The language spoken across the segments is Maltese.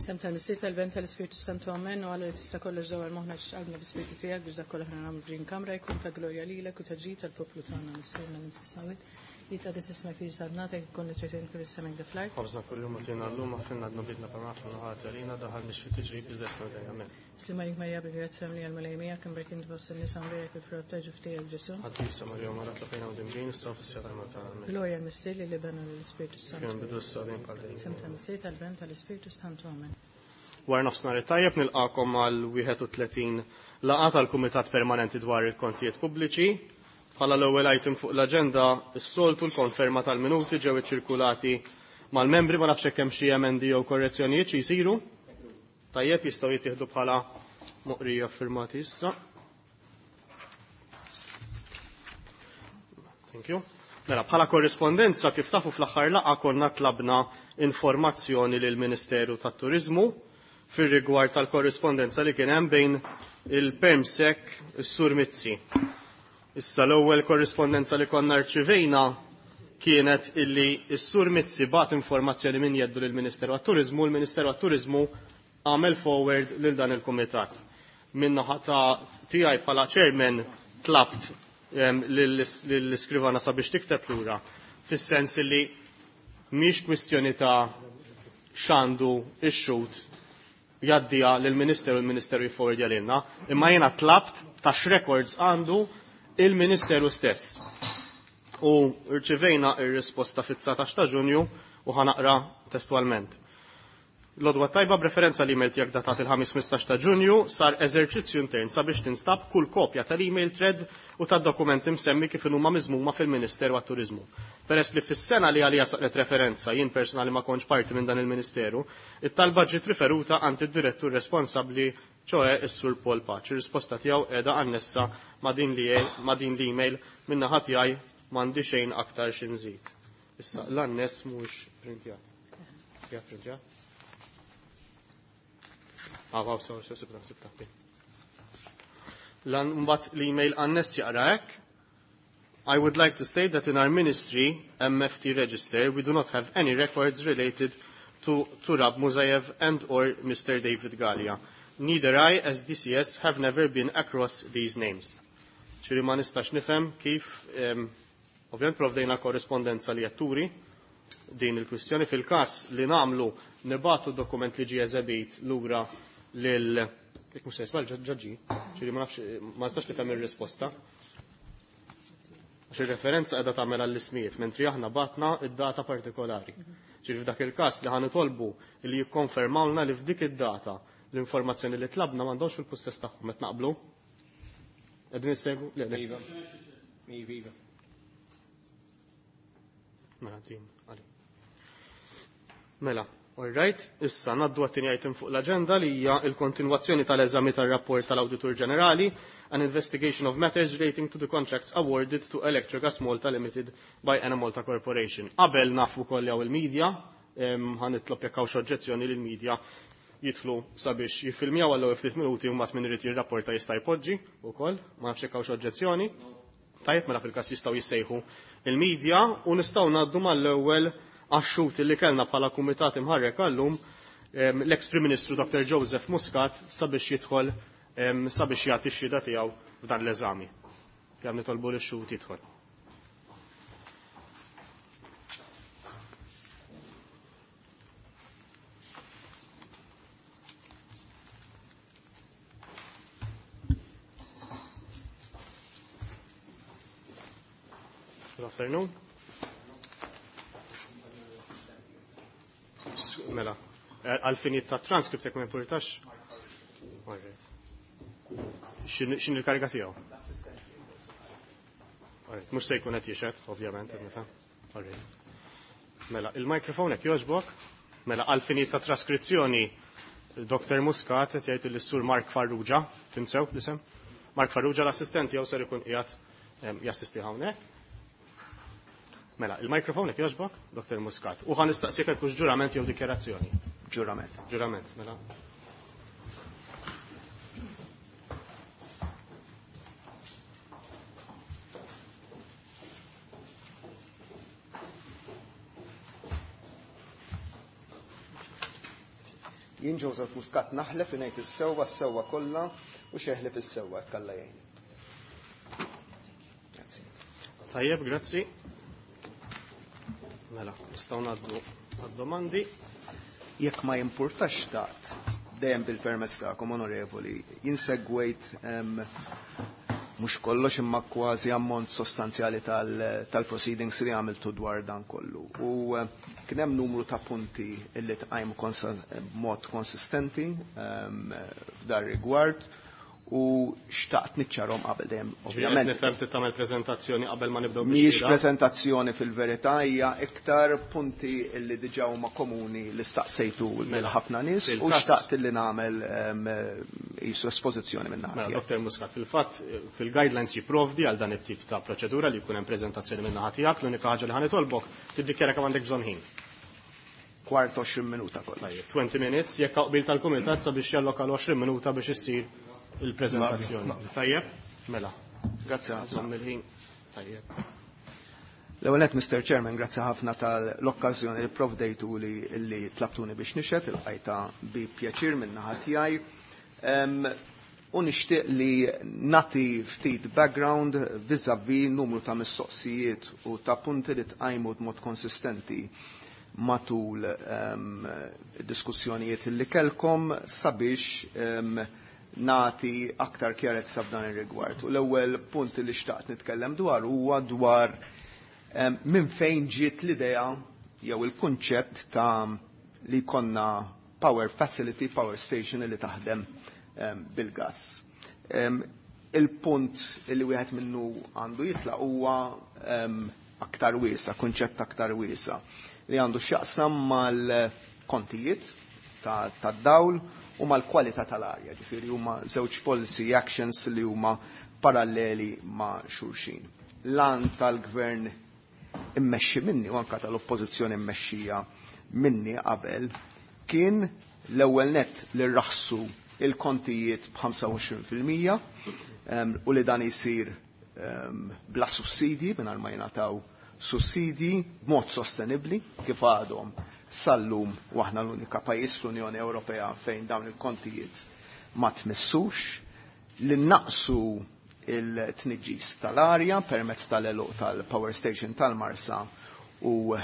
Sem tal-Missier tal-Ben tal-Ispirtu Santu Amen u għalla li tista' kollox dawar moħħna x'qalbna bi-Spirtu tiegħek biex dak kollu aħna nagħmlu f'din kamra jkun ta' glorja lilek u ta' ġid tal-poplu tagħna Missierna minn fis-smawit. Li ta' ismek li ġsadnatek ikun li trid kif is-semek da fl-art. Ħobżna kuljum agħtina llum aħfirna dnubietna bħalma aħna ħati għalina daħal mhix fit-tiġrib iżda esna dejjem. Amen. Sliem għalik Marija bil-grazzja mlija l-Mulej miegħek imberk int fost in-nisa mberek il-frott ta' ġuf tiegħek Ġesù. Qaddisa Marija Omm Alla tlabina u dimġin issa u fis-siegħa tal-mewt tagħna. Amen. Glorja l-Missier lill-Iben u lill-Ispirtu Kien Santu. bidu issa dejjem bħal dejjem. Sem tal-Missier tal-Ben tal-Ispirtu Santu. Amen. Wara nofsinhar it-tajjeb nilqakom għal 31 laqgħa tal-Kumitat Permanenti dwar il-Kontijiet Pubbliċi. Bħala l-ewwel item fuq l-aġenda s-soltu l-konferma tal-minuti ġew iċċirkulati mal-membri ma nafx hekk hemm xi emendi jew korrezzjonijiet xi jsiru. Tajjeb jistgħu jittieħdu bħala moqrija firmati issa. Thank you. Mela, bħala korrispondenza kif tafu fl-aħħar laqgħa konna tlabna informazzjoni lil Ministeru tat-Turiżmu fir-rigward tal-korrispondenza li kien hemm bejn il-Permsec is-Sur Mizzi. Issa l-ewwel korrispondenza li konna rċivejna kienet illi s-Sur Mizzi bat informazzjoni minn jeddu lill-Ministeru għat-Turiżmu, l-Ministeru għat-Turiżmu għamel forward lil dan il-kumitat. Minna ta' tiegħi bħala chairman tlabt lill-iskrivana sabiex tikteb lura fis-sens illi mhix kwistjoni ta' x'għandu ix-xhud jgħaddiha lill-Ministeru l-Ministeru jifforwardja lilna, imma jiena tlabt ta' x'records għandu il-Ministeru stess. U rċivejna ir-risposta fit-19 ta' Ġunju u ħanaqra testualment. L-odwa tajba b'referenza l-email tiegħek datat il-ħamis 15 ta' Ġunju sar eżerċizzju intern sabiex tinstab kull kopja tal-email thread u tad-dokumenti msemmi kif huma miżmuma fil-Ministeru għat-Turiżmu. Peress li fis-sena li għalija saret referenza jien personali ma kontx parti minn dan il-Ministeru, it-talba ġiet riferuta għand id-direttur responsabbli ċoe is-Sur Paul Paċ. Ir-risposta tiegħu qiegħda annessa ma' din li ma' din l-email min-naħa tiegħi m'għandi xejn aktar xi nżid. Issa l-anness mhuwiex printjat. Qiegħed printjat? Ah, wow, sorry, sorry, sibta, sibta. Lan mbagħad l-email anness jaqra hekk. I would like to state that in our ministry, MFT register, we do not have any records related to Turab Muzayev and or Mr. David Gallia. Neither I, as DCS, have never been across these names. ċiri ma nistax nifhem kif, ovvjament provdejna korrespondenza li jatturi din il-kwistjoni fil-kas li namlu nibatu dokument li ġie eżebit lura lil jekk mhux se jisma' ġaġġi, ċiri ma nafx ma nistax nifhem ir-risposta. Għax ir-referenza qiegħda tagħmel għall-ismijiet, mentri aħna batna id-data partikolari. Ċiri f'dak il-każ li ħanitolbu li jikkonfermawlna li f'dik id-data l-informazzjoni li tlabna m'għandhomx fil-pussess tagħhom qed naqblu. Qegħdin issegwu? Le, le. Iva. Iva, iva. Mela, din, għali. Mela, all right, issa naddu għat-tieni item fuq l-agenda li hija il-kontinwazzjoni tal-eżami tal-rapport tal-Awditur Ġenerali an investigation of matters relating to the contracts awarded to Electrogas Malta Limited by Enemalta Corporation. Qabel nafu koll jew il-medja, ħanitlob jekk hawn xi oġġezzjoni lil media jidħlu sabiex jiffilmjaw għal ftit minuti u mbagħad min irid jirrapporta jista' jpoġġi wkoll, ma nafx jekk hawn xi oġġezzjoni. Tajjeb, mela fil-każ jistgħu jissejħu il-medja u nistgħu ngħaddu mal-ewwel għax-xhud li kellna bħala kumitat imħarrek għallum l-ex Prim Ministru Dr. Joseph Muscat sabiex jidħol sabiex jagħti x-xhieda tiegħu f'dan l-eżami. Kemm nitolbu lix-xhud jidħol. Good afternoon. Mela, għal-finit ta' transcript jekk ma importax. Xin il-kariga tiegħu? Alright, mhux se jkun qed jixhed, ovvjament, qed nifhem. Alright. Mela, il-mikrofon hekk jogħġbok. Mela, għal-finit ta' traskrizzjoni, Dr. Muscat qed jgħid lis-Sur Mark Farrugia, fim sew l-isem? Mark Farrugia l-assistent jew ser ikun qiegħed jassisti hawnhekk. Mela, il-mikrofon jekk jogħġbok, Dr. Muscat. U ħa nistaqsik jekk hux ġurament jew dikjarazzjoni. Ġurament. Ġurament, mela. Jien Joseph Muscat naħlef li ngħid is-sewwa, s-sewwa kollha u xejn ħlief is-sewwa, jekk Alla jgħinni. Grazzi. Tajjeb, grazzi. Mela, nistgħu ngħaddu għad-domandi. Jekk ma jimpurtax xtaqt, dejjem bil-permess tagħkom, onorevoli, jien segwejt mhux kollox imma kważi ammont sostanzjali tal-proceedings li għamiltu dwar dan kollu. U kien hemm numru ta' punti li tqajmu b'mod konsistenti f'dar rigward u xtaqt niċċarhom qabel dejjem, ovvjament. Nifhem trid tagħmel preżentazzjoni qabel ma nibdew. Mhijiex preżentazzjoni fil-verità, hija iktar punti li diġà huma komuni li staqsejtu lil ħafna nies u xtaqt li nagħmel qisu espożizzjoni minn naħa. Mela, Dr. Muscat, fil-fatt fil-guidelines jipprovdi għal dan it-tip ta' proċedura li jkun hemm preżentazzjoni minn naħa tiegħek, l-unika ħaġa li ħanitolbok tiddikjara kemm għandek bżonn ħin. Kwart 20 minuta kollox. 20 minutes, jekk qbil tal-kumitat sabiex jalloka 20 minuta biex issir il-prezentazzjoni. Tajjeb? Mela. Grazzi ħafna. Il-ħin. Tajjeb. L-ewwel nett, Mr. Chairman, grazzi ħafna tal-okkażjoni li provdejtu li tlabtuni biex nixhed, il-qajta bi pjaċir minn naħa tiegħi. U nixtieq li nagħti ftit background vis-a-vis numru ta' mistoqsijiet u ta' punti li tqajmu b'mod konsistenti matul diskussjonijiet li kelkom sabiex nati aktar kjarezza f'dan ir-rigward. U l-ewwel punt li xtaqt nitkellem dwar huwa dwar minn fejn ġiet l-idea jew il-kunċett ta' li konna power facility, power station li taħdem bil-gas. Il-punt li wieħed minnu għandu jitlaq huwa aktar wiesa, kunċett aktar wiesa, li għandu x'jaqsam mal-kontijiet tad-dawl u mal-kwalità tal-arja, ġifieri huma żewġ policy actions li huma paralleli ma' xulxin. L-għan tal-gvern immexxi minni u anka tal-oppożizzjoni immexxija minni qabel kien l-ewwel nett li rraħsu il-kontijiet b'25% u li dan isir bla sussidji, mingħajr ma jingħataw sussidji b'mod sostenibbli kif għadhom sal-lum, u aħna l-unika pajjiż fl-Unjoni Ewropea fejn dawn il-kontijiet ma tmissux, li naqsu il-tniġġis tal-arja permezz tal-għeluq tal-power station tal-Marsa u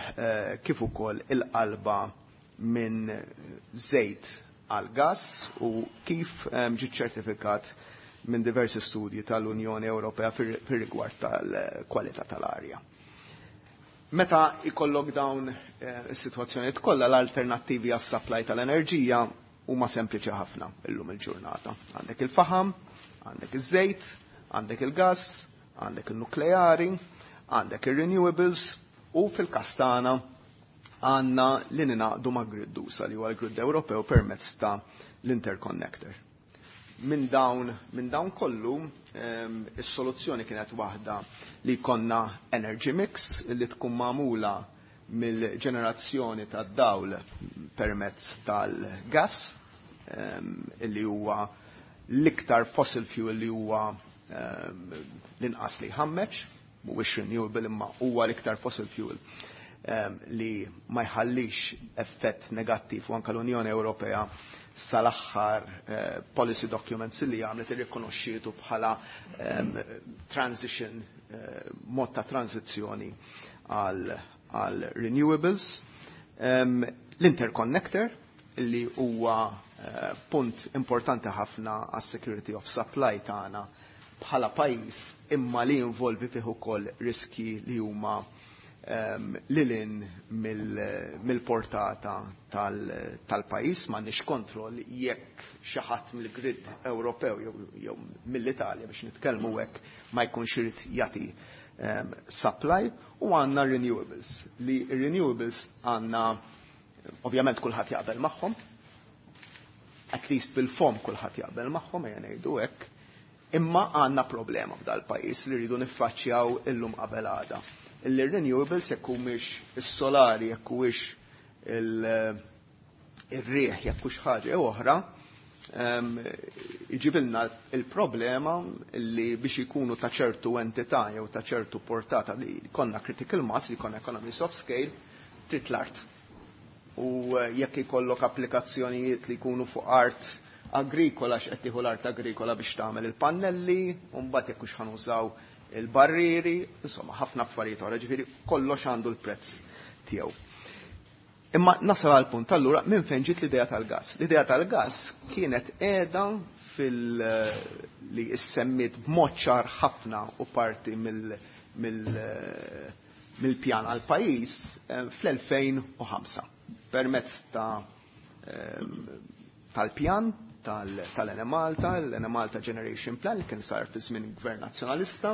kif ukoll il-qalba minn żejt għal gas u kif ġi ċertifikat minn diversi studji tal-Unjoni Ewropea fir-rigward tal-kwalità tal-arja. Meta ikollok dawn is-sitwazzjonijiet kollha, l-alternattivi għas-supply tal-enerġija huma sempliċi ħafna illum il-ġurnata. Għandek il-faħam, għandek iż-żejt, għandek il-gas, għandek il-nukleari, għandek il-renewables u fil-kastana għandna li ninaqdu ma' grid usa' li huwa l-grid Ewropew permezz ta' l-interconnector. Min dawn kollu, is-soluzzjoni kienet waħda li konna energy mix li tkun magħmula mill-ġenerazzjoni tad-dawl permezz tal-gas, li huwa l-iktar fossil fuel li huwa l-inqas li ħammeċ, mhuwiex renewable imma huwa l-iktar fossil fuel li ma jħallix effett negattiv, u anka l-Unjoni Ewropea sal-aħħar policy documents li għamlet irrikonoxxietu bħala transition, mod ta' transizzjoni għal renewables. L-interconnector li huwa punt importanti ħafna għas security of supply tagħna bħala pajjiż, imma li involvi fih ukoll riski li huma lilin mill-portata tal-pajjiż, m'għandniex kontroll jekk xi ħadd mill-grid Ewropew jew mill-Italja, biex nitkellmu hekk, ma jkunx irid jagħti supply, u għandna renewables. Li renewables għandna ovvjament kulħadd jaqbel magħhom, at least bil-fom kulħadd jaqbel magħhom, ejja ngħidu hekk, imma għandna problema f'dal pajjiż li rridu niffaċċjaw illum qabel għada. Illi renewables, jekk humiex is-solari, jekk huwiex ir-riħ, jekk hux ħaġa jew oħra, iġibilna il-problema li biex ikunu ta' ċertu entità jew ta' ċertu portata li konna critical mass, li konna economies of scale, trid l-art. U jekk ikollok applikazzjonijiet li jkunu fuq art agrikola, x'qed tieħu l-art agrikola biex tagħmel il-pannelli, u mbagħad jekk hux ħanużaw il-barrieri, insomma ħafna affarijiet oħra, ġifieri kollox għandu l-prezz tiegħu. Imma nasal għal punt allura minn fejn ġiet l-idea tal-gas. L-idea tal-gas kienet qiegħda fil li issemmit b'mod ċar ħafna u parti mill-pjan għal pajjiż fl-2005 permezz ta' tal-pjan tal-Enemalta, l-Enemalta Generation Plan li kien sar fi żmien Gvern Nazzjonalista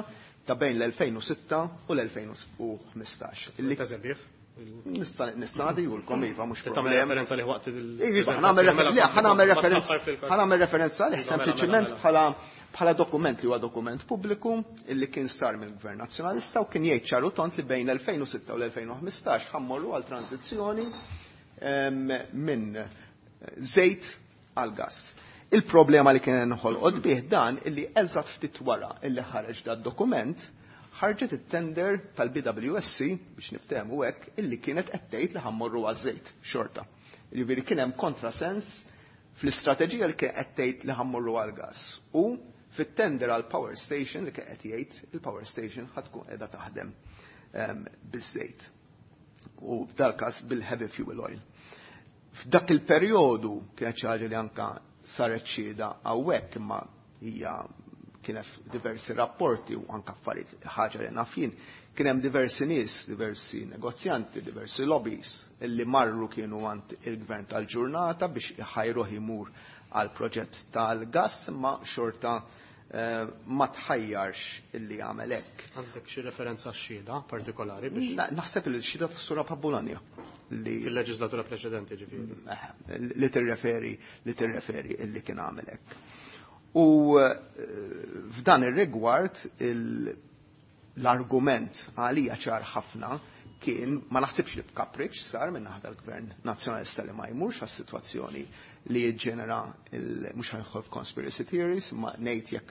ta' bejn l-2006 u l-2015. Nista' nagħtihulkom, iva, mhux Tagħmel referenza li waqt il- Iva, ħa nagħmel referenza għalih sempliċiment bħala dokument li huwa dokument pubbliku illi kien sar mill-Gvern Nazzjonalista u kien jgħid ċar u tond li bejn l-2006 u l-2015 ħa mmorru għal tranzizzjoni minn żejt għal gas. Il-problema li kien nħolqot bih dan illi eżatt ftit wara illi ħareġ dat dokument ħarġet it-tender tal-BWSC, biex niftehmu hekk, illi kienet qed tgħid li ħa mmorru għaż-żejt xorta. Jiġifieri kien hemm kontrasens fl-istrateġija li kien qed tgħid li ħa mmorru għall-gas u fit-tender għal power station li kien qed jgħid il-power station ħa tkun qiegħda taħdem biż-żejt. U f'dal-każ bil-heavy fuel oil. F'dak il-perjodu kienet xi ħaġa li anka saret xhieda hawnhekk, imma hija kien hemm diversi rapporti u anka affarijiet, ħaġa li naf jien, kien hemm diversi nies, diversi negozjanti, diversi lobbies illi marru kienu għand il-gvern tal-ġurnata biex iħajruh imur għal proġett tal-gas, imma xorta ma tħajjarx illi jagħmel hekk. Għandek xi referenza xhieda partikolari biex Naħseb li x-xhieda tas-Sur Bologna li fil-leġislatura preċedenti, ġifieri. Li tirreferi illi kien għamel hekk. U f'dan ir-rigward l-argument għalija ċar ħafna kien, ma naħsibx li b'kapriċ sar minn naħa tal-Gvern Nazzjonalista li ma jmurx għas-sitwazzjoni li jiġġenera, mhux ħa nidħol f'conspiracy theories, ma ngħid jekk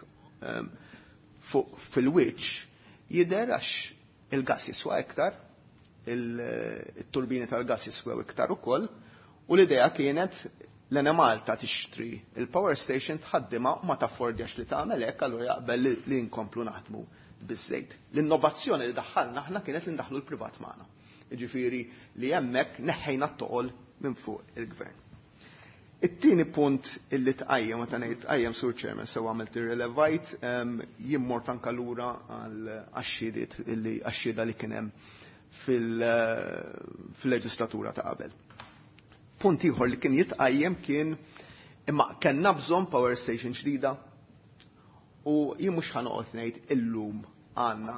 fuq fil-wiċċ jidher għax il-gas jiswa iktar, il-turbini tal-gas jiswew iktar ukoll, u l-idea kienet l-Enemalta tixtri il-power station, tħaddima, u ma taffordjax li tagħmel hekk, allura jaqbel li nkomplu naħdmu biż-żejt. L-innovazzjoni li daħħalna aħna kienet li ndaħlu l-privat magħna. Jiġifieri li hemmhekk neħħejna t-toqol minn fuq il-gvern. It-tieni punt illi tqajjem, meta ngħid tqajjem, Sur Chairman, sew għamilt irrelevajt, jien mort anka lura għal għax-xhidiet illi għax-xhieda li kien hemm fil-leġislatura ta' qabel. Punt ieħor li kien jitqajjem kien imma kellna bżonn power station ġdida, u jien mhux ħa noqgħod ngħid illum għandna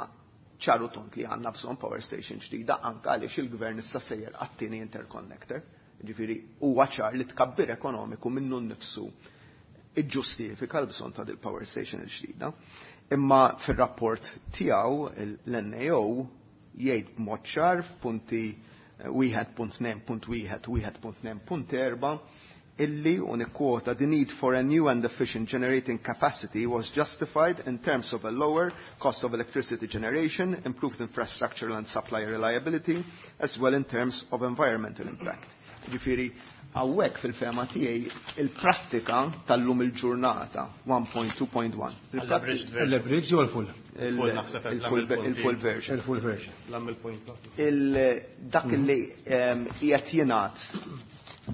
ċaru tont li għandna bżonn power station ġdida, anka għaliex il-gvern issa sejjer għat-tieni interconnector. Ġifieri huwa ċar li tkabbir ekonomiku minnu nnifsu iġġustifika l-bżonn ta' dil-power station il-ġdida. Imma fir-rapport tiegħu l-NAO jgħid b'mod ċar f'punti 1.2.1 u 1.2.4 illi, u nikkwota, "The need for a new and efficient generating capacity was justified in terms of a lower cost of electricity generation, improved infrastructure and supply reliability, as well in terms of environmental impact." Ġifieri, hawnhekk fil-fehma tiegħi il-prattika tal-lum il-ġurnata 1.2.1. L-abridged jew l-full? Full naħseb qed Il-full version. Il-full version. Lam il-point. Dak li qiegħed jingħad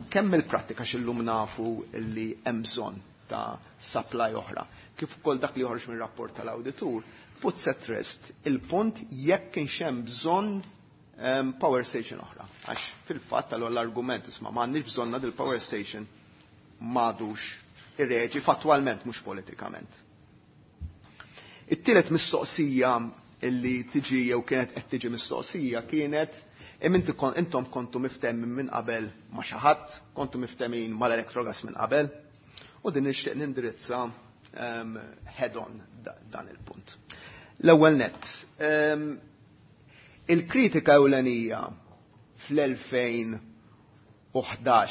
kemm il-prattika x'illum nafu li hemm bżonn ta' supply oħra, kif ukoll dak li joħroġ mir-rapport tal-awditur, puts at rest il-punt jekk kienx hemm bżonn power station oħra. Għax fil-fatt allura l-argument isma' m'għandniex bżonna dil-power station m'għadux irreġi fattwalment, mhux politikament. It-tielet mistoqsija illi tiġi jew kienet qed tiġi mistoqsija kienet intom kontu miftemin minn qabel ma' xi ħadd, kontu miftemin mal-Electrogas minn qabel, u din nixtieq nindirizza head on dan il-punt. L-ewwel nett, il-kritika ewlenija fl-2011,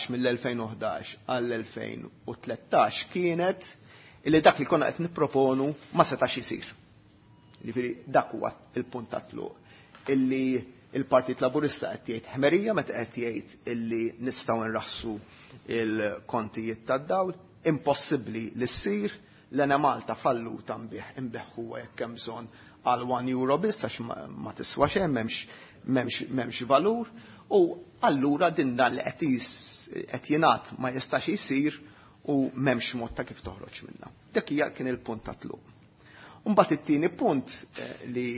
mill-2011 għall-2013, kienet illi dak li konna qed nipproponu ma setax isir. Jiġifieri dak huwa il-punt ta' tluq. Illi Il-Partit Laburista qed jgħid ħmerija meta qed jgħid illi nistgħu nraħsu il-kontijiet tad-dawl, impossibbli li ssir, l-Enemalta falluta nbigħuha jekk hemm bżonn għal 1 euro biss għax ma tiswa xejn, m'hemmx valur, u allura din dan li qed jingħad ma jistax isir u m'hemmx mod ta' kif toħroġ minnha. Dak hija kien il-punt ta' tluq. Mbagħad it-tieni punt li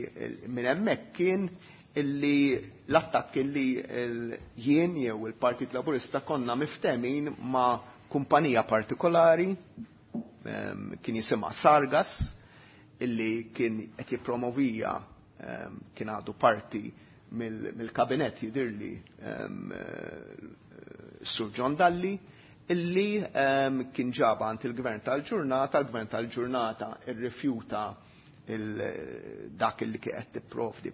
minn hemmhekk kien illi l-attakk illi jien jew il-Partit Laburista konna miftemin ma' kumpanija partikolari, kien jisimha Sargas, illi kien qed jippromovija, kien għadu parti mill-kabinet jidirli Sur John Dalli, illi kien ġaba għand il-gvern tal-ġurnata, il-gvern tal-ġurnata irrifjuta dak illi kien qed tipprovdi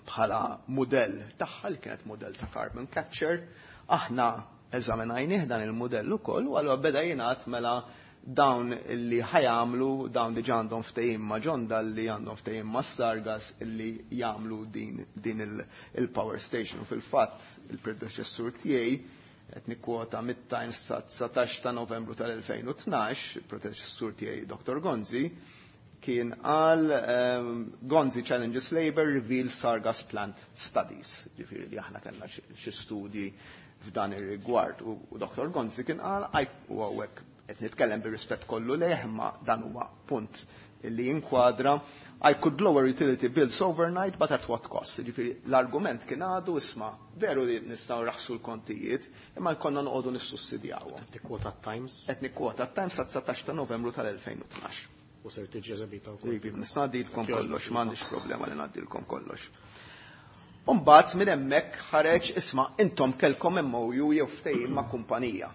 bħala modell tagħha, li kienet modell ta' carbon capture. Aħna eżaminajnih dan il-modell ukoll, u allura beda jingħad mela dawn li ħajamlu, dawn diġà għandhom ftehim ma' John Dalli, għandhom ftehim ma' Sargas illi jagħmlu din il-power station. U fil-fatt il-predeċessur tiegħi, qed nikkwota mid-Times sa 19 ta' Novembru tal-2012, il-predeċessur tiegħi Dr. Gonzi kien qal Gonzi challenges Labour reveals Sargas plant studies. Ġifieri li aħna kellna xi studji f'dan ir-rigward, u Dr. Gonzi kien qal, u hawnhekk qed nitkellem bir-rispett kollu lejh, imma dan huwa punt li jinkwadra, I could lower utility bills overnight, but at what cost? Ġifieri l-argument kien għadu, isma' veru li nistgħu raħsu l-kontijiet, imma jkollna noqogħdu nissussidjawhom. Qed tikkwota Times? Qed nikkwota Times sa 19 ta' Novembru tal-2012. U ser tiġi eżebita wkoll. Iva, nista' ngħaddilkom kollox, m'għandix problema li ngħaddilkom kollox. Umbagħad minn hemmhekk ħareġ, isma' intom kellkom MOU jew ftehim ma' kumpanija.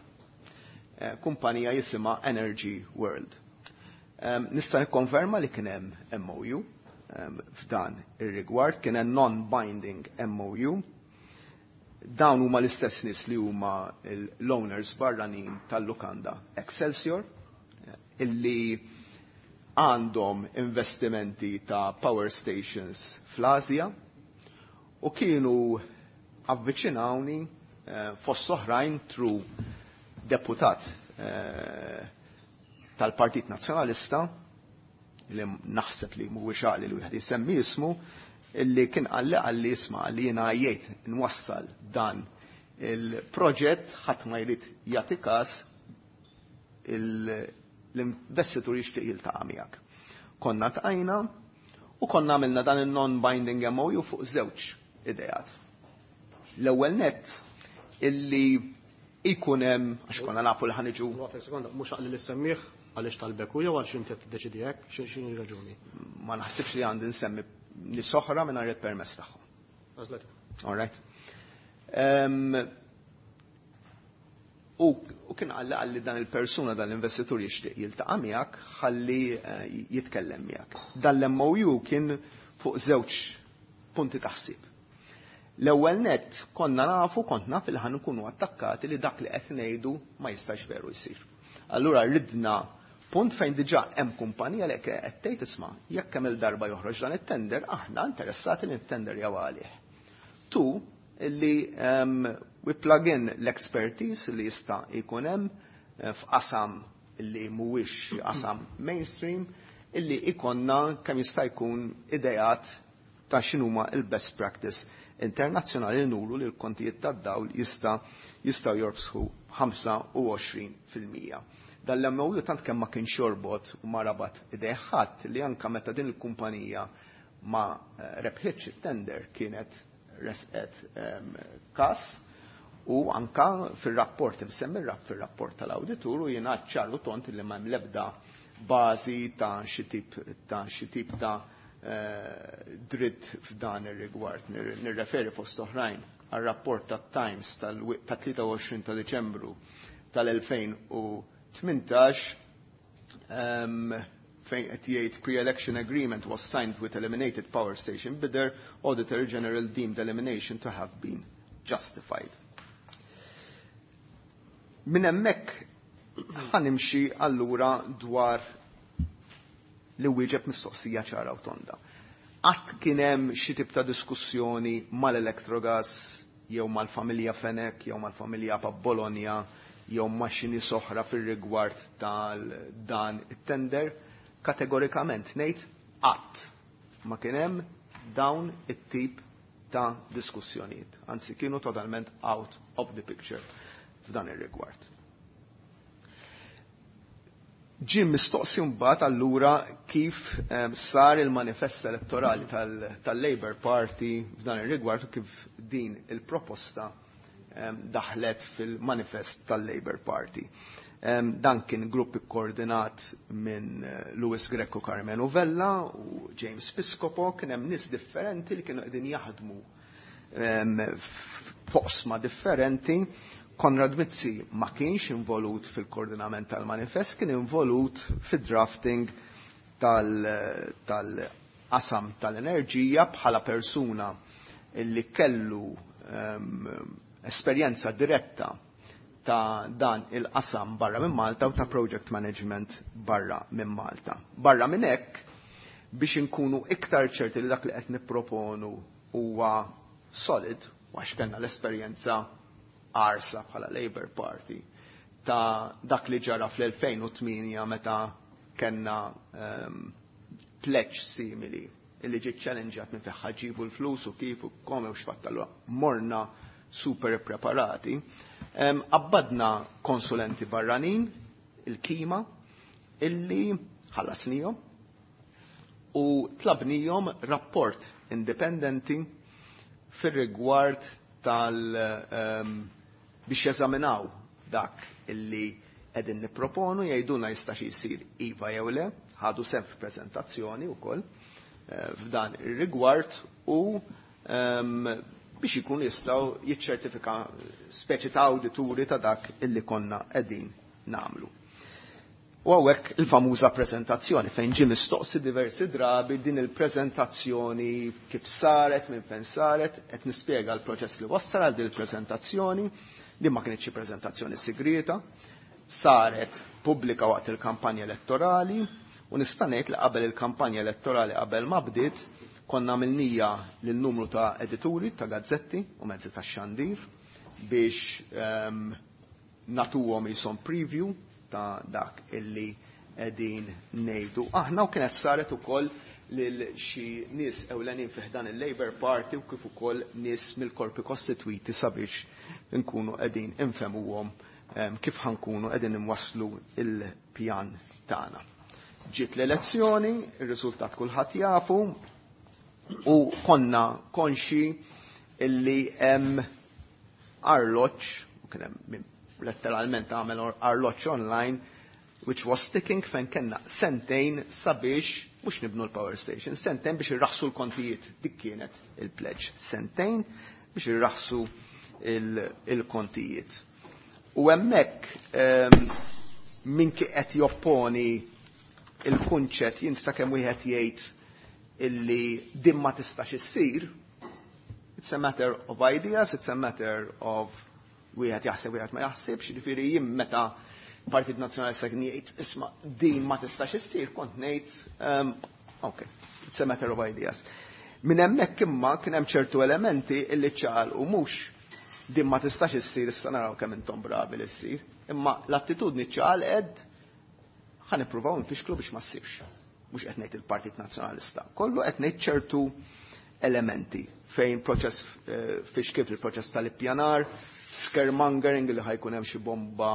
Kumpanija jisimha Energy World. Nista' nikkonferma li kien hemm MOU f'dan ir-rigward, kien hemm non-binding MOU. Dawn huma l-istess nies li huma l-owners barranin tal-lukanda Excelsior, illi għandhom investimenti ta' power stations fl-Asja, u kienu avviċinawni fost oħrajn through deputat tal-Partit Nazzjonalista, li naħseb li mhuwiex għaqli li wieħed jsemmi ismu, illi kien qalli isma' li jiena jgħid nwassal dan il-proġett, ħadd ma jrid jagħti każ, l-investitur jixtieq jiltaqa' miegħek. Konna tqajna u konna għamilna dan il-non-binding MOU fuq żewġ idejat. L-ewwel nett illi ikun hemm, għax konna nafu li ħaniġu. Waqf sekonda, mhux għaqli li semmih għaliex talbek u jew għaliex inti qed tiddeċidi hekk, x'inhi raġuni? Ma naħsibx li għandi nsemmi nies oħra mingħajr il-permess tagħhom. Għażlet. All right. U kien qalli dan il-persuna, dan l-investitur jixtieq jiltaqa' miegħek ħalli jitkellem miegħek. Dan l-MOU kien fuq żewġ punti taħsib. L-ewwel nett konna nafu, kont naf li ħan nkunu attakkati li dak li qed ngħidu ma jistax veru jsir. Allura ridna punt fejn diġà hemm kumpanija li qed tgħid isma' jekk hemm il-darba joħroġ dan it-tender, aħna interessati li t-tender jew għalih. Tu li we plug in l-expertise li jista' jkun hemm f'qasam li mhuwiex qasam mainstream, illi ikonna kemm jista' jkun idejat ta' x'inhuma il-best practice internazzjonali nuru li l-kontijiet tad-dawl jistgħu jorbsħu 25%. Dan l-MOU tant kemm ma kienx jorbot u ma rabat idejh ħadd li anka meta din il-kumpanija ma rebħitx it-tender kienet resqet kas, u anka fir-rapport imsemmi fir-rapport tal-awditur u jingħad ċar u tont li ma hemm l-ebda bażi ta' xi tip ta' xi tip ta' dritt f'dan ir-rigward. Nirreferi fost oħrajn għar-rapport tat-Times ta' 23 ta' Diċembru tal-2018, fejn qed jgħid pre-election agreement was signed with eliminated power station bidder, Auditor General deemed elimination to have been justified. Minn hemmhekk ħanimxi allura dwar li wieġeb mistoqsija ċara u tonda. Qatt kien hemm xi tip ta' diskussjoni mal-Electrogas jew mal-familja Fenech jew mal-familja Apap Bologna jew ma' xi nies oħra fir-rigward tal-dan it-tender, kategorikament ngħid qatt ma kien hemm dawn it-tip ta' diskussjonijiet. Anzi, kienu totalment out of the picture f'dan ir-rigward. Ġie mistoqsi mbagħad allura kif sar il-manifest elettorali tal-Labour Party f'dan ir-rigward u kif din il-proposta daħlet fil-manifest tal-Labour Party. Dan kien grupp ikkoordinat minn Louis Grech u Karmenu Vella u James Piscopo, kien hemm nies differenti li kienu qegħdin jaħdmu f'oqsma differenti. Konrad Mizzi ma kienx involut fil-koordinament tal-manifest, kien involut fid-drafting tal-qasam tal-enerġija bħala persuna li kellu esperjenza diretta ta' dan il-qasam barra minn Malta u ta' project management barra minn Malta. Barra minn hekk, biex inkunu iktar ċerti li dak li qed nipproponu huwa solid, għax kellna l-esperjenza arsa bħala Labour Party ta' dak li ġara fl-2008 meta kellna pledge simili illi ġiet challengeat minn fejn ġibu l-flus u kif u kome u x'fattallu, morna super preparati. Abbadna konsulenti barranin, il-kima, illi ħallasnihom u tlabnihom rapport indipendenti fir-rigward tal biex jeżaminaw dak illi qegħdin nipproponu, jgħidulna jistax jsir iva jew le, ħadu sehem f'preżentazzjoni wkoll f'dan ir-rigward u biex ikun jistgħu jiċċertifika speċi ta' awdituri ta' dak illi konna qegħdin nagħmlu. U hawnhekk il-famuża preżentazzjoni fejn ġie mistoqsi diversi drabi din il-preżentazzjoni kif saret, minn fejn saret, qed nispjega l-proċess li wassal għal din il-preżentazzjoni. Din ma kienx xi preżentazzjoni segreta, saret pubblika waqt il-kampanja elettorali u nista' ngħid li qabel il-kampanja elettorali, qabel ma bdiet, konna għamilnieha lil numru ta' edituri ta' gazzetti u mezzi ta' xandir biex nagħtuhom jisom preview ta' dak illi qegħdin ngħidu. Aħna u kienet saret ukoll lil xi nies ewlenin fi ħdan il-Labour Party u kif ukoll nies mill-korpi kostitwiti sabiex nkunu qegħdin infehmuhom kif ħa nkunu qegħdin imwasslu il-pjan tagħna. Ġiet l-elezzjoni, ir-riżultat kulħadd jafu u konna konxi illi hemm arloġġ, u kien hemm letteralment għamel arloġġ online, which was ticking, fejn kellna sentejn sabiex mhux nibnu l-power station, sentejn biex irraħsu l-kontijiet. Dik kienet il-pledge. Sentejn biex irraħsu il-kontijiet. U hemmhekk min qed jopponi il-kunċett jinsa kemm wieħed jgħid illi din ma tistax issir, it's a matter of ideas, it's a matter of wieħed jaħseb, wieħed ma jaħsibx, jiġifieri jien meta Partit Nazzjonalista kien jgħid isma' din ma tistax issir, kont ngħid ok, it's a matter of ideas. Minn hemmhekk imma kien hemm ċertu elementi illi ċal u mhux din ma tistax issir, issa naraw kemm intom bravi li ssir, imma l-attitudni ċal ed ħa nippruvaw nfixklu biex ma ssirx. Mhux qed ngħid il-Partit Nazzjonalista. Kollu, qed ngħid ċertu elementi fejn proċess fiex kif il-proċess tal-ippjanar, scaremongering li ħa jkun hemm xi bomba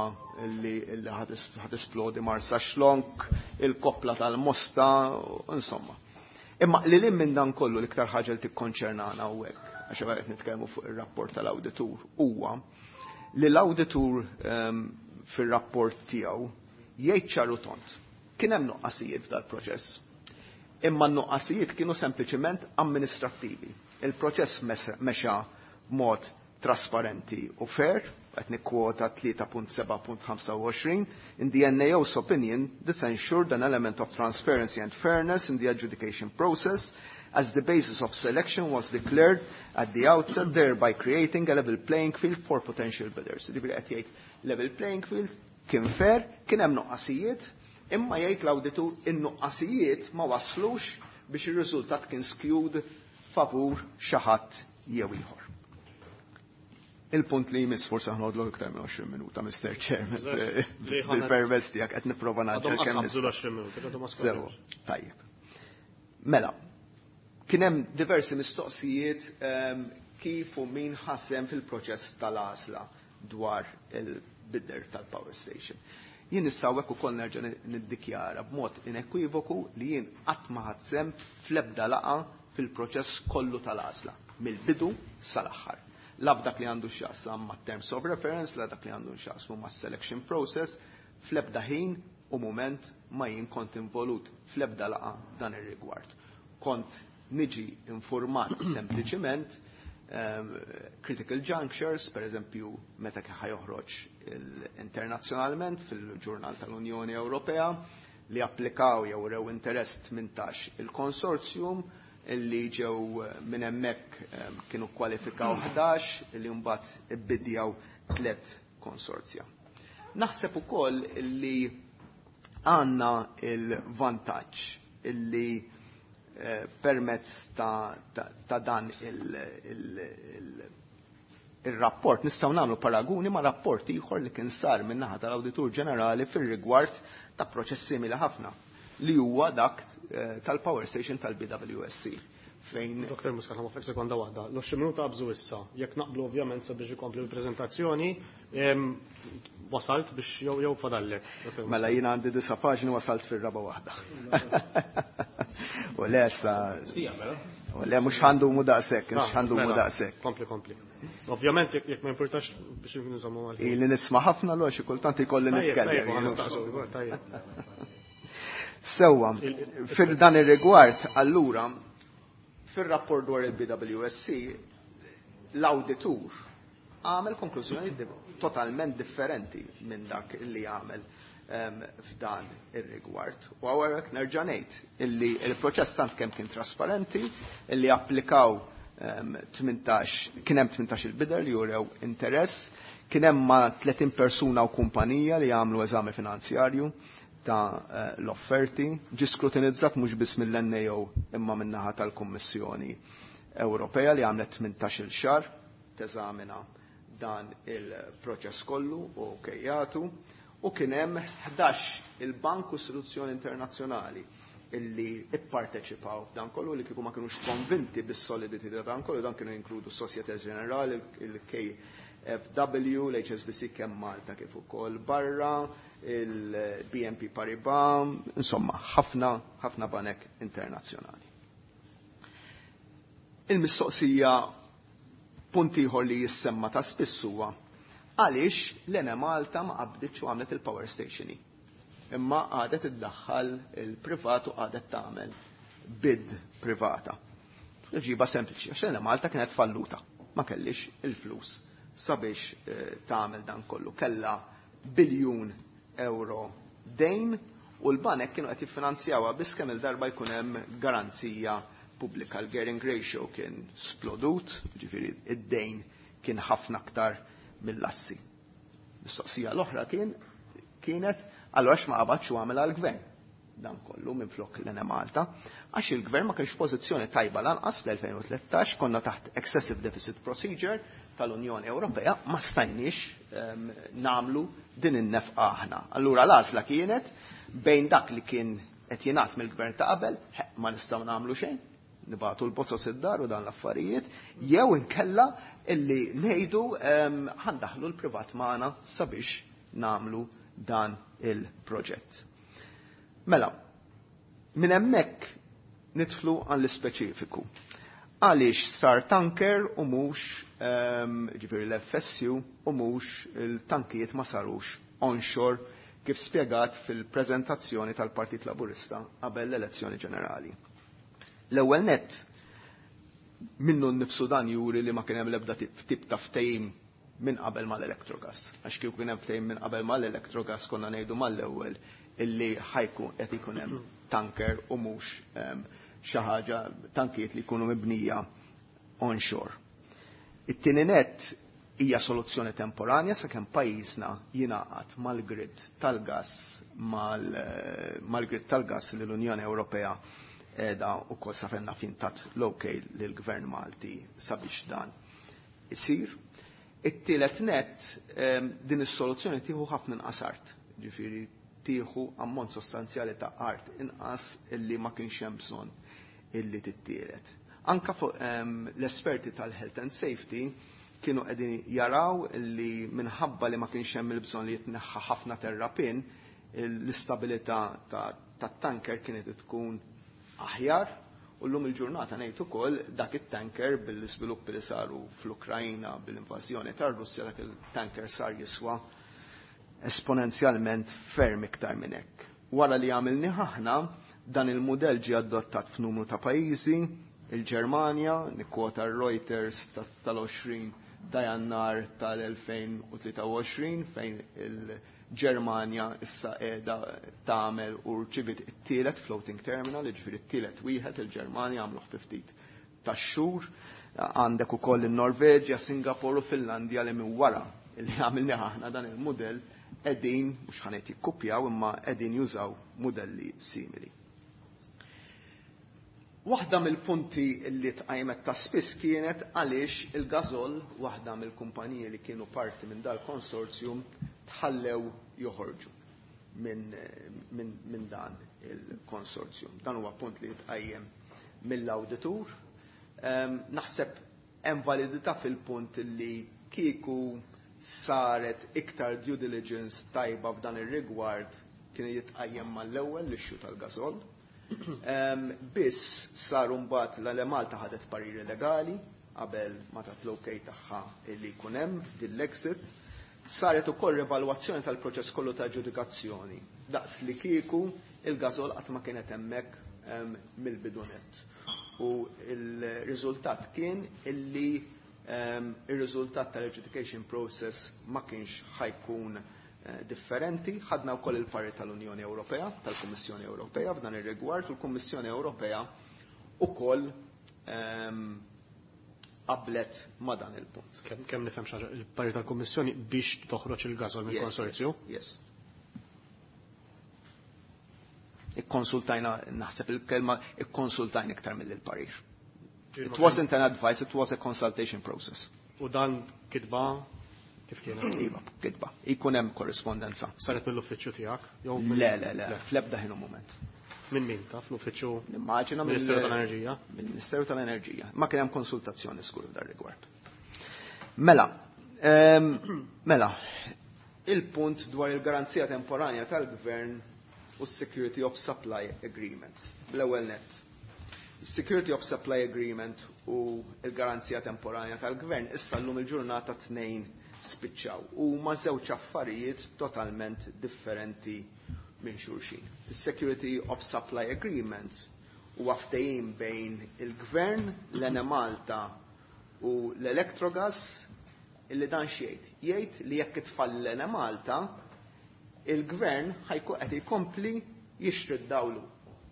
li ħa tisplodi Marsaxlokk, il-koppla tal-Mosta, insomma. Imma li lim minn dan kollu, l-iktar ħaġa li tikkonċernana hawnhekk, għax qed nitkellmu fuq ir-rapport tal-awditur, huwa li l-awditur fir-rapport tiegħu jgħid ċaru tond. Kien hemm nuqqasijiet f'dal-proċess. Imma n-nuqqasijiet kienu sempliċement amministrattivi. Il-proċess mexa mod trasparenti u fair, qed nikkwota 3.7.25, "In the NAO's opinion, this ensured an element of transparency and fairness in the adjudication process, as the basis of selection was declared at the outset, thereby creating a level playing field for potential bidders." Jiġifieri qed jgħid level playing field kien fair, kien hemm nuqqasijiet, imma jgħid l-awditur in-nuqqasijiet ma waslux biex ir-riżultat kien skewed favur xi ħadd jew ieħor. Il-punt li jmiss, forsi ħnodlok iktar minn 20 minuta, Mr. Chairman, bil-permess tiegħek qed nipprova ngħaġġel kemm. 20 minuta, għadhom. Tajjeb. Mela, kien hemm diversi mistoqsijiet kif u min ħasem fil-proċess tal-għażla dwar il-bidder tal-power station. Jien issa hawnhekk ukoll nerġa' niddikjara b'mod inekwivoku li jien qatt ma ħadt sehem fl-ebda laqgħa fil-proċess kollu tal-għażla, mill-bidu sal-aħħar. La f'dak li għandu x'jaqsam ma' terms of reference, la dak li għandu x'jaqsmu ma' selection process, fl-ebda ħin u moment ma jien kont involut fl-ebda laqgħa dan ir-rigward. Kont niġi informat sempliċiment critical junctures, per eżempju, meta ħa joħroġ internazzjonalment fil-ġurnal tal-Unjoni Ewropea li applikaw jew rew interess 18 il-konsorzjum illi ġew minn hemmhekk kienu kwalifikaw 11 illi mbagħad ibbidjaw 3 konsorzja. Naħseb ukoll illi għandna il-vantaġġ illi permezz ta' dan il-rapport nistgħu nagħmlu paraguni ma' rapport ieħor li kien sar min-naħa tal-Awditur Ġenerali fir-rigward ta' proċess simili ħafna li huwa dak tal-Power Station tal-BWSC. Fejn Dr. Muscat, ħa sekonda waħda. L-20 minuta qabżu issa. Jekk naqblu ovvjament sabiex ikompli l-preżentazzjoni, wasalt biex jew fadallek. Mela jiena għandi 9 paġni, wasalt fir-raba waħda. U le sa. Sija, mela. U le mhux għandu mu daqshekk, mhux għandu mu daqshekk. Kompli, kompli. Ovvjament jekk ma importax biex nżommu għal. Ili nisma' ħafna l xi kultant ikolli nitkellem. Sewwa, fil dan ir-rigward allura fir-rapport dwar il-BWSC l-awditur għamel konklużjoni totalment differenti minn dak li għamel f'dan ir-rigward. U hawnhekk nerġa' ngħid illi il-proċess tant kemm kien trasparenti, illi applikaw 18, kien hemm 18 il-bidder li jurew interess, kien hemm ma' 30 persuna u kumpanija li għamlu eżami finanzjarju ta' l-offerti, ġi skrutinizzat mhux biss mill-NAO imma min-naħa tal-Kummissjoni Ewropea li għamlet 18-il xahar teżamina dan il-proċess kollu u kejjatu, u kien hemm 11 il-bank u istituzzjoni internazzjonali illi ipparteċipaw f'dan kollu li kieku ma kinux konvinti bis-solidity ta' dan kollu, dan kienu jinkludu Societe Generale, il-KfW, l-HSBC kemm Malta kif ukoll barra, il-BNP Paribas, insomma, ħafna, ħafna banek internazzjonali. Il-mistoqsija punt ieħor li jissemma ta' spiss huwa għaliex l-Enemalta ma qabditx u għamlet il-power station. Imma għadet iddaħħal il-privat u għadet tagħmel bid privata. Ġiba sempliċi, għax l-Enemalta kienet falluta, ma kellix il-flus sabiex tagħmel dan kollu. Kella biljun euro dejn u l-banek kienu qed jiffinanzjawha biss kemm il-darba jkun hemm garanzija pubblika. L-gearing ratio kien splodut, ġifieri id-dejn kien ħafna aktar mill-assi. Mistoqsija l-oħra kienet allura għax ma qabadx u għamel għall-gvern dan kollu minn flok l-Enemalta, għax il-gvern ma kienx pożizzjoni tajba lanqas fl-2013, konna taħt excessive deficit procedure tal-Unjoni Ewropea, ma stajniex namlu din in-nefqa aħna. Allura l-għażla kienet bejn dak li kien qed jingħad mill-gvern ta' qabel, ma nistgħu nagħmlu xejn, nibatu l-bozzos id-dar u dan l-affarijiet, jew inkella illi ngħidu ħandaħlu l-privat magħna sabiex namlu dan il-proġett. Mela, minn hemmhekk nidħlu għall-ispeċifiku. Għaliex sar tanker u mhux ġifieri l-FSU u mhux il-tankijiet ma sarux onshore kif spjegat fil-preżentazzjoni tal-Partit Laburista qabel l-elezzjoni ġenerali. L-ewwel nett minnu nnifsu dan juri li ma kien hemm l-ebda tip ta' ftehim minn qabel mal-Electrogas. Għax kieku kien hemm ftehim minn qabel mal-Electrogas konna ngħidu mal-ewwel illi ħajkun qed ikun hemm tanker u mhux xi ħaġa tankijiet li jkunu mibnija onshore. It-tieni nett hija soluzzjoni temporanja sakemm pajjiżna jingħaqad mal-grid tal-gas mal-grid tal-gas li l-Unjoni Ewropea qiegħda wkoll sa fejn naf tat l-okay lill-Gvern Malti sabiex dan isir. It-tielet net, din is-soluzzjoni tieħu ħafna inqas art, ġifieri tieħu ammont sostanzjali ta' art inqas illi ma kienx hemm bżonn illi tittielet. Anka fuq l-esperti tal-health and safety kienu qegħdin jaraw illi minħabba li ma kienx hemm il-bżonn li jitneħħa ħafna terrapin, l-istabilità tat-tanker kienet tkun aħjar, u llum il-ġurnata ngħid ukoll dak it-tanker, bil-iżviluppi li saru fl-Ukrajna bil-invażjoni tar-Russja, dak il-tanker sar jiswa esponenzjalment ferm iktar minn hekk. Wara li għamilni aħna, dan il-mudell ġie adottat f'numru ta' pajjiżi, il-Ġermanja, nikkwota Reuters tal-20 ta' Jannar tal-2023, fejn il-Ġermanja issa qiegħda tagħmel u rċivit it-tielet floating terminal, jiġifieri t-tielet wieħed il-Ġermanja għamluh fi ftit tax-xhur. Għandek ukoll in-Norveġja, Singapore u Finlandja li minn wara li għamilni aħna dan il-mudell qegħdin, mhux ħa ngħid jikkupjaw, imma qegħdin jużaw mudelli simili. Waħda mill-punti li tqajmet ta' spiss kienet għaliex il-Gasol, waħda mill-kumpaniji li kienu parti minn dal-konsorzjum, tħallew joħorġu minn dan il-konsorzjum. Dan huwa punt li tqajjem mill-awditur. Naħseb hemm validità fil-punt li kieku saret iktar due diligence tajba f'dan ir-rigward kien jitqajjem mal-ewwel l-issue tal-Gasol. Biss saru mbagħad l-Malta ħadet pariri legali qabel ma tat l-okay tagħha li jkun hemm din l-exit. Saret ukoll evalwazzjoni tal-proċess kollu ta' ġudikazzjoni daqs li kieku il-Gasol qatt ma kienet hemmhekk mill-bidunet. U il-riżultat kien illi il-riżultat tal-adjudication process ma kienx ħa jkun differenti. Ħadna wkoll il-parti tal-Unjoni Ewropea, tal-Kummissjoni Ewropea f'dan ir-rigward, u l-Kummissjoni Ewropea ukoll qablet ma' dan il-punt. Kemm nifhem xi ħaġa, il-parti tal-Kummissjoni biex toħroġ il-Gasol minn konsorzju? Yes. Ikkonsultajna, naħseb il-kelma ikkonsultajna iktar mill-parir. It wasn't an advice, it was a consultation process. U dan kitba kif kienet? Iva, kitba. Ikun hemm korrispondenza. Saret mill-uffiċċju tiegħek? Le, le, le, fl-ebda ħin u moment. Minn min taf l-uffiċċju? Nimmaġina Ministeru tal-Enerġija? Mill-Ministeru tal-Enerġija. Ma kien hemm konsultazzjoni skur f'dar rigward. Mela, mela, il-punt dwar il-garanzija temporanja tal-Gvern u s-Security of Supply Agreement. L-ewwel net. Security of Supply Agreement u il-garanzija temporanja tal-Gvern issa llum il-ġurnata tnejn spiċċaw u ma żewġ affarijiet totalment differenti minn xulxin. Is-Security of Supply Agreement huwa ftehim bejn il-Gvern, l-Enemalta u l-Electrogas illi dan x'jgħid? Jgħid li jekk itfall l-Enemalta, il-Gvern ħa jkun qed jkompli jixtri d-dawlu,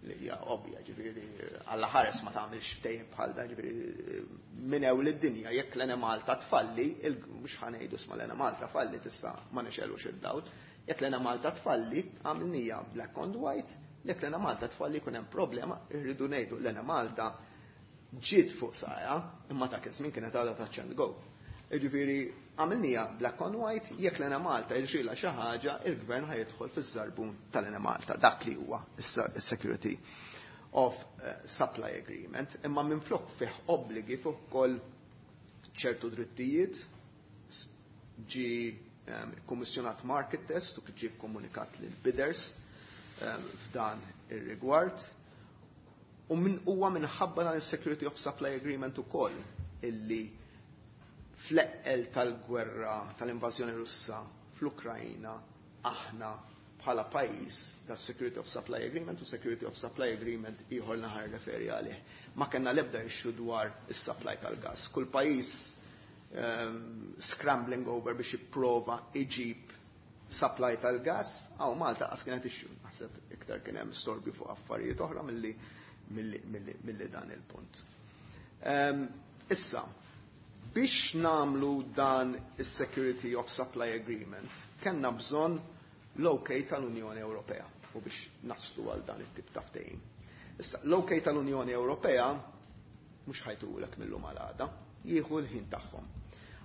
li hija ovvja, ġifieri Alla ħares ma tagħmilx ftehim bħal dan, ġifieri minn ewl id-dinja, jekk l-Enemalta tfalli, mhux ħa ngħidu isma' l-Enemalta falli tista' ma nixelux id-dawl. Jekk l-Enemalta tfalli, għamilnija black on white, jekk l-Enemalta tfalli jkun hemm problema, irridu ngħidu l-Enemalta ġiet fuq saja, imma ta' iż-żmien kienet għadha touch and go. Ġifieri għamilnija black on white, jekk l-Enemalta jiġrilha xi ħaġa, il-Gvern ħa jidħol fiż-żarbun tal-Enemalta, dak li huwa is-Security of Supply Agreement, imma minflok fih obbligi fuq ukoll ċertu drittijiet, ġi kommissjonat market test u kif ġie komunikat lil bidders f'dan ir-rigward. U min huwa minħabba dan is-Security of Supply Agreement ukoll illi fl-eqqel tal-gwerra tal-invażjoni Russa fl-Ukrajna aħna bħala pajjiż ta' Security of Supply Agreement u Security of Supply Agreement ieħor naħar referi għalih. Ma kellna l-ebda issue dwar is-supply tal-gas. Kull pajjiż scrambling over biex jipprova iġib supply tal-gas, għaw Malta qas kienet issue. Naħseb iktar kien hemm storbju fuq affarijiet oħra milli dan il-punt. Issa, biex namlu dan is-Security of Supply Agreement, kellna bżonn l-OK tal-Unjoni Ewropea u biex naslu għal dan it-tip ta' ftehim. Issa, l-OK tal-Unjoni Ewropea mhux ħa jtuhulek mil-lum għal għada, jieħu l-ħin tagħhom.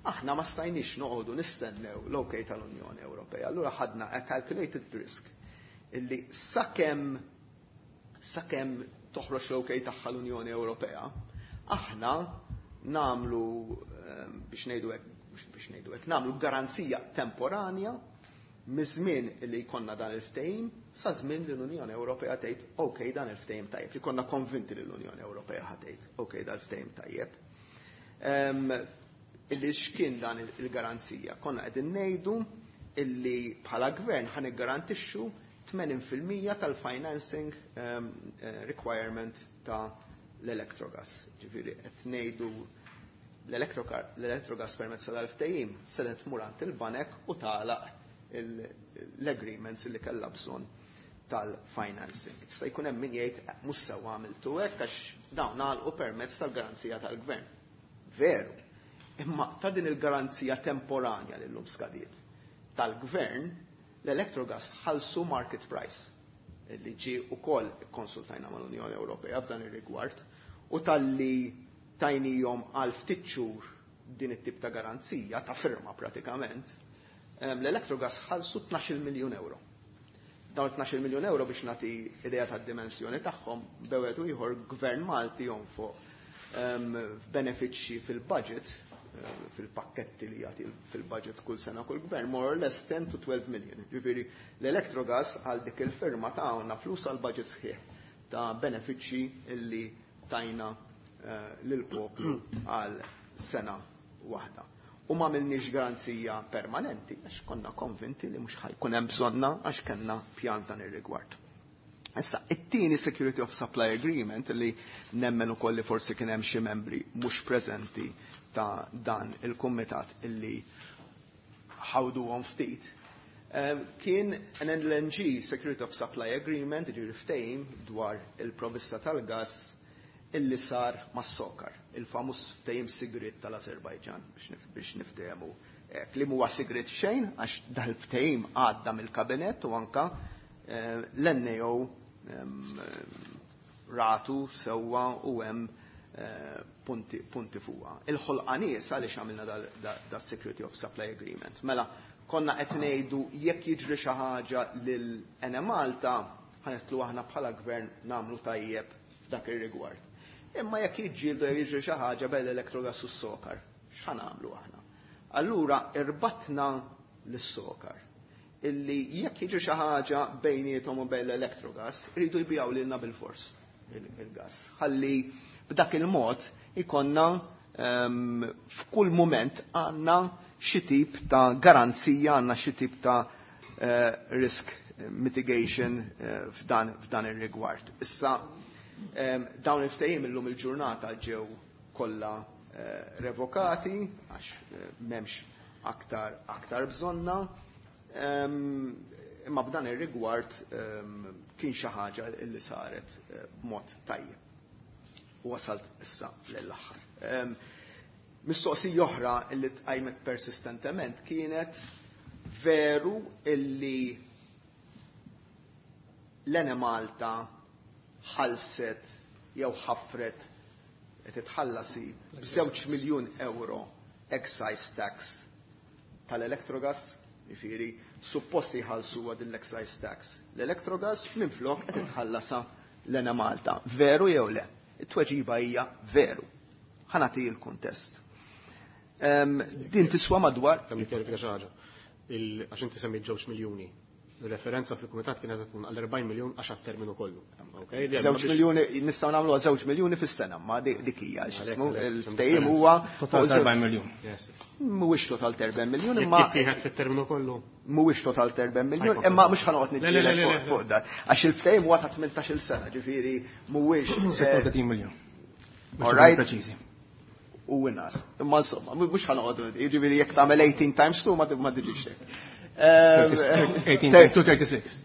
Aħna ma stajniex noqogħdu nistennew l-OK tal-Unjoni Ewropea, allura ħadna a calculated risk illi sakemm toħroġ l-OK tagħha l-Unjoni Ewropea, aħna nagħmlu biex ngħidu hekk, nagħmlu garanzija temporanja miż-żmien li jkollna dan il-ftehim sa żmien li l-Unjoni Ewropea tgħid ok, dan il-ftehim tajjeb, li konna konvinti li l-Unjoni Ewropea ħa tgħid ok, dan il-ftehim tajjeb. Illi x'kien dan il-garanzija? Konna qegħdin ngħidu illi bħala gvern ħa niggarantixxu 80% tal-financing requirement ta' l-Electrogas. Ġifieri qed ngħidu l-Electrogas permezz tal-ftehim se tmur għand il-banek u tagħlaq l-agreements li kellha bżonn tal-financing. Tista' jkun hemm min jgħid mhux sewwa għamiltu hekk għax dawn għalqu permezz tal-garanzija tal-gvern. Veru. Imma ta' din il-garanzija temporanja li llum skadiet tal-gvern, l-Electrogas ħalsu market price li ġi ukoll konsultajna mal-Unjoni Ewropea f'dan ir-rigward u talli tajnihom għal ftit xhur din it-tip ta' garanzija ta' firma pratikament, l-Electrogas ħalsu 12 miljun euro. Dawn 12 miljun euro, biex nagħti idea ta' dimensjoni tagħhom, bejn ieħor gvern Malti jonfoq f'benefiċċji fil-budget, fil-pakketti li jagħti fil-budget kull sena kull gvern, more or less 10 to 12 million. Ġifieri l-Electrogas għal dik il-firma tawna flus għal budget sħiħ ta' benefiċċji illi tajna lill-poplu għal sena waħda. U ma għamilniex garanzija permanenti, għax konna konvinti li mhux ħa jkun hemm bżonna għax kellna pjan dan ir-rigward. Issa, it-tieni Security of Supply Agreement li nemmen ukoll li forsi kien hemm xi membri mhux preżenti ta' dan il-kumitat illi ħawduhom ftit, kien an LNG Security of Supply Agreement, ġifieri ftehim dwar il-provista tal-gas illi sar mas-SOCAR, il-famuż ftehim sigriet tal-Azerbajġan biex niftehmu. Li huwa sigriet xejn, għax dal-ftehim għadda mill-kabinet u anka l-NAO ratu sewwa u hemm punti fuqha. Il-ħolqa nies għaliex għamilna da Security of Supply Agreement? Mela, konna qed ngħidu jekk jiġri xi ħaġa lil Enemalta, ħa nidħlu aħna bħala gvern nagħmlu tajjeb f'dak ir-rigward. Imma jekk jiġġieldu, jiġri xi ħaġa bejn l-Electrogas u s-SOCAR, x'ħa nagħmlu aħna? Allura irbatna lis-SOCAR illi jekk jiġri xi ħaġa bejniethom u bejn l-Electrogas, iridu jbigħu lilna bil-fors il-gas. Ħalli b'dak il-mod ikonna f'kull moment għandna xi tip ta' garanzija, għandna xi tip ta' risk mitigation f'dan ir-rigward. Issa dawn il-ftehim illum il-ġurnata ġew kollha revokati għax m'hemmx aktar bżonna. Imma b'dan ir-rigward kien xi ħaġa li saret b'mod tajjeb. U wasalt issa l-aħħar. Mistoqsija oħra li tqajmet persistentement kienet: veru illi l-Enemalta ħalset jew ħafret qed titħallasi b'2 miljun euro excise tax tal-Electrogas? Jiġifieri supposti jħallsu din l-excise tax l-Electrogas, minflok qed titħallasa l-Enemalta. Veru jew le? It-tweġiba hija veru. Ħa nagħti il-kuntest. Din tiswa madwar Kemm nikkjarifika xi ħaġa. Għax inti semmejt 2 miljuni. Referenza fil-kumitat kienet tkun għal 40 miljun għax terminu kollu. Okay? 2 miljuni, nistgħu nagħmlu 2 miljuni fis-sena, ma dik hija x'ismu il-ftehim huwa Total 40 miljun. Mhuwiex total 40 miljun, imma Jekk fit-terminu kollu. Mhuwiex total 40 miljun, imma mhux ħa noqgħod niġġieled fuq dan. Għax il-ftehim huwa ta' 18-il sena, ġifieri mhuwiex 36 miljun. All right. Preċiżi. U inqas. Imma insomma, mhux ħa noqogħdu, jiġifieri jekk tagħmel 18 times 2 ma tiġix hekk. 18 times 2, 36.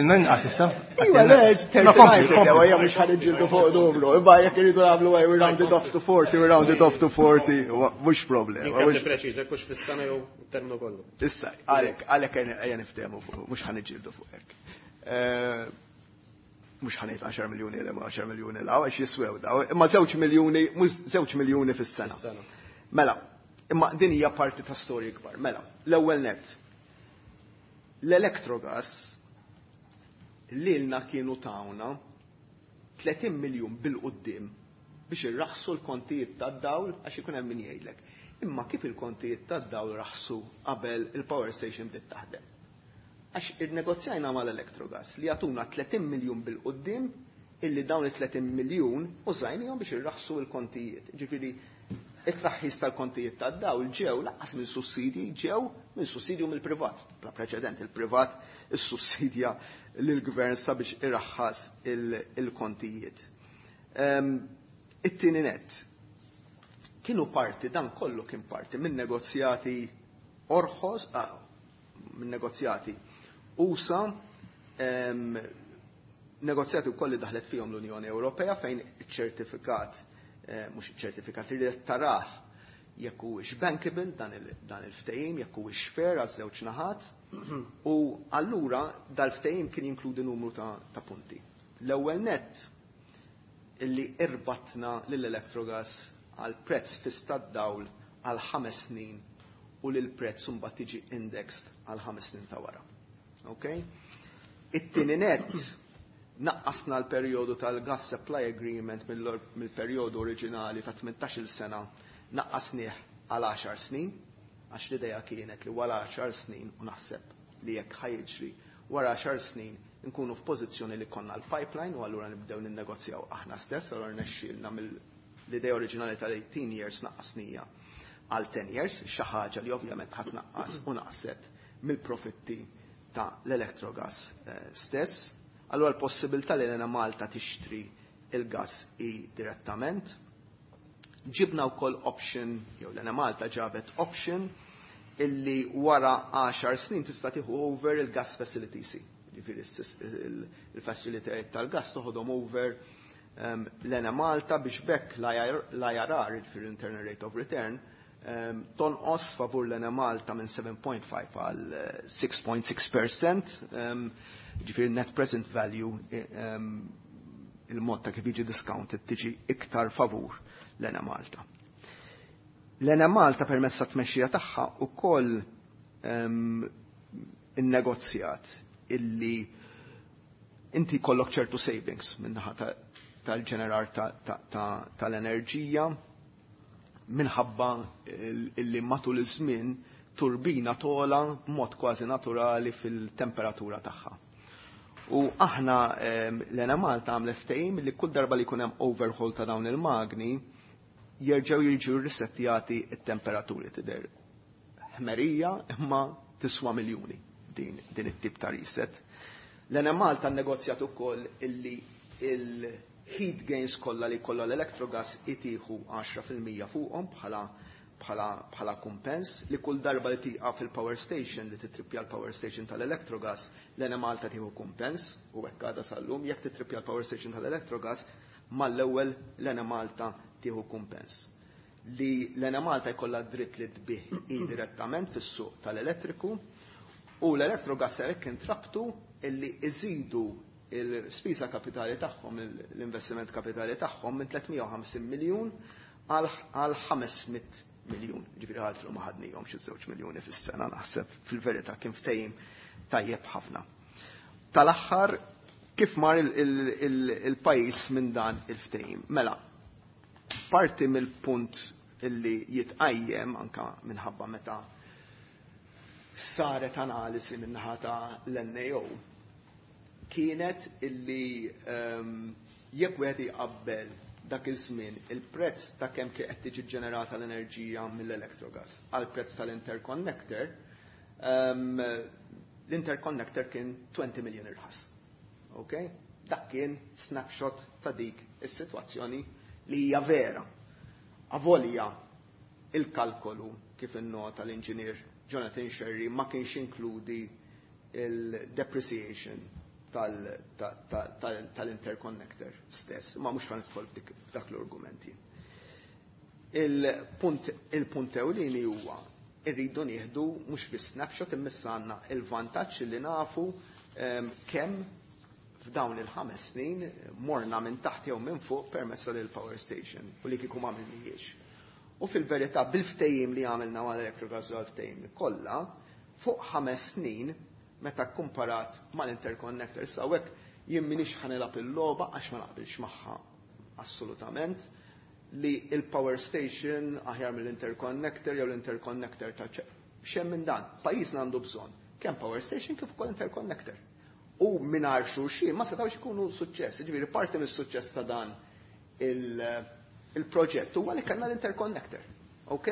Inqas issa. Iwa, le, 39, ejja mhux ħa niġġieldu fuq numru. Imma jekk iridu nagħmlu, we round it off to 40, we round it off to 40, mhux problema. Kemm preċiż, hekk hux fis-sena jew terminu kollu. Issa, għalhekk ejja niftehmu fuq, mhux ħa niġġieldu fuq hekk. Mhux ħa ngħid 10 miljuni 'l 10 miljuni 'l għax jiswew daw, imma 2 miljuni, mhux 2 miljuni fis-sena. Mela, imma din hija parti ta' storja kbar. Mela, l-ewwel net. L-Electrogas lilna kienu tawna 30 miljun bil-quddiem biex irraħsu l-kontijiet tad-dawl, għax ikun hemm min jgħidlek: "Imma kif il-kontijiet tad-dawl raħsu qabel il-power station bdiet taħdem?" Għax irnegozjajna mal-Electrogas li jagħtuna 30 miljun bil-quddiem, illi dawn il-30 miljun użajnihom biex irraħsu l-kontijiet. Ġifieri, it-traħħis tal-kontijiet tad-dawl ġew lanqas minn sussidji, ġew minn sussidju mill-privat. Bla preċedent, il-privat is-sussidja lill-gvern sabiex irraħħas il-kontijiet. It-tieni net, kienu parti, dan kollu kien parti minn negozjati orħos, minn negozjati usa', negozjati wkoll li daħlet fihom l-Unjoni Ewropea, fejn iċ-ċertifikat, mhux iċ-ċertifikat, li tarah jekk huwiex bankable dan il-ftehim, jekk huwiex fair għaż-żewġ naħat. U allura dal-ftehim kien jinkludi numru ta' punti. L-ewwel net, illi irbatna lill-Electrogas għal prezz fiss tad-dawl għal 5 snin u li l-prezz mbagħad tiġi indexed għal 5 snin ta' wara. Okay? It-tieni net, naqqasna l-perjodu tal-gas supply agreement mill-perjodu oriġinali ta' 18 sena, naqqasnieh għal 10 snin, għax l-idea kienet li wara 10 snin, u naħseb li jekk ħa jiġri, wara 10 snin nkunu f'pożizzjoni li konna l-pipeline u allura nibdew ninnegozjaw aħna stess. Allura nexxielna mill-idea oriġinali tal-18 years naqqasnieha għal 10 years, xi ħaġa li ovvjament ħa tnaqqas u naqset mill-profitti ta' l-Electrogas stess. Allura l-possibilità li l-Enemalta tixtri il-gas i direttament. Ġibna wkoll option, jew l-Enemalta ġabet option, illi wara 10 snin tista' tieħu over il-gas facilities. Ġifieri il-facilitajiet tal-gas toħodhom over l-Enemalta biex b'hekk l-IRR, ġifieri internal rate of return, tonqos favur l-Enemalta minn 7.5 għal 6.6%, ġifieri net present value, il-mod ta' kif jiġi discounted, tiġi iktar favur l-Enemalta. L-Enemalta permezz tat-tmexxija tagħha ukoll innegozjat illi inti jkollok ċertu savings minnaħa tal-ġenerar tal-enerġija minħabba illi matul iż-żmien turbina togħla b'mod kważi naturali fil-temperatura tagħha. U aħna l-Enemalta għamlet ftehim li kull darba li jkun hemm overhaul ta' dawn il-magni jerġgħu jiġu risettjati it-temperaturi. Tidher ħmerija, imma tiswa miljuni din it-tip ta' reset. L-Enemalta negozjat ukoll illi il-heat gains kollha li kollha l-Electrogas itieħu 10% fuqhom bħala kumpens, li kull darba li tieqaf fil-power station, li titrippja l-power station tal-Electrogas, l-Enemalta tieħu kumpens, u hekk għadha sal-lum, jekk titrippja l-power station tal-Electrogas, mal-ewwel l-Enemalta tieħu kumpens. Li l-Enemalta jkollha dritt li tbigħ i direttament fis-suq tal-elettriku u l-Electrogas hekk intrabtu illi iżidu il-spiża kapitali tagħhom, l-investiment kapitali tagħhom minn 350 miljun għal 500 miljun. Ġifieri ħaltru ma ħadnihom xi 2 miljuni fis-sena, naħseb fil-verità kien ftehim tajjeb ħafna. Tal-aħħar, kif mar il-pajjiż minn dan il-ftehim? Mela, parti mill-punt illi jitqajjem anka minħabba meta saret analisi minnaħa ta' l-NAO kienet illi jekk wieħed jqabbel dak iż-żmien il-prezz ta' kemm kien qed tiġi ġenerata l-enerġija mill-Electrogas għal prezz tal-interconnector, l-interconnector kien 20 million irħas. Okay? Dak kien snapshot ta' dik is-sitwazzjoni li hija vera. Avolja il-kalkolu, kif innota l-inġinier Jonathan Scerri, ma kienx inkludi il-depreciation tal-interconnector stess, ma mhux ħa nidħol dak l-argumenti. Il-punt ewlieni huwa irridu nieħdu mhux bi snapshot, imma issa għandna il-vantaġġ li nafu Kemm f'dawn il-5 snin morna minn taħt jew minn fuq permezz tal-power station u li kieku m'għamilnihiex. U fil-verità bil-ftehim li għamilna mal-Electrogas u għal-ftehim kollha, fuq 5 snin meta kkumparat mal-interconnector sawek jien m'iniex ħa nilgħab il-logħba għax ma naqbilx magħha assolutament li il-power station aħjar mill-interconnector jew l-interconnector ta' xem minn dan. Pajjiżna għandu bżonn kemm power station kif ukoll interconnector. U mingħajr xulxin ma setgħux ikunu suċċess. Ġifieri parti mis-suċċess ta' dan il-proġett huwa li kellna l-interconnector. Ok?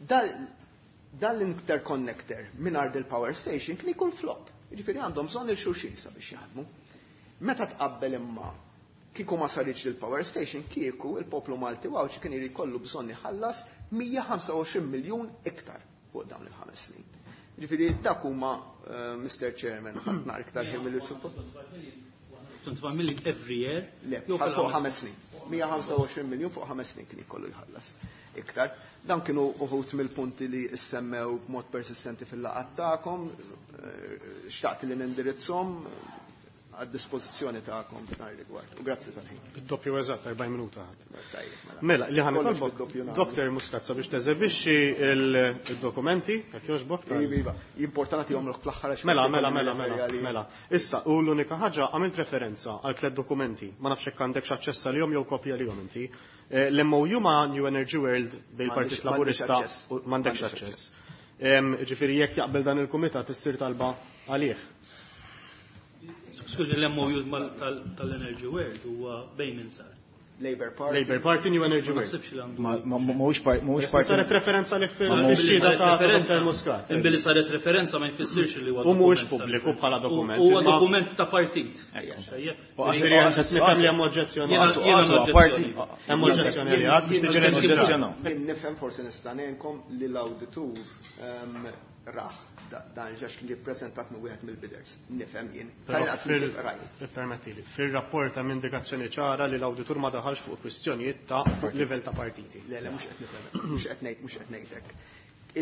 Dan l-interconnector mingħajr il-power station kien ikun flop. Ġifieri għandhom bżonn il-xulxin sabiex jaħdmu. Meta tqabbel imma kieku ma saritx il-power station, kieku il-poplu Malti Għawdxi kien irid kollu bżonn iħallas 125 miljun iktar fuq dawn il-5 snin. Ġifieri dak huma, Mr. Chairman, ħadd iktar ħin milli suppost. 25 million every year. Le, fuq 5 snin. 125 miljun fuq 5 snin kien ikollu jħallas iktar. Dan kienu uħut mill-punti li issemmew b'mod persistenti fil-laqgħat tagħkom, xtaqt li nindirizzhom għad-dispożizzjoni tagħkom f'dan ir-rigward. U grazzi tal-ħin. Id-doppju eżatt, 40 minuta. Tajjeb, mela. Mela, li ħan Kollox nitolbok, bid-doppju nagħmlu. Dr. Muscat sabiex teżebixxi il-dokumenti, jekk jogħġbok tal- Iva, iva. Importanti nagħtihomlok fl-aħħar għax Mela, forsi mela, kolli mela, nirreferi mela, għalihom. mela. Issa, u l-unika ħaġa għamilt referenza għal 3 dokumenti. Ma nafx hekk għandek aċċess għalihom jew kopja lihom inti. L-MOU ma' New Energy World bejn il-Partit M'għandix Laburista aċċess. u m'għandekx M'għandix aċċess. Ġifieri jekk jaqbel dan il-kumitat issir talba għalih. Skużi, l-MOU tal-Energy World huwa bejn min sar. Labour Party. Labour Party, New Energy Ma World. naħsibx li għandu. Mhuwiex mhuwiex parti. Saret referenza li Billi fil-xhieda saret ta' referenza- Dr. Muscat. Billi saret referenza ma jfissirx li huwa U mhuwiex dokument ta' pubbliku bħala dokument, Huwa imma- dokument ta' partit. Tajjeb. Ġifieri nifhem li hemm oġġezzjoni. Jiena oġġezzjoni. Hemm oġġezzjoni li għad biex tiġi reġistrata. Jien nifhem forsi nista' ngħinkom li l-awditur raħ dan ġax kien ippreżentat minn wieħed mill-bidders. Nifhem jien. Però Tal-inqas rajt. Permettili, fil-rapport hemm indikazzjoni ċara li l-awditur ma daħalx fuq kwistjonijiet ta' livell ta' partiti. Le, le, mhux qed nifhem, mhux qed ngħid, mhux qed ngħidlek.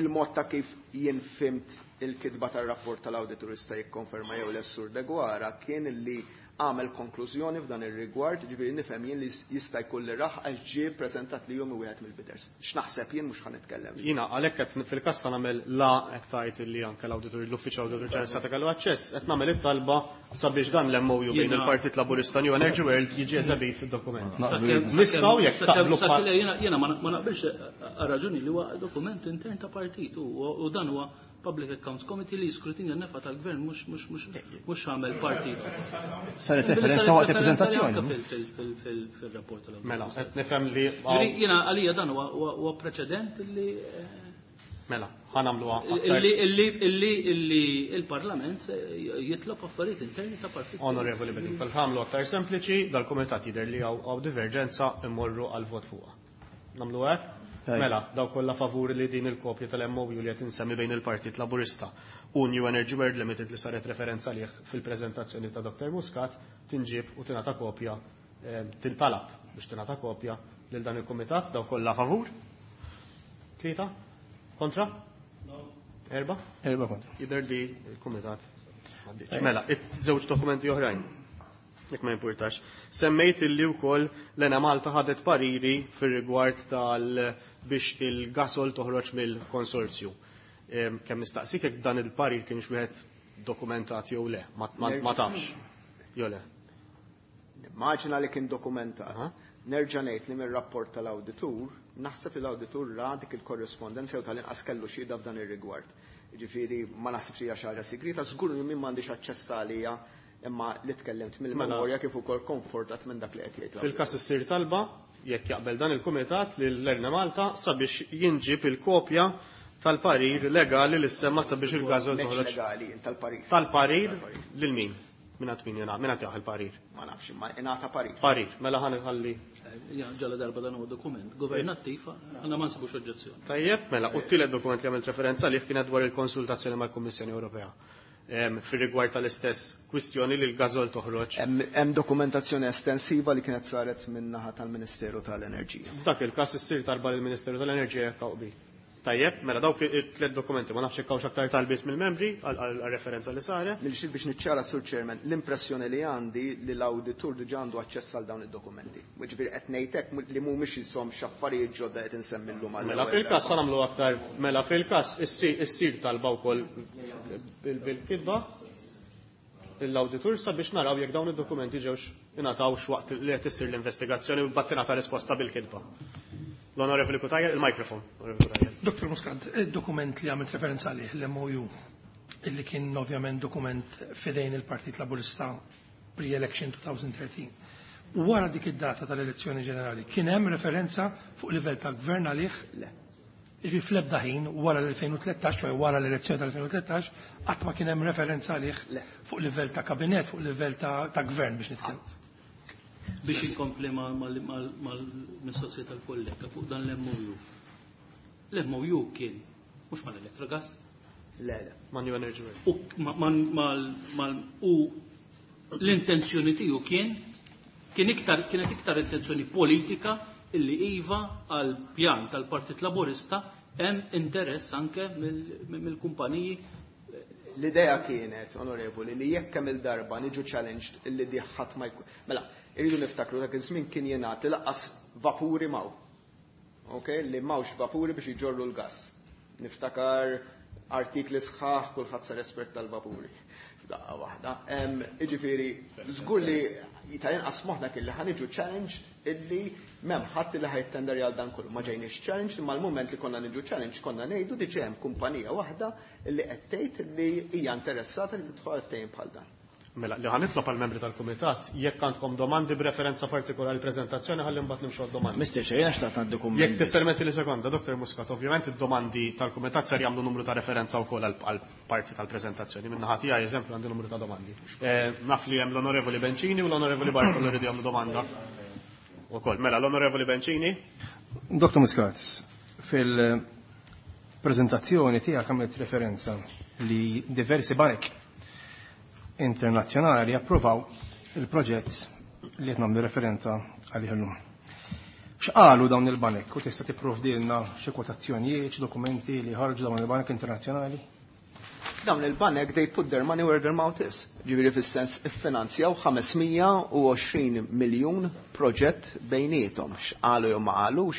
Il-mod ta' kif jien fimt il-kitba tar-rapport tal-awditur jista' jikkonferma jew l-Sur Deguara kien li għamel konklużjoni f'dan ir-rigward, ġifieri nifhem jien li jista' jkun li raħ għax ġie ppreżentat li jum wieħed mill-bidders. X'naħseb jien mhux ħa nitkellem. Jiena għalhekk qed fil-każ ta' nagħmel la qed tgħid li anke l-awditur, l-uffiċċju awditur ġenerali seta' kellu aċċess, qed nagħmel it-talba sabiex dan l-MOU bejn Jiena- il-Partit Laburista New Energy World jiġi eżebit fid-dokument. Sakemm- Nistgħu jekk sakemm- taqblu sakemm- bħal- jiena ma naqbilx għal raġuni li huwa dokument intern ta' partit u dan huwa Public Accounts Committee li jiskrutinja n-nefa tal-gvern mhux għamel partit. Saret Billi referenza saret waqt referenza il-preżentazzjoni. anke fil-rapport tal-awditur. Mela, qed nifhem li Ġifieri jiena għalija dan huwa preċedent li Mela, ħa nagħmluha aktar illi il-Parlament jitlob affarijiet interni ta' partit. Onorevoli Bedingfield, fil-ħamlu aktar sempliċi, dal-komitat jidher li hawn diverġenza immorru għal vot fuqha. Nagħmlu hekk? Tajjeb. Mela, daw kollha favuri li din il-kopja tal-MOU li qed insemmi bejn il-Partit Laburista u New Energy World Limited li saret referenza lih fil-preżentazzjoni ta' Dr. Muscat tinġib u tingħata kopja, tintalab biex tingħata kopja lil dan il-kumitat, daw kollha favur? 3? Kontra? 4? 4 kontra. Jidher li l-kumitat m'għaddiċ. Mela, żewġ dokumenti oħrajn. Jekk ma jimpurtax. Semmejt illi wkoll l-Ena Malta ħadet pariri fir-rigward tal biex il-gasol toħroġ mill-konsorzju. Kemm nistaqsik jekk dan il-parir kienx wieħed dokumentat jew le, ma tafx. Jew le. Nimmaġina li kien dokumentat. Aha. Nerġa' ngħid li mir-rapport tal-awditur, naħseb li l-awditur ra dik il-korrespondenza jew tal-inqas kellu xhieda f'dan ir-rigward. Jiġifieri ma naħsibx li hija xi ħaġa sigrita, żgur li min m'għandix aċċess għalija imma li tkellimt mill-memorja kif ukoll konfortat minn dak li qed jgħid l-awditur. Fil-każ issir talba, jekk jaqbel dan il-kumitat lil Erna Malta sabiex jinġib il-kopja tal-parir legali li semma sabiex il-gażol Meċ toħroġ. legali, tal-parir. Tal-parir lil min? Min għad min jena, min għad jaħ il-parir? Ma nafx, imma ingħata parir. Parir, mela ħan iħalli. Ja, ġala darba dan huwa dokument governattiv, għandna ma nsibux oġġezzjoni. Tajjeb, mela, u t-tielet dokument li għamilt referenza li kienet dwar il-konsultazzjoni mal-Kummissjoni Ewropea. Fir-rigward tal-istess kwistjoni li l-gażol toħroġ. Hemm dokumentazzjoni estensiva li kienet saret min-naħa tal-Ministeru tal-Enerġija. F'dak il-każ issir talba lill-Ministeru tal-Enerġija jekk hawn qbil. Tajjeb, mela dawk it-tliet dokumenti ma nafx jekk hawnx aktar talbiet mill-membri għal referenza li saret. Mill-xil biex niċċara, Sur Chairman, l-impressjoni li għandi li l-awditur diġà għandu aċċess għal dawn id-dokumenti. Ġifieri qed ngħidlek li mhumiex jisom x'affarijiet ġodda qed insemmi llum għall Mela fil-każ sa nagħmlu aktar, mela fil-każ issir talba wkoll bil-kitba l-awditur sabiex naraw jekk dawn id-dokumenti ġewx ingħatawx waqt li qed issir l-investigazzjoni u battinata risposta bil-kitba. L-Onorevoli Cutajar, il-mikrofon. Onorevoli Cutajar. Dr. Muscat, il-dokument li għamilt referenza għalih, l-MOU, illi kien ovvjament dokument f'idejn il-Partit Laburista pre-election 2013. U wara dik id-data tal-elezzjoni ġenerali, kien hemm referenza fuq livell tal-gvern għalih? Le. Ġifieri fl-ebda ħin wara l-2013, ċoè wara l-elezzjoni tal-2013, qatt ma kien hemm referenza għalih Le. fuq livell ta' kabinet, fuq livell ta' gvern biex nitkellem. Biex inkompli mal-mistoqsija tal-kollega fuq dan l-MOU. L-MOU kien mhux mal-Electrogas, Le, le. Ma' New Energy World. U l-intenzjoni tiegħu kienet iktar intenzjoni politika illi iva għal pjan tal-Partit Laburista hemm interess anke mill-kumpaniji. L-idea kienet, onorevoli, li jekk kemm il-darba niġu challenged illi di ħadd ma jkun. Mela, irridu niftakru dak iż-żmien kien jingħad li lanqas vapuri m'hawn. Ok, li m'hawnx vapuri biex iġorru l-gas. Niftakar artikli sħaħ, kulħadd sar espert tal-vapuri. F'daqqa waħda. Jiġifieri, żgur li tal-inqas moħħna kien li ħa niġu challenged illi m'hemm ħadd li ħa jittenderja għal dan kollu. Ma ġejniex challenged, imma l-moment li konna niġu challenged konna ngħidu diġà hemm kumpanija waħda illi qed tgħid li hija interessata li tidħol ftehim bħal dan. Mela, li ħa nitlob għal membri tal-Kumitat, jekk għandkom domandi b'referenza partikolari prezentazzjoni, ħalli mbagħad nimxu għad-domandi. Mr. Chair, jiena xtaqt għandi kumment. Jekk tippermetti li sekonda, Dr. Muscat, ovvjament id-domandi tal-Kumitat ser jagħmlu numru ta' referenza wkoll għal parti tal-preżentazzjoni. Minn naħa tiegħi eżempju għandi numru ta' domandi. Naf li hemm l-Onorevoli Bencini u l-Onorevoli Bartolo li jagħmlu domanda. Ukoll, mela l-Onorevoli Bencini. Dr. Muscat, fil-preżentazzjoni tiegħek għamilt referenza li diversi banek internazzjonali approvaw il-proġett li qed nagħmlu referenza għalih illum. X'qalu dawn il-banek u tista' tipprovdilna xi kwotazzjonijiet, xi dokumenti li ħarġu dawn il-banek internazzjonali? Dawn il-banek, they put their money where their mouth is. Ġifieri fis-sens iffinanzjaw 520 miljun proġett bejniethom. X'qalu jew ma qalux,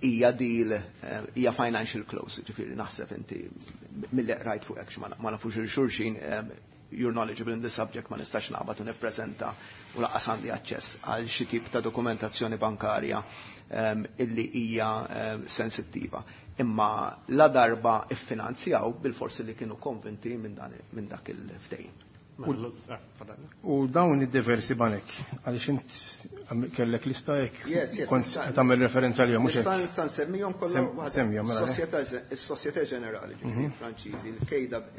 hija deal, hija financial close, ġifieri naħseb inti mill rajt fuq hekk ma nafux il-xulxin, you're knowledgeable in the subject, ma nistax naqbad u nippreżenta u lanqas għandi aċċess għal xi tip ta' dokumentazzjoni bankarja illi hija sensittiva. Imma la darba iffinanzjaw bil-forsi li kienu konvinti minn dak il-ftehim. U dawn id-diversi banek, għaliex int kellek lista hekk Yes, kont tagħmel referenza għalihom, mhux hekk? Nista' nsemmihom kollha waħda. Semmihom, mela, le. Is-Société Générale, ġifieri Franċiżi,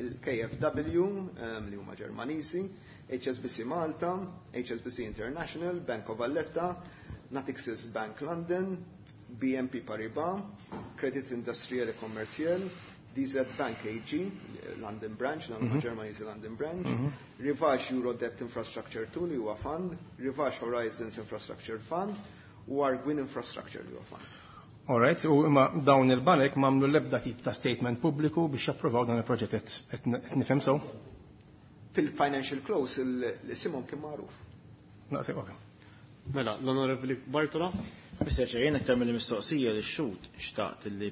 il-KFW, li huma Ġermaniżi, HSBC Malta, HSBC International, Bank of Valletta, Natixis Bank London, BNP Paribas, Credit Industriel et Commercial, DZ Bank AG, London Branch, London Germany's London Branch, Rivage Euro Debt Infrastructure 2 li huwa fund, Rivage Horizons Infrastructure Fund u Arguin Infrastructure li huwa fund. All right, u imma dawn il-banek m'għamlu l-ebda tip ta' statement pubbliku biex japprovaw dan il-proġett, qed nifhem sew? Fil-financial close il-simhom kien magħruf. Naqseb, ok. Mela, l-Onorevoli Bartolo. Mr. Chair, jiena aktar mill-mistoqsija li xut xtaqt li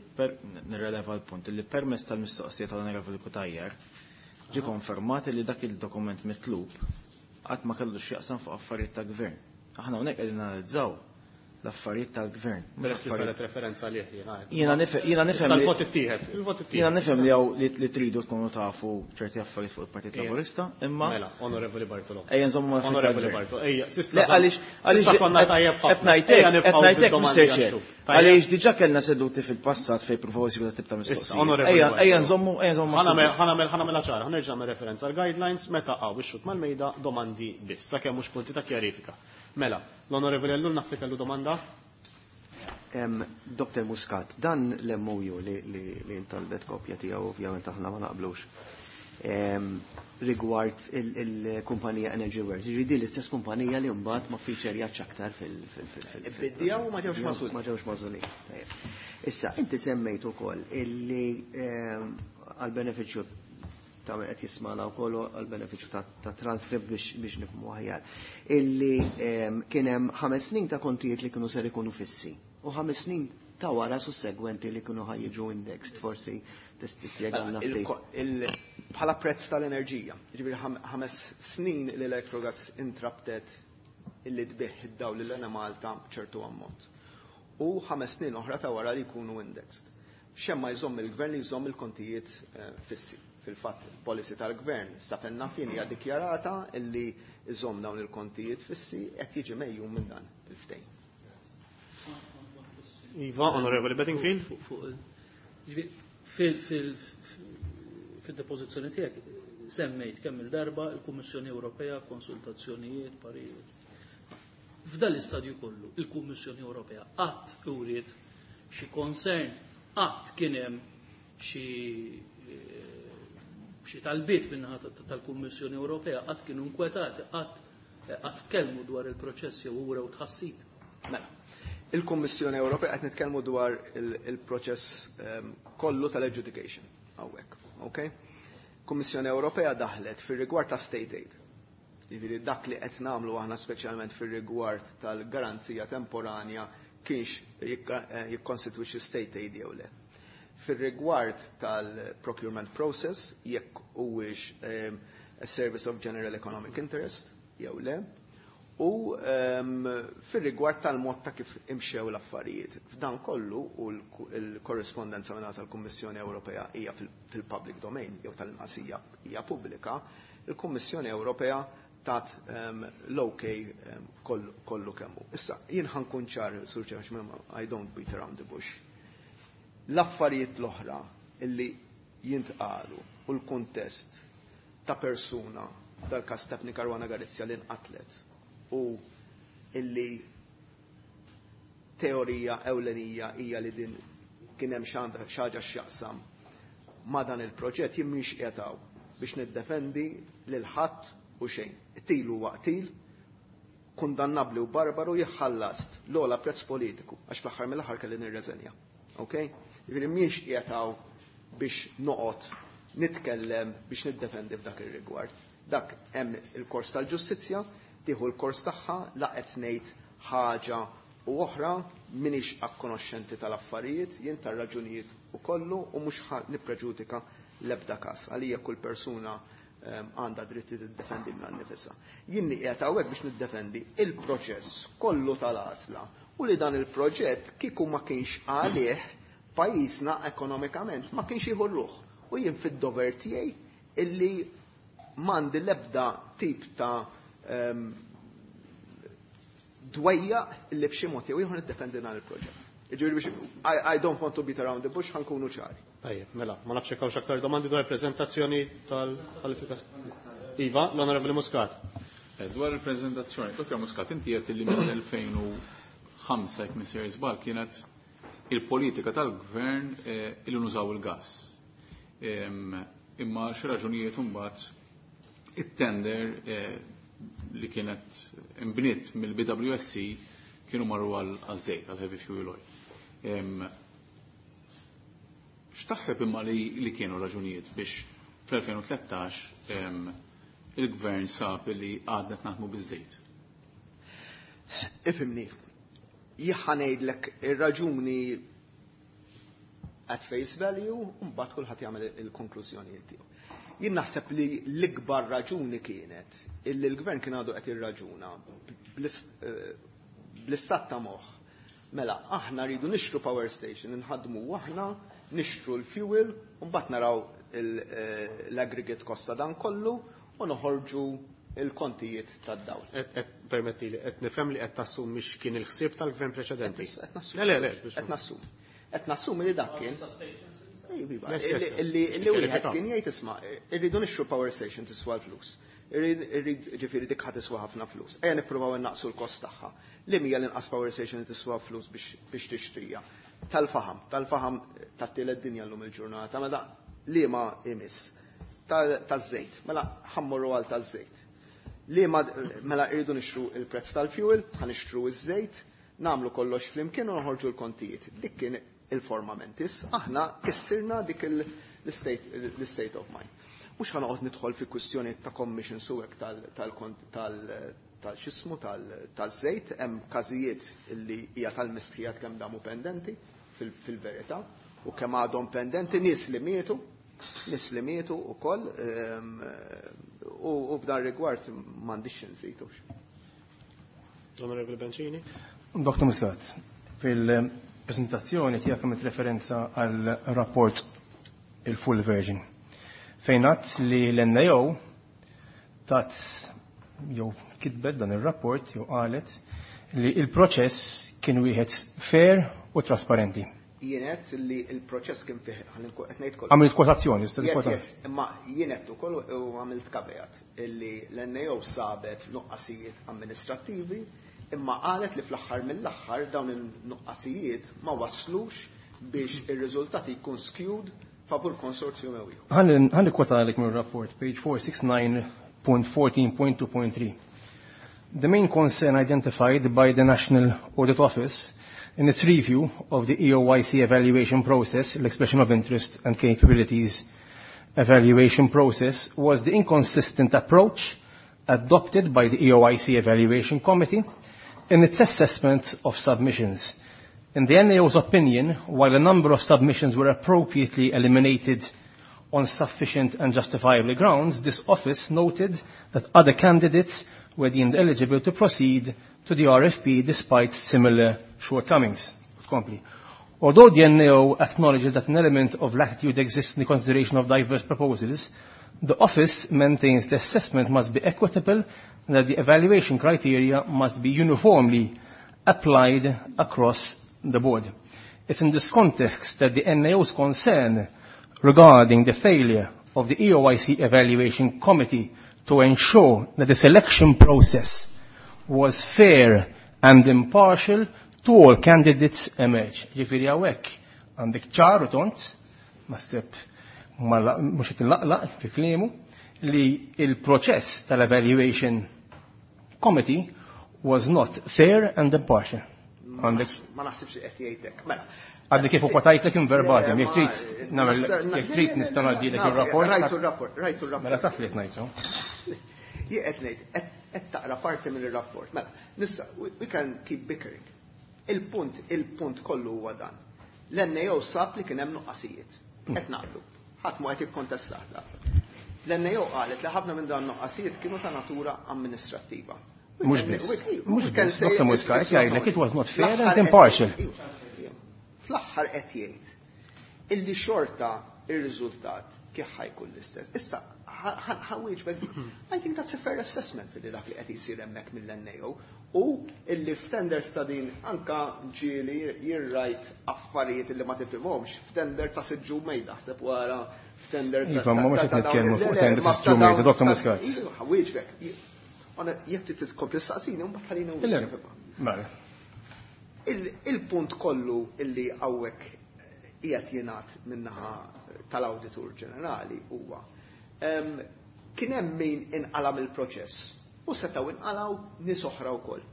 nirreleva l-punt li permess tal-mistoqsija tal-Onorevoli Cutajar ġi konfermat li dak il-dokument mitlub qatt ma kellu x'jaqsam fuq affarijiet ta' gvern. Aħna hawnhekk qegħdin analizzaw l-affarijiet tal-gvern. Mhux Peress li affarijiet saret referenza għalih, jiena għedt. Jiena jiena nifhem Issa li l-vot ittieħed, il-vot ittieħed. Jiena nifhem li hawn li tridu tkunu tafu ċerti affarijiet fuq il-Partit Laburista, imma Mela, Onorevoli Bartolo. Ejja nżommu mal-affarijiet Onorevoli tal-gvern. Bartolo, ejja, s'issa Le, għaliex s'issa konna tajjeb ħafna. qed ngħidlek, Ejja qed nibqgħu ngħidlek, bid-domandi Mr. Chair. għax-xhur. Tajjeb. Għaliex diġà kellna seduti fil-passat fejn pruvaw isibu dat tip ta' Issa, mistoqsija. Onorevoli Ejja, Bartolo. ejja nżommu, ejja nżommu mas-suġġett. Ħa nagħmel ċara, ħa nerġa' nagħmel referenza għal guidelines meta hawn ix-xhud mal-mejda domandi biss, sakemm mhux punti ta' kjarifika. Mela, l-Onorevoli Ellul naf li kellu domanda. Dr. Muscat, dan l-MOU li intalbet kopja tiegħu, ovvjament aħna ma naqblux. Rigward il-kumpanija Energy Works. Jiġifieri din l-istess kumpanija li mbagħad ma featurejax aktar fil- Biddija u ma ġewx magħżulin. Ma ġewx magħżulin. Tajjeb. Issa, inti semmejt ukoll illi għal-benefiċċju ta' min qed jismana wkoll għal-benefiċċju ta' transcript biex nifhmu aħjar. Illi kien hemm 5 snin ta' kontijiet li kienu ser ikunu fissi u 5 snin ta' wara sussegwenti li kienu ħa jiġu indexed, forsi tispjegalna ftit. Bħala prezz tal-enerġija, ġifieri 5 snin l-Electrogas intrabtet illi tbigħ id-dawl lil Enemalta ċertu ammont. U 5 snin oħra ta' wara li jkunu indexed. Xemma jżomm il-gvern li jżomm il-kontijiet fissi. Fil-fatt, policy tal-gvern sa fejn naf jien hija dikjarata illi jżomm dawn il-kontijiet fissi, qed jiġi megħjun minn dan il-ftehim. Iva, Onorevoli Bedingfield. Fil-depożizzjoni tiegħek semmejt kemm il-darba il-Kummissjoni Ewropea, konsultazzjonijiet, parijiet. F'dan l-istadju kollu, il-Kummissjoni Ewropea qatt uriet xi concern, qatt kien hemm xi talbiet min-naħa tal-Kummissjoni Ewropea, qatt kienu inkwetati, qatt tkellmu dwar il-proċess jew urew tħassib? Mela, il-Kummissjoni Ewropea, qed nitkellmu dwar il-proċess kollu tal-adjudication hawnhekk, okay? Kummissjoni Ewropea daħlet fir-rigward ta' state aid. Jiġifieri dak li qed nagħmlu aħna, speċjalment fir-rigward tal-garanzija temporanja, kienx jikkonstitwixxi state aid jew le. Fir-rigward tal-procurement process, jekk huwiex a service of general economic interest jew le, u fir-rigward tal-mod ta' kif imxew l-affarijiet. F'dan kollu, u l-korrespondenza minn tal-Kummissjoni Ewropea hija fil-public domain jew tal-inqas hija pubblika, il-Kummissjoni Ewropea tat l-ok kollu kemmu. Issa, jien ħa nkun ċar, Sur Chair, I don't beat around the bush. L-affarijiet l-oħra illi jintqalu u l-kuntest ta' persuna tal-kas Daphne Caruana Galizia li nqatlet u illi teorija ewlenija hija li din kien hemm xi ħaġa x'jaqsam ma' dan il-proġett, jien mhix qiegħed biex niddefendi lil ħadd u xejn. Qtil huwa qtil, kundannabli u barbaru, jħallas l-ogħla prezz politiku, għax fl-aħħar mill-aħħar kelli nirreżenja. Ok? Jiġifieri mhix qiegħed biex noqgħod nitkellem biex niddefendi f'dak ir-rigward. Dak hemm il-kors tal-ġustizzja, tieħu l-kors tagħha, la qed ngħid ħaġa u oħra, minix akkonoxxenti tal-affarijiet, jien tar-raġunijiet u kollu, u mhux nippreġudika l-ebda każ. Għalija kull persuna għandha dritti tiddefendi lilha nnifisha. Jien qiegħed hawnhekk biex niddefendi il-proċess kollu tal-għażla u li dan il-proġett kieku ma kienx għalih pajjiżna ekonomikament ma kienx jieħu ruħ. U jien fid-dover tiegħi illi m'għandi l-ebda tip ta' dwejjaq illi b'xi mod jew ieħor niddefendi dan il-proġett. Jiġifieri biex I don't want to beat around the bush, ħa nkunu ċari. Tajjeb, mela, ma nafx hekk aktar domandi dwar prezentazzjoni tal-kwalifikazzjoni. Iva, l-Onorevoli Muscat. Dwar il-prezentazzjoni, Dr. Muscat, inti qed li mill-2005, jekk m'iniex żball, kienet il-politika tal-gvern illi nużaw il-gas. Imma xi raġunijiet imbagħad it-tender li kienet imbniet mill-BWSC kienu marru għal-żejt, għal-heavy fuel oil. X'taħseb imma li kienu raġunijiet biex fl-2013 il-gvern sab li għadna naħdmu biż-żejt? Ifhimni, jien ħa ngħidlek ir-raġuni at face value, u mbagħad kulħadd jagħmel il-konklużjonijiet tiegħu. Jien naħseb li l-ikbar raġuni kienet illi l-gvern kien għadu qed irraġuna bl-istat ta' moħħ. Mela, aħna rridu nixtru power station, nħadmu aħna, nixtru l-fuel, u mbagħad naraw l-aggregate cost ta' dan kollu u noħorġu il-kontijiet tad-dawl. Permetti li qed nifhem li qed tassum mhix kien il-ħsieb tal-gvern preċedenti. Qed nassum. Le, le, le. Qed nassum. Qed nassum li dak kien. Iva, Yes. Illi wieħed kien jgħid, isma', irridu nixtru power station, tiswa l-flus. Irrid, ġifieri dik ħa tiswa ħafna flus. Ejja nippruvaw innaqsu l-kost tagħha. Li hija l-inqas power station li tiswa flus biex tixtrija? Tal-faħam, tal-faħam tat-tielet dinja llum il-ġurnata, ma da li ma imiss. Taż-żejt. Mela ħa mmorru għal taż-żejt. Li mela irridu nixtru il-prezz tal-fuel, ħa nixtru iż-żejt, nagħmlu kollox flimkien u noħorġu l-kontijiet. Dik kien il-forma mentis, aħna kissirna dik l-state of mind. Mhux ħa noqgħod nidħol fi kwistjoni ta' commission u hekk tal-xismu tal-żejt, hemm każijiet li hija tal-mistħijat kemm damu pendenti fil-verità u kemm għadhom pendenti nies li mietu, nies li mietu ukoll u b'dan rigward m'għandix nżidux. Onorevoli Bencini. Dr. Muscat, fil-presentazzjoni tiegħek għamilt referenza għal rapport il-full version. Fejn għedt li l-NAO tat jew kitbet dan ir-rapport jew qalet li il-proċess kien wieħed fair u trasparenti. Jien għedt li il-proċess kien fih, qed ngħid kollu. Għamilt kwotazzjoni, Yes, imma jien għedt ukoll u għamilt caveat illi l-NAO sabet nuqqasijiet amministrattivi imma qalet li fl-aħħar mill-aħħar dawn il-nuqqasijiet ma waslux biex ir-riżultati jkun skewed favur konsorzjum jew ieħor. Ħa nikkwotalek mir-rapport, page 469.14.2.3. The main concern identified by the National Audit Office in its review of the EOIC evaluation process, l-expression of interest and capabilities evaluation process, was the inconsistent approach adopted by the EOIC Evaluation Committee in its assessment of submissions. In the NAO's opinion, while a number of submissions were appropriately eliminated on sufficient and justifiable grounds, this office noted that other candidates were deemed eligible to proceed to the RFP despite similar shortcomings. Kompli. Although the NAO acknowledges that an element of latitude exists in the consideration of diverse proposals, the office maintains the assessment must be equitable and that the evaluation criteria must be uniformly applied across the board. It's in this context that the NAO's concern regarding the failure of the EOIC Evaluation Committee to ensure that the selection process was fair and impartial to all candidates emerge. Ġifieri hawnhekk għandek ċar u tont, naħseb mhux qed nlaqlaq fi kliemu, li il-proċess tal-evaluation committee was not fair and impartial. Għandek Ma naħsibx li qed jgħidlek. Mela. Għadni kif kwotajtlek in verbatim, jekk trid nagħmel jekk trid nista' ngħaddilek ir-rapport. Rajtu r-rapport, rajtu r-rapport. Mela taf li qed ngħid so. Jien qed ngħid qed taqra parti mill-rapport. Mela, nissa we can keep bickering. Il-punt kollu huwa dan. L-NAO sab li kien hemm nuqqasijiet. Qed naqblu. Ħadd mu qed jikkontestah da. L-NAO qalet li ħafna minn dan nuqqasijiet kienu ta' natura amministrattiva. Mhux biss. Mhux biss, Dr. Muscat jgħidlek it was not fair and impartial. Fl-aħħar qed jgħid illi xorta ir-riżultat kif ħa jkun l-istess. Issa ħa nwieġbek, I think that's a fair assessment li dak li qed jsir hemmhekk mill-NAO u illi f'tenders ta' din anka ġieli jirrajt affarijiet illi ma tifhimhomx f'tender ta' siġġu mejda ħseb wara f'tender ta' Iva, ma mhux qed nitkellmu fuq tender ta' siġġu mejda, Dr. Muscat. Iva, ħa nwieġbek. Jekk trid tkompli staqsini, mbagħad ħallina nwieġbek. Mela. Il-punt kollu illi hawnhekk qiegħed jingħad min-naħa tal-Awditur Ġenerali huwa kien hemm min inqala mill-proċess u setgħu inqalgħu nies oħra wkoll.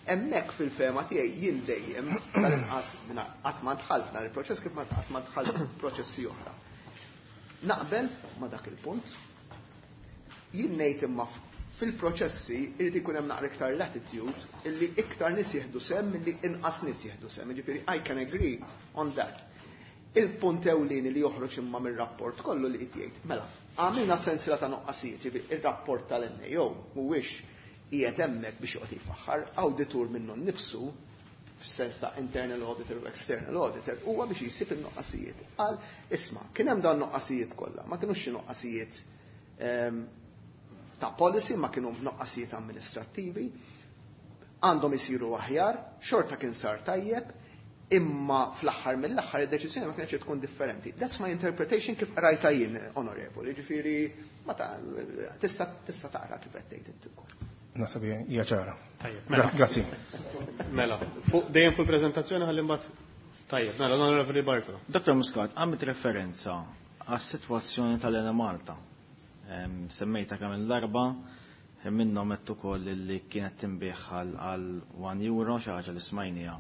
Hemmhekk fil-fehma tiegħi jien dejjem tal-inqas qatt ma dħalt f'dan il-proċess kif ma qatt ma dħalt f'proċessi oħra. Naqbel ma dak il-punt. Jien ngħid imma fil-proċessi irid ikun hemm naqra iktar latitude illi iktar nies jieħdu sehem milli inqas nies jieħdu sehem. Jiġifieri I can agree on that. Il-punt ewlieni li joħroġ imma mir-rapport kollu li qed jgħid, mela, għamilna sensiela ta' nuqqasijiet, ġifieri ir-rapport tal-NAO mhuwiex qiegħed hemmhekk biex joqgħod jifaħħar, awditur minnu nnifsu f'sens ta' internal auditor u external auditor huwa biex jisib in-nuqqasijiet. Qal, isma' kien hemm dan nuqqasijiet kollha, ma kinux xi nuqqasijiet ta' policy, ma kienu nuqqasijiet amministrattivi, għandhom isiru aħjar, xorta kien sar tajjeb, imma fl-aħħar mill-aħħar id-deċiżjoni ma kienx tkun differenti. That's my interpretation kif qrajta jien, onorevoli, ġifieri ma ta' tista' taqra kif qed tgħid inti wkoll. Naħseb hija ċara. Tajjeb, mela. Grazzi. Mela, dejjem fuq il-preżentazzjoni ħalli mbagħad. Tajjeb, mela, Onorevoli Bartolo. Dr. Muscat, għamilt referenza għas-sitwazzjoni tal-Enemalta. Semmejta kemm il-darba, minnhom qed ukoll li kienet tinbiegħ għal 1 euro, xi ħaġa li smajnija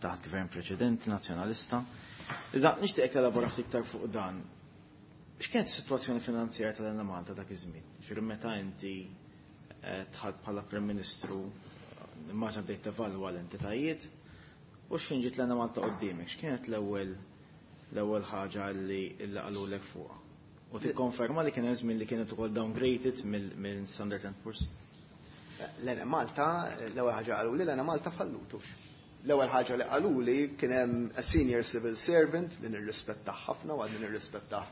taħt gvern preċedenti nazzjonalista. Iżda nixtieq telabora ftit iktar fuq dan. X'kienet is-sitwazzjoni finanzjarja tal-Enemalta dak iż-żmien? Ġifieri meta inti dħalt bħala Prim Ministru, immaġna bdejt tevalwa l-entitajiet, u x'ħin ġiet l-Enemalta quddiemek, x'kienet l-ewwel ħaġa li qalulek fuqha? U tikkonferma li kien hemm żmien li kienet ukoll downgraded minn Standard and Poor's? L-Enemalta, l-ewwel ħaġa qaluli l-Enemalta fallutux. L-ewwel ħaġa li qaluli kien hemm a senior civil servant li nirrispettah ħafna u għadni nirrispettah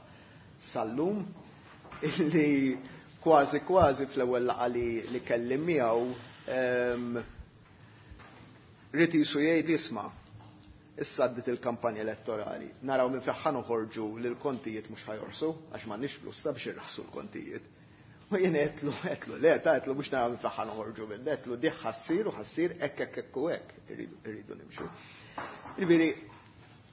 sal-lum, illi kważi kważi fl-ewwel laqgħa li kellim miegħu ried jisu jgħid isma' issa għaddiet il-kampanja elettorali, naraw minn fejn ħa noħorġu li l-kontijiet mhux ħa jorħsu, għax m'għandniex flus ta' biex irraħsu l-kontijiet. U jien għedtlu le, ta' għedtlu mhux naraw minn fejn ħa noħorġu minn, għedtlu di ħa ssir u ħa ssir hekk hekk hekk u hekk irridu nimxu. Jiġifieri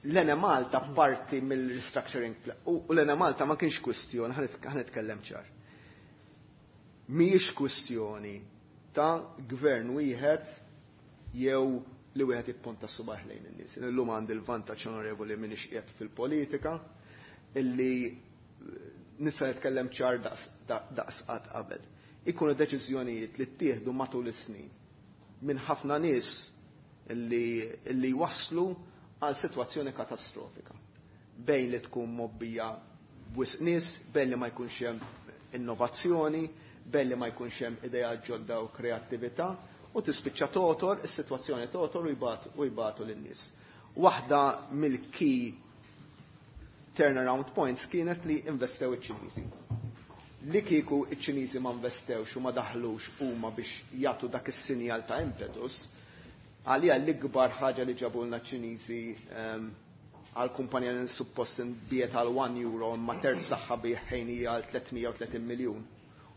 l-Enemalta parti mill-restructuring plan, u l-Enemalta ma kienx kwistjoni, ħa nitkellem ċar. Mhijiex kwistjoni ta' gvern wieħed jew li wieħed jipponta subaħ lejn in-nies. Illum għandi l-vantaġġ onorevoli m'iniex qiegħed fil-politika illi nista' nitkellem ċar daqs qatt qabel. Ikunu deċiżjonijiet li ttieħdu matul is-snin minn ħafna nies illi waslu għal sitwazzjoni katastrofika. Bejn li tkun mobbija b'wisq nies, bejn li ma jkunx hemm innovazzjoni, bejn li ma jkunx hemm idea ġodda u kreattività, u tispiċċa totor, is-sitwazzjoni totor u jbatu lin-nies. Waħda mill-key turnaround points kienet li investew iċ-Ċiniżi. Li kieku iċ-Ċiniżi ma investewx u ma daħlux huma biex jagħtu dak is-sinjal ta' impetus, għalija l-ikbar ħaġa li ġabulna ċ-Ċiniżi għal kumpanija li suppost nbiet għal 1 euro imma terz tagħha biħejnija għal 330 miljun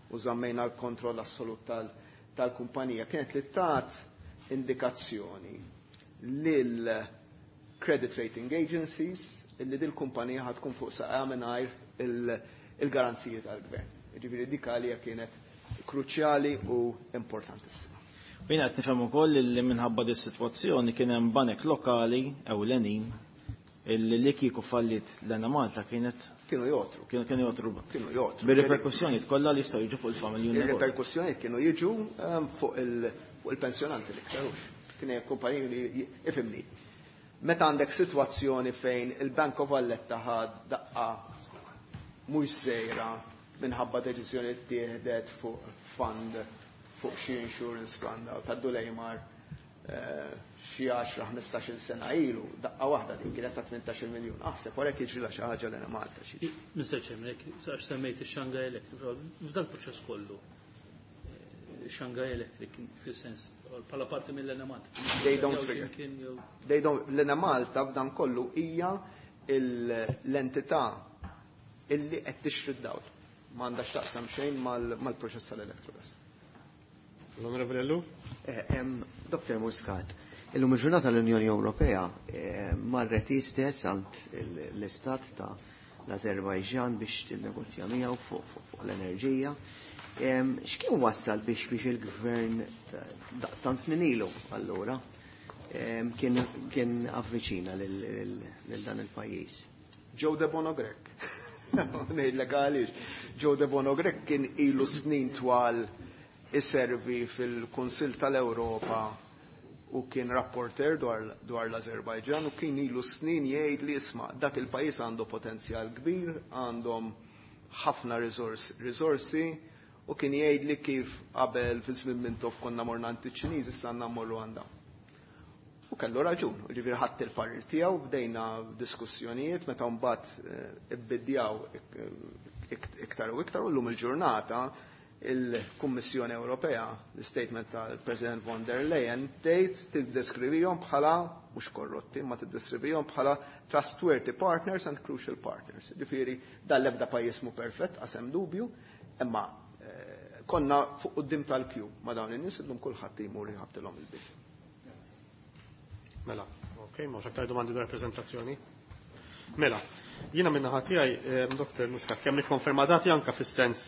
u żammejna l-kontroll assolut tal-kumpanija kienet li tat indikazzjoni lil credit rating agencies illi dil kumpanija ħad tkun fuq saqajha mingħajr il-garanziji tal-gvern. Jiġifieri dik għalija kienet kruċjali u importantissima. U jiena qed nifhem ukoll li minħabba dis sitwazzjoni kien hemm banek lokali ewlenin illi li kieku fallit l-Enemalta kienet Kienu jotru. Kienu jotru. Kienu jotru. Bir-reperkussjonijiet kollha li jistgħu jiġu fuq il-familji u n-negozju. Ir-reperkussjonijiet kienu jiġu fuq il-pensjonanti l-iktar hux. Kien hemm kumpaniji li ifhimni. Meta għandek sitwazzjoni fejn il-Bank of Valletta ħad daqqa mhux żgħira minħabba deċiżjoni ttieħdet fuq fund, fuq xi insurance fund ta' Dulejmar xi 10-15 sena ilu, daqqa waħda din kienet ta' 18 miljun. Aħseb wara jiġri la xi ħaġa l Malta xi. Mr. Chairman, għax semmejt ix-Shanghai Electric, f'dal proċess kollu, Shanghai Electric, fis-sens, bħala parti mill-Enemalta. They don't figure. They don't, l-Enemalta f'dan kollu hija l-entità illi qed tixtri d-dawl. M'għandha x'taqsam xejn mal-proċess tal-Electrogas. L-Onorevoli Ellul? Dr. Muscat, illum il-ġurnata l-Unjoni Ewropea marret stess għand l-istat ta' l-Azerbajġan biex tinnegozja miegħu fuq l-enerġija. X'kien wassal biex il-gvern daqstant snin ilu allura kien avviċina lil dan il-pajjiż? Joe Debono Grech. Ngħidlek għaliex. Joe Debono Grech kien ilu snin twal iservi fil-Kunsill tal-Ewropa u kien rapporter dwar l-Azerbajġan u kien ilu snin jgħid li isma' dak il-pajjiż għandu potenzjal kbir, għandhom ħafna risorsi u kien jgħid li kif qabel fi żmien Mintoff konna morna għand iċ-Ċiniżi issa għandna mmorru għandha. U kellu raġun, ġifieri ħadd il-parir tiegħu, bdejna diskussjonijiet meta mbagħad ibbidjaw iktar u iktar u llum il-ġurnata il-Kummissjoni Ewropea, l-statement tal-President von der Leyen, tgħid tiddeskrivihom bħala mhux korrotti, ma tiddeskrivihom bħala trustworthy partners and crucial partners. Ġifieri dan l-ebda pajjiż mhu perfett, qasem dubju, imma konna fuq quddiem tal-kju ma' dawn in-nies illum kulħadd jmur jħabtilhom il-bib. Mela, ok, ma aktar domandi dwar prezentazzjoni. Mela, Jiena min-naħa tiegħi, Dr. Muscat, kemm nikkonferma dati anke fis-sens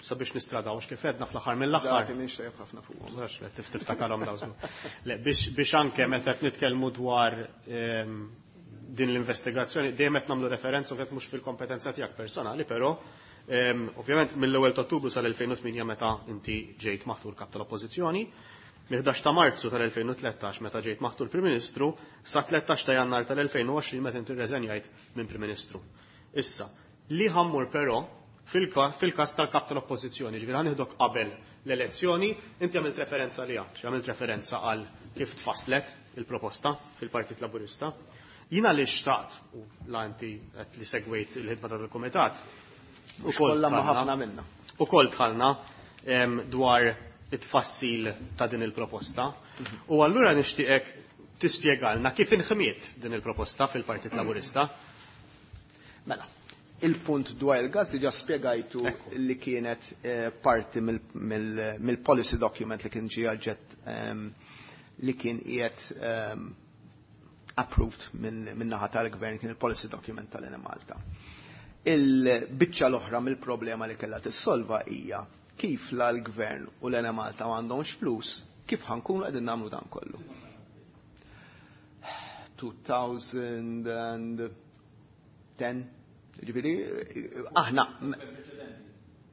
sabiex nistradaw għax kif għedna fl-aħħar mill-aħħar. Dati minn xejn ħafna fuqhom. Mhux le tiftakarhom daw żgur. Le biex anke meta qed nitkellmu dwar din l-investigazzjoni dejjem qed nagħmlu referenza ovvjament mhux fil-kompetenza tiegħek personali, però ovvjament mill-ewwel ta' Ottubru sal-2008 meta inti ġejt maħtur kap tal-Oppożizzjoni, mill-11 ta' Marzu tal-2013 meta ġejt maħtur Prim Ministru sa 13 ta' Jannar tal-2020 meta inti rreżenjajt minn Prim Ministru. Issa, li ħammur però fil-każ tal-kap tal-Oppożizzjoni, ġifieri ħanieħdok qabel l-elezzjoni, inti għamilt referenza li għamilt referenza għal kif tfasslet il-proposta fil-Partit Laburista. Jiena li xtaqt, u la inti qed li segwejt il-ħidma tal-Kumitat, ukoll ma ħafna minna. Ukoll tħallna dwar it-tfassil ta' din il-proposta. U allura nixtieqek tispjegalna kif inħmiet din il-proposta fil-Partit Laburista. Mela, il-punt dwar il-gas diġà spjegajtu li kienet parti mill-policy document li kien ġie aġġett li kien qiegħed approved minn naħa tal-gvern, kien il-policy document tal-Enemalta. Il-biċċa l-oħra mill-problema li kellha tissolva hija kif la l-gvern u l-Enemalta m'għandhomx flus, kif ħankunu qegħdin nagħmlu dan kollu. 2010, ġifieri, aħna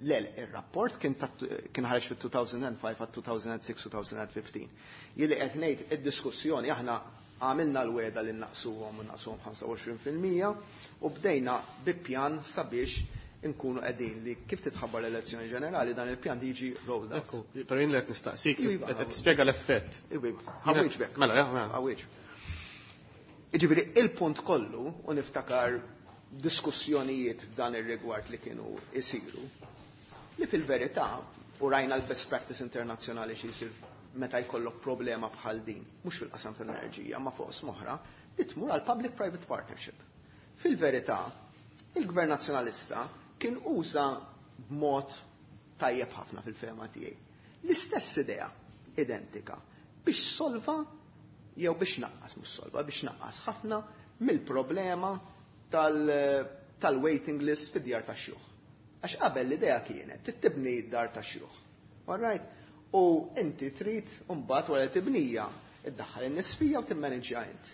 le, il-rapport kien ħareġ fil-2005 għal 2006-2015. Jili qed ngħid id-diskussjoni aħna għamilna l-weda li naqsuhom u naqsuhom 25% u bdejna bi pjan sabiex nkunu qegħdin li kif titħabbar l-elezzjoni ġenerali dan il-pjan jiġi rolled out. Ekku, però jien li qed nistaqsik, qed tispjega l-effett. Iva, ħawieġ. Mela, jah, mela. Ħawieġ. Jiġifieri il-punt kollu u niftakar diskussjonijiet f'dan ir-rigward li kienu isiru, li fil-verità u rajna l-best practice internazzjonali xi jsir meta jkollok problema bħal din, mhux fil-qasam tal-enerġija, ma fuq oħra, li tmur għal public-private partnership. Fil-verità, il-Gvern Nazzjonalista kien uża b'mod tajjeb ħafna fil-fehma tiegħi. L-istess idea identika biex solva jew biex naqqas, mhux solva, biex naqqas ħafna mill-problema tal-waiting list fid-djar tax-xjuħ. Għax qabel l-idea kienet tibni d-dar tax-xjuħ. All right? U inti trid mbagħad wara tibnija iddaħħal in-nies fija u timmanġja int.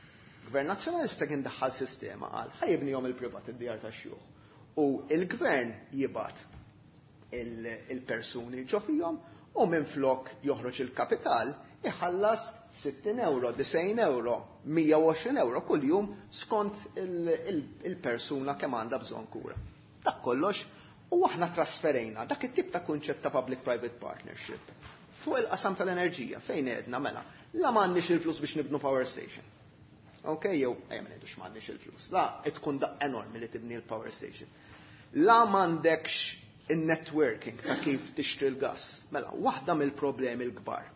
Gvern Nazzjonalista kien daħħal sistema qal ħa jibnihom il-privat id-djar tax-xjuħ. U il-gvern jibgħat il-persuni ġo fihom u minflok joħroġ il-kapital iħallas 60 euro, 90 euro, 120 euro kuljum skont il-persuna kemm għandha bżonn kura. Dak kollox u aħna trasferejna dak it-tip ta' kunċett ta' public-private partnership fuq il-qasam tal-enerġija fejn għedna mela la m'għandniex il-flus biex nibnu power station. Ok, jew ejja ma ngħidux m'għandniex il-flus. La tkun daq enormi li tibni l-power station. La m'għandekx il-networking ta' kif tixtri l-gas. Mela, waħda mill-problemi l-kbar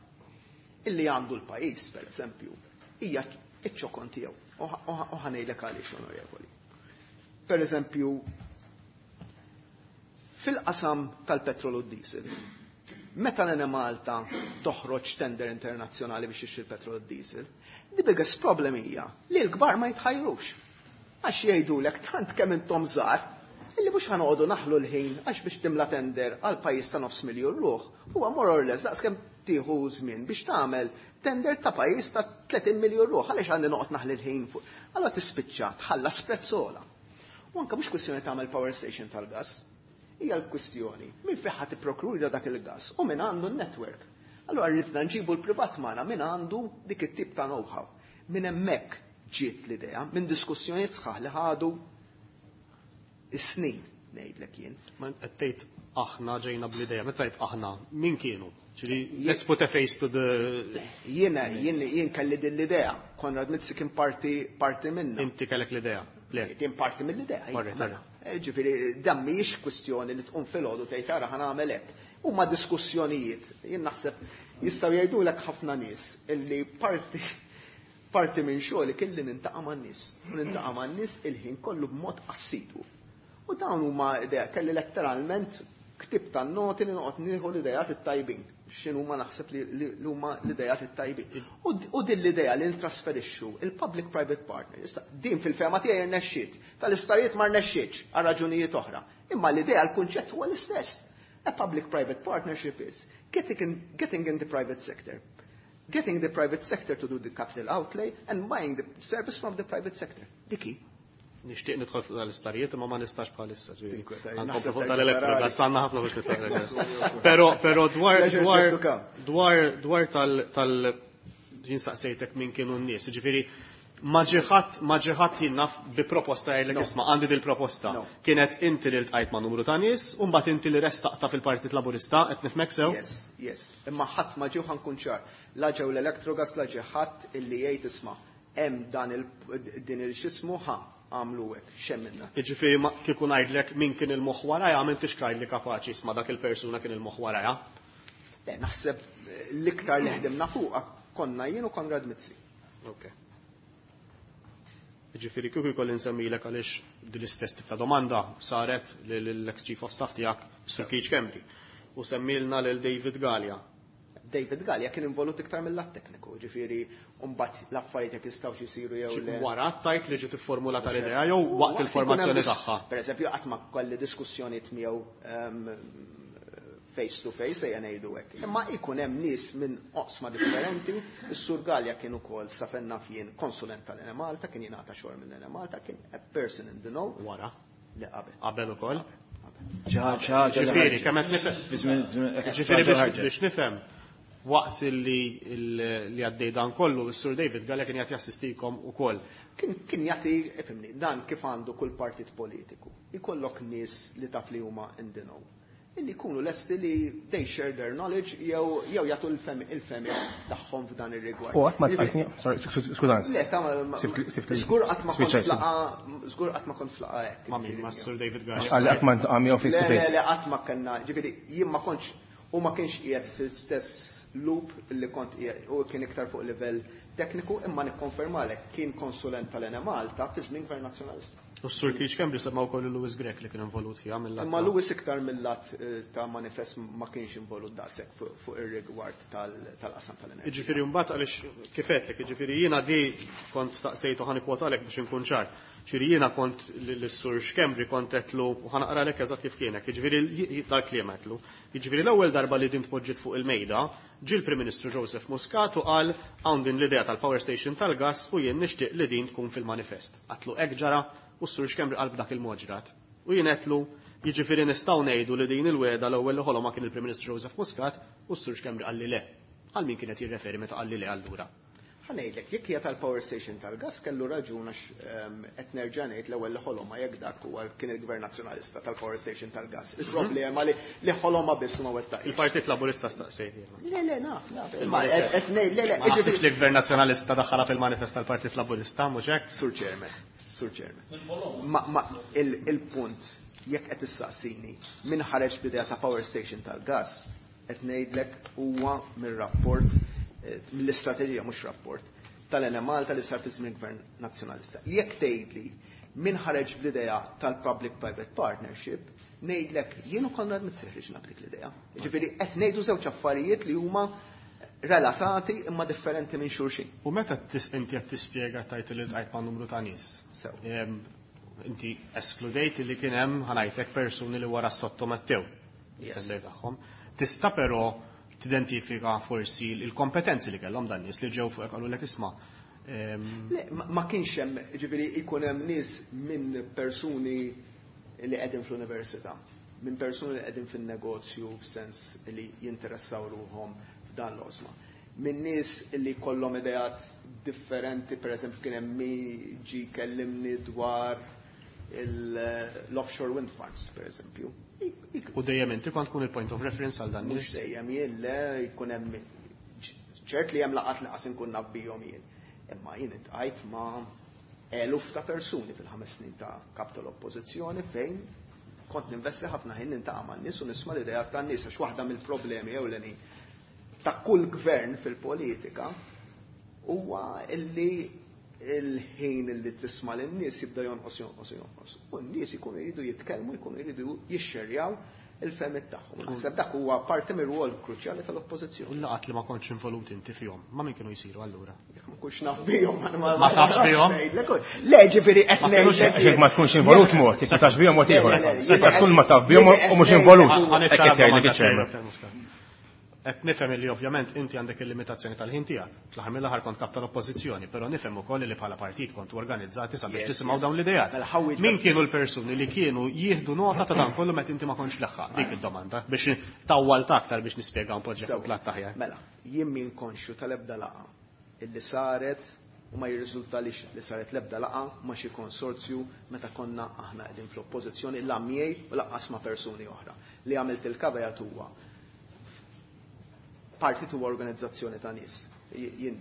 illi għandu l-pajjiż, per eżempju, hija iċ-ċokon tiegħu. U ħa ngħidlek għaliex, onorevoli. Per eżempju, fil-qasam tal-petrol u diesel, meta l-Enemalta toħroġ tender internazzjonali biex tixtri l-petrol u diesel, the biggest problem hija li l-kbar ma jitħajrux. Għax jgħidulek tant kemm intom żgħar illi mhux ħa noqogħdu naħlu l-ħin għax biex timla tender għal pajjiż ta' nofs miljun ruħ huwa more or less daqs kemm tieħu żmien biex tagħmel tender ta' pajjiż ta' 30 miljun ruħ għaliex għandi noqgħod naħli l-ħin fuq. Allora tispiċċa tħallas prezz ogħla. U anke mhux kwistjoni tagħmel power station tal-gas, hija l-kwistjoni min fejn ħa tipprokurja dak il-gas u min għandu n-network. Allora rridna nġibu l-privat magħna min għandu dik it-tip ta' know-how. Min hemmhekk ġiet l-idea, minn diskussjonijiet sħaħ li ħadu is-snin ngħidlek jien. Ma qed tgħid aħna ġejna bl-idea, meta tgħid aħna, min kienu? Ġifieri, let's put a face to the Jiena jien kelli din l-idea. Konrad Mizzi kien parti minna. Inti kellek l-idea. Le. Din parti mill-idea. Alright, Mela. alright. Ġifieri, dan mhijiex kwistjoni li tqum filgħodu tgħid ara ħa nagħmel hekk. Huma diskussjonijiet. Jien naħseb jistgħu jgħidulek ħafna nies illi parti minn xogħli kelli nintaqa' man-nies. U nintaqa' man-nies il-ħin kollu b'mod assidwu. U dawn huma idea kelli letteralment Ktieb tan-noti li noqgħod nieħu l-idejat it-tajbin. X'inhuma naħseb li huma l-idejat it-tajbin. U din l-idea li ntrasferixxu il-public-private partner. Issa, din fil-fehma tiegħi rnexxiet. Tal-isptarijiet ma rnexxietx għal raġunijiet oħra. Imma l-idea, l-kunċett huwa l-istess. A public-private partnership is getting in the private sector, getting the private sector to do the capital outlay and buying the service from the private sector. Dik hi. Nixtieq nidħol fuq tal-isptarijiet imma ma nistax bħalissa. Tinkweta, Nkomplu naħseb fuq tajt tal-Electrogas, rari. għandna ħafna biex nitħol. Però dwar Pleasure dwar yet to come. dwar tal jien saqsejtek min kienu n-nies, ġifieri ma ġie ħadd jien naf bi proposta jgħidlek, No. "Isma', għandi dil-proposta." No. Kienet inti li ltqajt ma' numru ta' nies u mbagħad inti li ressaqta fil-Partit Laburista, qed nifhmek sew? Yes. Imma ħadd ma ġew, ħa nkun ċar. La ġew l-Electrogas, la ġie ħadd illi jgħid, "Isma', hemm dan il din il-xismu ħa għamlu hekk, x'hemm." Jiġifieri ma kieku ngħidlek min kien il-moħħ warajha, m'intix tgħidli kapaċi, "Isma', dak il-persuna kien il-moħħ warajha." Le, naħseb l-iktar li ħdimna fuqha konna jien u Konrad Mizzi. Ok. Ġifieri kieku jkolli nsemmilek, għaliex din l-istess tip ta' domanda saret lill-ex Chief of Staff tiegħek, Sir Keith Schembri. U semmilna lil David Galea. David Galea kien involut iktar mill-lat tekniku, ġifieri mbagħad l-affarijiet jekk jistgħux isiru jew le. Wara tajt li ġiet ifformulata l-idea jew waqt il-formazzjoni ikun hemm tagħha? Per eżempju, qatt ma kelli diskussjonijiet miegħu face to face, ejja ngħidu hekk. Imma ikun hemm nies minn oqsma differenti, is-Sur Galea kien ukoll, sa fejn naf jien, konsulent tal-Enemalta, kien jingħata xogħol minn Enemalta, kien a person in the know. Wara. Le, qabel. Qabel ukoll. Ħaġa li Ġifieri, ħarġet. kemm qed nifhem. Ġifieri biex nifhem, waqt li għaddej dan kollu, is-Sur David Galea kien jagħti jassistikom ukoll. Kien jagħti, ifhimni, dan kif għandu kull partit politiku. Ikollok nies li taf li huma in the know. Illi jkunu lesti li they share their knowledge jew jagħtu il-fehmiet tagħhom f'dan ir-rigward. U qatt ma tqajtni, sorry, skużani. Le, ta' żgur qatt ma kont f'laqgħa, żgur qatt ma kont f'laqgħa hekk. Ma' min, ma' Sur David Galea? Għalli qatt ma ntqa' miegħu face to Le, le, face. le, qatt ma kellna, ġifieri jien ma kontx u ma kienx qiegħed fil-stess loop li kont qiegħed u kien iktar fuq livell tekniku, imma nikkonfermalek kien konsulent tal-Enemalta fi żmien Gvern Nazzjonalista. U s-Sur Keith Schembri semma wkoll Louis Grech li kien involut fiha mill Imma Louis iktar mill-lat ta' manifest ma kienx involut daqshekk fuq ir-rigward tal-qasam tal-enerġija. Ġifieri mbagħad għaliex kif għedtlek, ġifieri jiena di kont staqsejtu, ħa nikkwotalek biex inkun ċar. Ġifieri jiena kont lis-Sur Schembri kont għedtlu, u ħa naqralek eżatt kif kienek, ġifieri dal-kliem għedtlu. Ġifieri l-ewwel darba li din tpoġġiet fuq il-mejda, ġie l-Prim Ministru Joseph Muscat u qal, "Hawn din l-idea tal-power station tal-gas u jien nixtieq li din tkun fil-manifest." Għedtlu, "Hekk ġara?" U s-Sur Schembri qal, "B'dak il-mod ġrat." U jien għedtlu, "Jiġifieri nistgħu ngħidu li din il-wegħda l-ewwel li ħoloma kien il-Prim Ministru Joseph Muscat?" U s-Sur Schembri qalli le. Għal min kienet jirreferi meta qalli le allura? Ħa ngħidlek, jekk hija tal-power station tal-gas kellu raġun għax qed nerġa' ngħid l-ewwel li ħoloma jekk dak huwa kien il-Gvern Nazzjonalista tal-power station tal-gas. Il-problema li ħoloma biss ma wettaq. Il-Partit Laburista staqsejt jiena. Le, le, naf, naf. Imma qed ngħid, le, le, Ma naħsibx li Gvern Nazzjonalista daħħalha fil-manifest tal-Partit Laburista, mhux hekk? Sur Chairman, Sur Chairman. Ma il-punt, jekk qed issaqsini min ħareġ b'idea ta' power station tal-gas, qed ngħidlek huwa mir-rapport, mill-istrateġija, mhux rapport, tal-Enemalta li sar fi żmien Gvern Nazzjonalista. Jekk tgħidli min ħareġ bl-idea tal-Public-Private Partnership, ngħidlek jien u Konrad Mizzi ħriġna b'dik l-idea. Ġifieri qed ngħidu żewġ affarijiet li huma relatati imma differenti minn xulxin. U meta inti qed tispjega tajt li ltqajt ma' numru ta' nies. Sew. Inti eskludejt li kien hemm, ħa ngħidlek, persuni li wara sottomettew Yes. il-tender tagħhom. Tista' però tidentifika forsi il-kompetenzi li kellhom dan nies li ġew fuq qalulek, "Isma'"? Le, ma kienx hemm, ġifieri jkun hemm nies minn persuni li qegħdin fl-università, minn persuni li qegħdin fin-negozju f'sens li jinteressaw ruħhom f'dan l-oqsma. Minn nies li kollhom ideat differenti, per eżempju kien hemm min ġie kellimni dwar l-offshore wind farms, per eżempju. U dejjem inti kont tkun il-point of reference għal dan Mhux nies? dejjem jien, le, jkun hemm ċert li hemm laqgħat li qas inkun naf bihom jien. Imma jien iltqajt ma' eluf ta' persuni fil-5 snin ta' kap tal-oppożizzjoni fejn kont ninvesti ħafna ħin niltaqa' man-nies u nisma' l-idea tan-nies, għax waħda mill-problemi ewlenin ta' kull gvern fil-politika huwa illi il-ħin illi tisma' lin-nies jibda jonqos, jonqos, jonqos. U n-nies ikunu jridu jitkellmu, jkunu jridu jixxerjaw il-fehmiet tagħhom. Naħseb dak huwa parti mir-rwol kruċjali tal-oppożizzjoni. U l-laqgħat li ma kontx involut inti fihom, ma' min kienu jsiru allura? Jekk ma nkunx naf bihom, Ma tafx bihom? Le, ġifieri qed ngħidlek. Jekk ma tkunx involut mod, jekk ma tafx bihom mod ieħor. Tista' tkun ma taf bihom u mhux involut. Hekk qed jgħidlek iċ-chairman. Qed nifhem illi ovvjament inti għandek il-limitazzjoni tal-ħin tiegħek. Fl-aħħar mill-aħħar kont kap tal-Oppożizzjoni, però nifhem ukoll li bħala partit kontu organizzati sabiex tisimgħu dawn l-ideat. Mela, ħa wieġbek. Min kienu l-persuni li kienu jieħdu nota ta' dan kollu meta inti ma kontx leħħaq? Dik id-domanda biex tawwalt aktar biex nispjega u npoġġi fuq platt aħjar. Mela, jien min konxju tal-ebda laqgħa illi saret u ma jirriżultalix li saret l-ebda laqgħa ma' xi konsorzju meta konna aħna qegħdin fl-Oppożizzjoni la miegħi u lanqas ma' persuni oħra. Li għamilt il-caveat huwa partit huwa organizzazzjoni ta' nies. Jien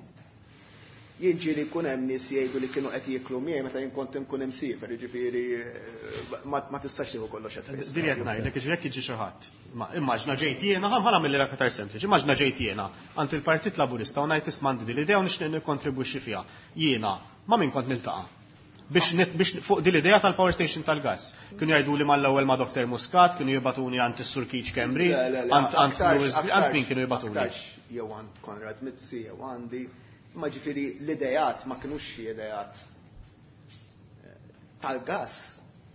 jien ġieli jkun hemm nies jgħidu li kienu qed jieklu miegħi meta jien kont inkun imsiefer, jiġifieri ma tistax tieħu kollox at face. Din qed ngħidlek, jiġifieri jekk jiġi xi ħadd. Ma immaġna ġejt jiena, ħa nagħmilha aktar sempliċi, immaġna ġejt jiena għand il-Partit Laburista u ngħid isma' għandi din l-idea u nixtieq nikkontribwixxi fiha. Jiena ma' min kont niltaqa'? Biex biex fuq din l-idea tal-power station tal-gas. Kienu jgħidu li mal-ewwel ma' Dr. Muscat, kienu jibatuni għand is-Sur Keith Schembri, għand Louis, għand min kienu jibatuni? Aktarx jew għand Konrad Mizzi jew għandi, imma ġifieri l-idejat ma kinux xi idejat tal-gas,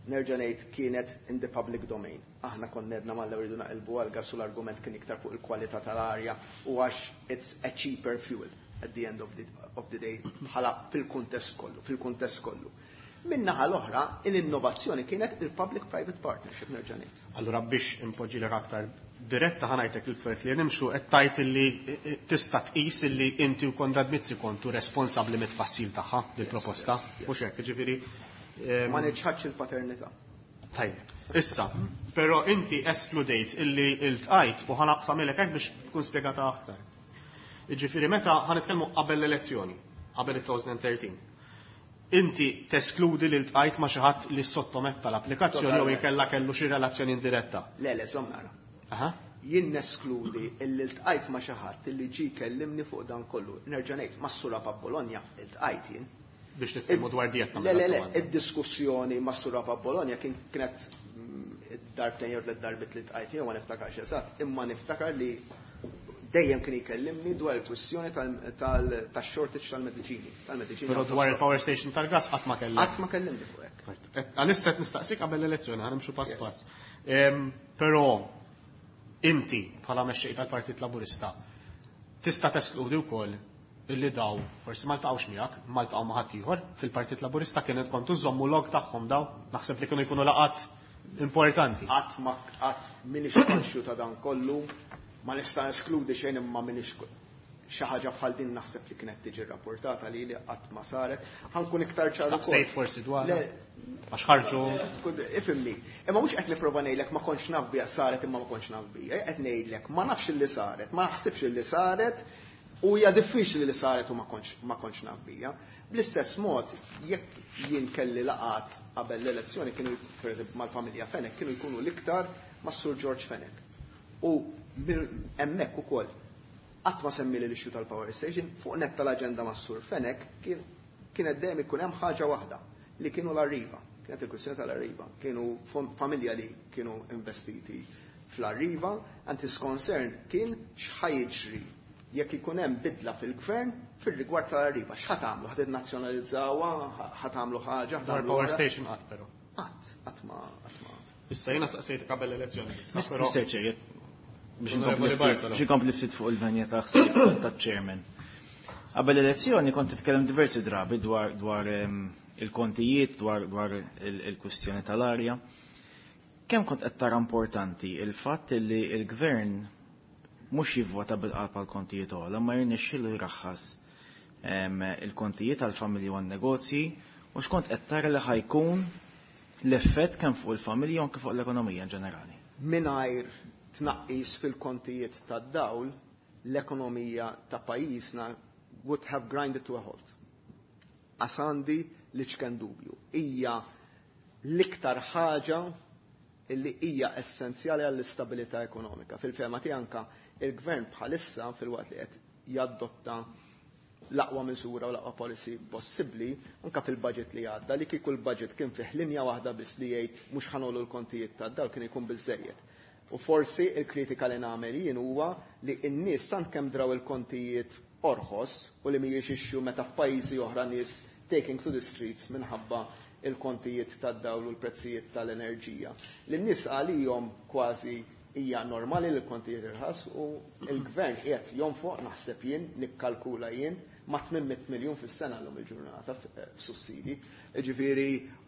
nerġa' ngħid kienet in the public domain. Aħna konna għedna mal-ewwel rridu naqilbu għall-gas u l-argument kien iktar fuq il-kwalità tal-arja u għax it's a cheaper fuel at the end of the day bħala fil-kuntest kollu, fil-kuntest kollu. Min-naħa l-oħra, l-innovazzjoni kienet il-public-private partnership, nerġa' ngħid. Allura biex impoġġilek aktar diretta ħa ngħidlek il-fert li nimxu qed tgħid illi tista' tqis illi inti u Konrad Mizzi kontu responsabbli mit-tfassil tagħha dil-proposta. Mhux hekk, jiġifieri, Ma niċħadx il-paternità. Tajjeb. Issa, però inti eskludejt illi iltqajt u ħa naqsamilek hekk biex tkun spjegata aktar. Jiġifieri meta ħa nitkellmu qabel l-elezzjoni, qabel il-2013. Inti teskludi li ltqajt ma' xi ħadd li sottometta l-applikazzjoni jew inkella kellu xi relazzjoni indiretta. Le, le, żomm nara. Jien neskludi illi ltqajt ma' xi ħadd illi ġie kellimni fuq dan kollu. Nerġa' ngħid, mas-Sur Apap Bologna iltqajt jien. Biex nitkellmu dwar dietta. Le, le, le, id-diskussjoni mas-Sur Apap Bologna kienet darbtejn jew tliet darbit li ltqajt jew ma niftakarx eżatt, imma niftakar li dejjem kien jkellimni dwar il-kwistjoni tax-shortage tal-mediċini. Tal-mediċini. Però dwar il-power station tal-gas qatt ma kellimni. Qatt ma kellimni fuq hekk. Għalissa qed nistaqsik qabel l-elezzjoni, ħa nimxu pass pass. Però inti bħala mexxej tal-Partit Laburista tista' teskludi wkoll illi daw forsi ma ltaqgħux miegħek, ma ltaqgħu ma' ħadd ieħor fil-Partit Laburista kienet kontu żommu log tagħhom daw, naħseb li kienu jkunu laqat importanti. Qatt ma qatt minix konxju ta' dan kollu, ma nista' eskludi xejn imma minix xi ħaġa bħal din naħseb li kienet tiġi rrapportata li li qatt ma saret. Ħa nkun iktar ċar ukoll. Staqsejt forsi dwar. Le. Għax ħarġu. Ifhimni. Imma mhux qed nipprova ngħidlek ma kontx naf biha saret imma ma kontx naf biha. Qed ngħidlek ma nafx illi saret, ma naħsibx illi saret u hija diffiċli li saret u ma kontx naf biha. Bl-istess mod, jekk jien kelli laqat qabel l-elezzjoni kienu pereżempju mal-familja Fenech kienu jkunu l-iktar mas-Sur George Fenech. U hemmhekk ukoll qatt ma semmili l-issue tal-power station, fuq nett tal-aġenda mas-Sur Fenech kienet dejjem ikun hemm ħaġa waħda li kienu l-Arriva. Kienet il-kwistjoni tal-Arriva. Kienu familja li kienu investiti fl-Arriva, and his concern kien x'ħa jiġri jekk ikun hemm bidla fil-gvern fir-rigward tal-Arriva. X'ħa tagħmlu? Ħa tinnazzjonalizzawha? Ħa tagħmlu ħaġa? Ħa Dwar tagħmlu power oħra? station qatt però. Qatt, qatt ma, qatt ma. Issa jiena saqsejt qabel l-elezzjoni. Issa, però Mr. Chair, biex Onorevoli Bartolo. biex inkompli ftit fuq il-venja ta' ħsieb ta' chairman. Qabel l-elezzjoni kont titkellem diversi drabi dwar il-kontijiet, dwar il-kwistjoni tal-arja. Kemm kont qed tara importanti il-fatt li l-gvern mhux jivvota bil-qalb għal kontijiet ogħla, ma jirnexxielu jraħħas il-kontijiet għall-familji u għan-negozji, u x'kont qed tara li ħajkun l-effett kemm fuq il-familji u anke fuq l-ekonomija in ġenerali. Mingħajr tnaqqis fil-kontijiet tad-dawl, l-ekonomija ta' pajjiżna would have grinded to a halt. Għandi l-iċken dubju. Hija l-iktar ħaġa illi hija essenzjali għall-istabilità ekonomika. Fil-fehma tiegħi anka il-gvern bħalissa fil-waqt li qed jaddotta l-aqwa miżura u l-aqwa policy possibbli, anka fil-budget li għadda, li kieku l-budget kien fih linja waħda biss li jgħid mhux ħa ngħollu l-kontijiet tad-dawl kien ikun biżejjed. U forsi il-kritika li nagħmel jien huwa li n-nies tant kemm draw il-kontijiet orħos u li mhijiex issue meta f'pajjiżi oħra nies taking to the streets minħabba il-kontijiet tad-dawl u l-prezzijiet tal-enerġija. Li n-nies għalihom kważi hija normali li l-kontijiet irħas u l-gvern qiegħed jonfoq, naħseb jien, nikkalkula jien, ma' 800 miljun fis-sena llum il-ġurnata f'sussidi. Ġifieri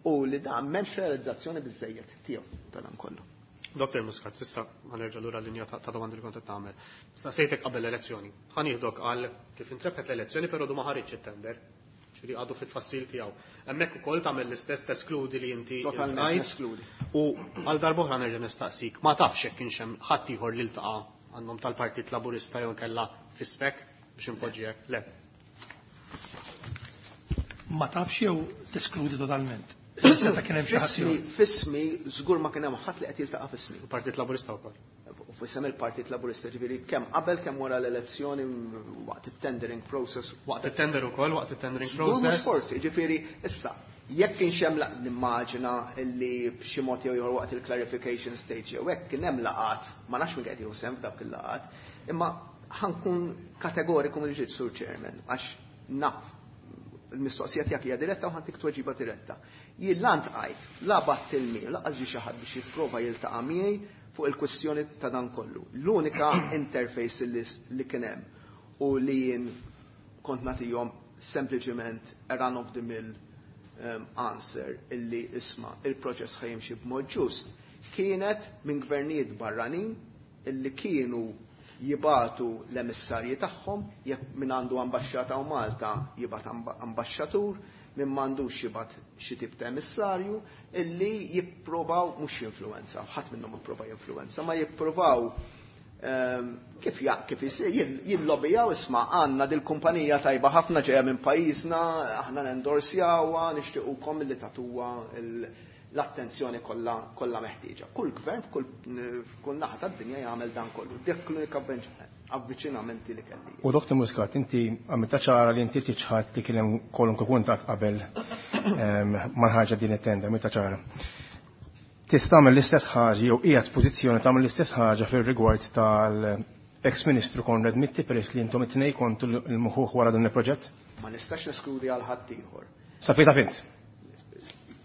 u li dan m'hemmx realizzazzjoni biżejjed tiegħu ta' dan kollu. Dr. Muscat, issa ħa nerġa' lura l-linja ta' domandi li kont qed tagħmel. Saqsejtek qabel l-elezzjoni. Ħa nieħdok għal kif intrebħet l-elezzjoni, però du ma ħareġ it-tender. Ġifieri għadu fit-tfassil tiegħu. Hemmhekk ukoll tagħmel l-istess, teskludi li inti Totalment iltqajt. Neskludi. U għal darb'oħra nerġa' nistaqsik, ma tafx hekk kienx hemm ħadd ieħor li ltaqa' għandhom tal-Partit Laburista jew kellha fispek biex inpoġġiek? Le. Ma tafx jew teskludi totalment? Seta' kien hemm xi ħadd F'ismi, ieħor. F'ismi żgur ma kien hemm ħadd li qed jiltaqa' f'ismi. Il-Partit Laburista wkoll. U f'isem il-Partit Laburista, ġifieri kemm qabel, kemm wara l-elezzjoni, waqt it-tendering process. Waqt it-tender ukoll, waqt it-tendering Żgur mhux process. forsi, ġifieri issa jekk kienx hemm, nimmaġina li b'xi mod jew ieħor waqt il-clarification stage jew hekk kien hemm laqat, ma nafx min qed jieħu sehem f'dawk il-laqat, imma ħa nkun kategoriku mill-ġdid, Sur Chairman, għax naf il-mistoqsija tiegħek hija diretta u ħa ntik tweġiba diretta. Jien la ltqajt, la bgħatt il-mi, lanqas ġie xi ħadd biex jipprova jiltaqa' miegħi fuq il-kwestjoni ta' dan kollu. L-unika interface li kien hemm u li jien kont nagħtihom sempliċement a run of the mill answer illi isma' il-proċess ħa jimxi b'mod ġust kienet minn gvernijiet barranin illi kienu jibagħtu l-emissarji tagħhom, jekk min għandu ambaxxata u Malta jibgħat ambaxxatur, min m'għandux jibgħat xi tip ta' emissarju illi jippruvaw mhux jinfluwenza, ħadd minnhom jipprova jinfluwenza, ma jippruvaw kif isir jillobijaw, isma' għandna dil-kumpanija tajba ħafna ġejja minn pajjiżna, aħna nendorsjawha, nixtiequkom li tagħtuha l-attenzjoni kollha meħtieġa. Kull gvern f'kull naħa tad-dinja jagħmel dan kollu. Dik l-unika avviċinamenti li kelli. U Dr. Muscat, inti għamilta ċara li inti tiċħad li kien hemm kwalunkwe kuntatt qabel ma ħarġet din it-tender, għamilta ċara. Tista' tagħmel l-istess ħaġa jew qiegħed pożizzjoni tagħmel l-istess ħaġa fir-rigward tal-ex-Ministru Konrad Mizzi, peress li intom it-tnejn kontu l-muħuħ wara dan il-proġett? Ma nistax neskludi għal ħadd ieħor. Sa fejn taf int?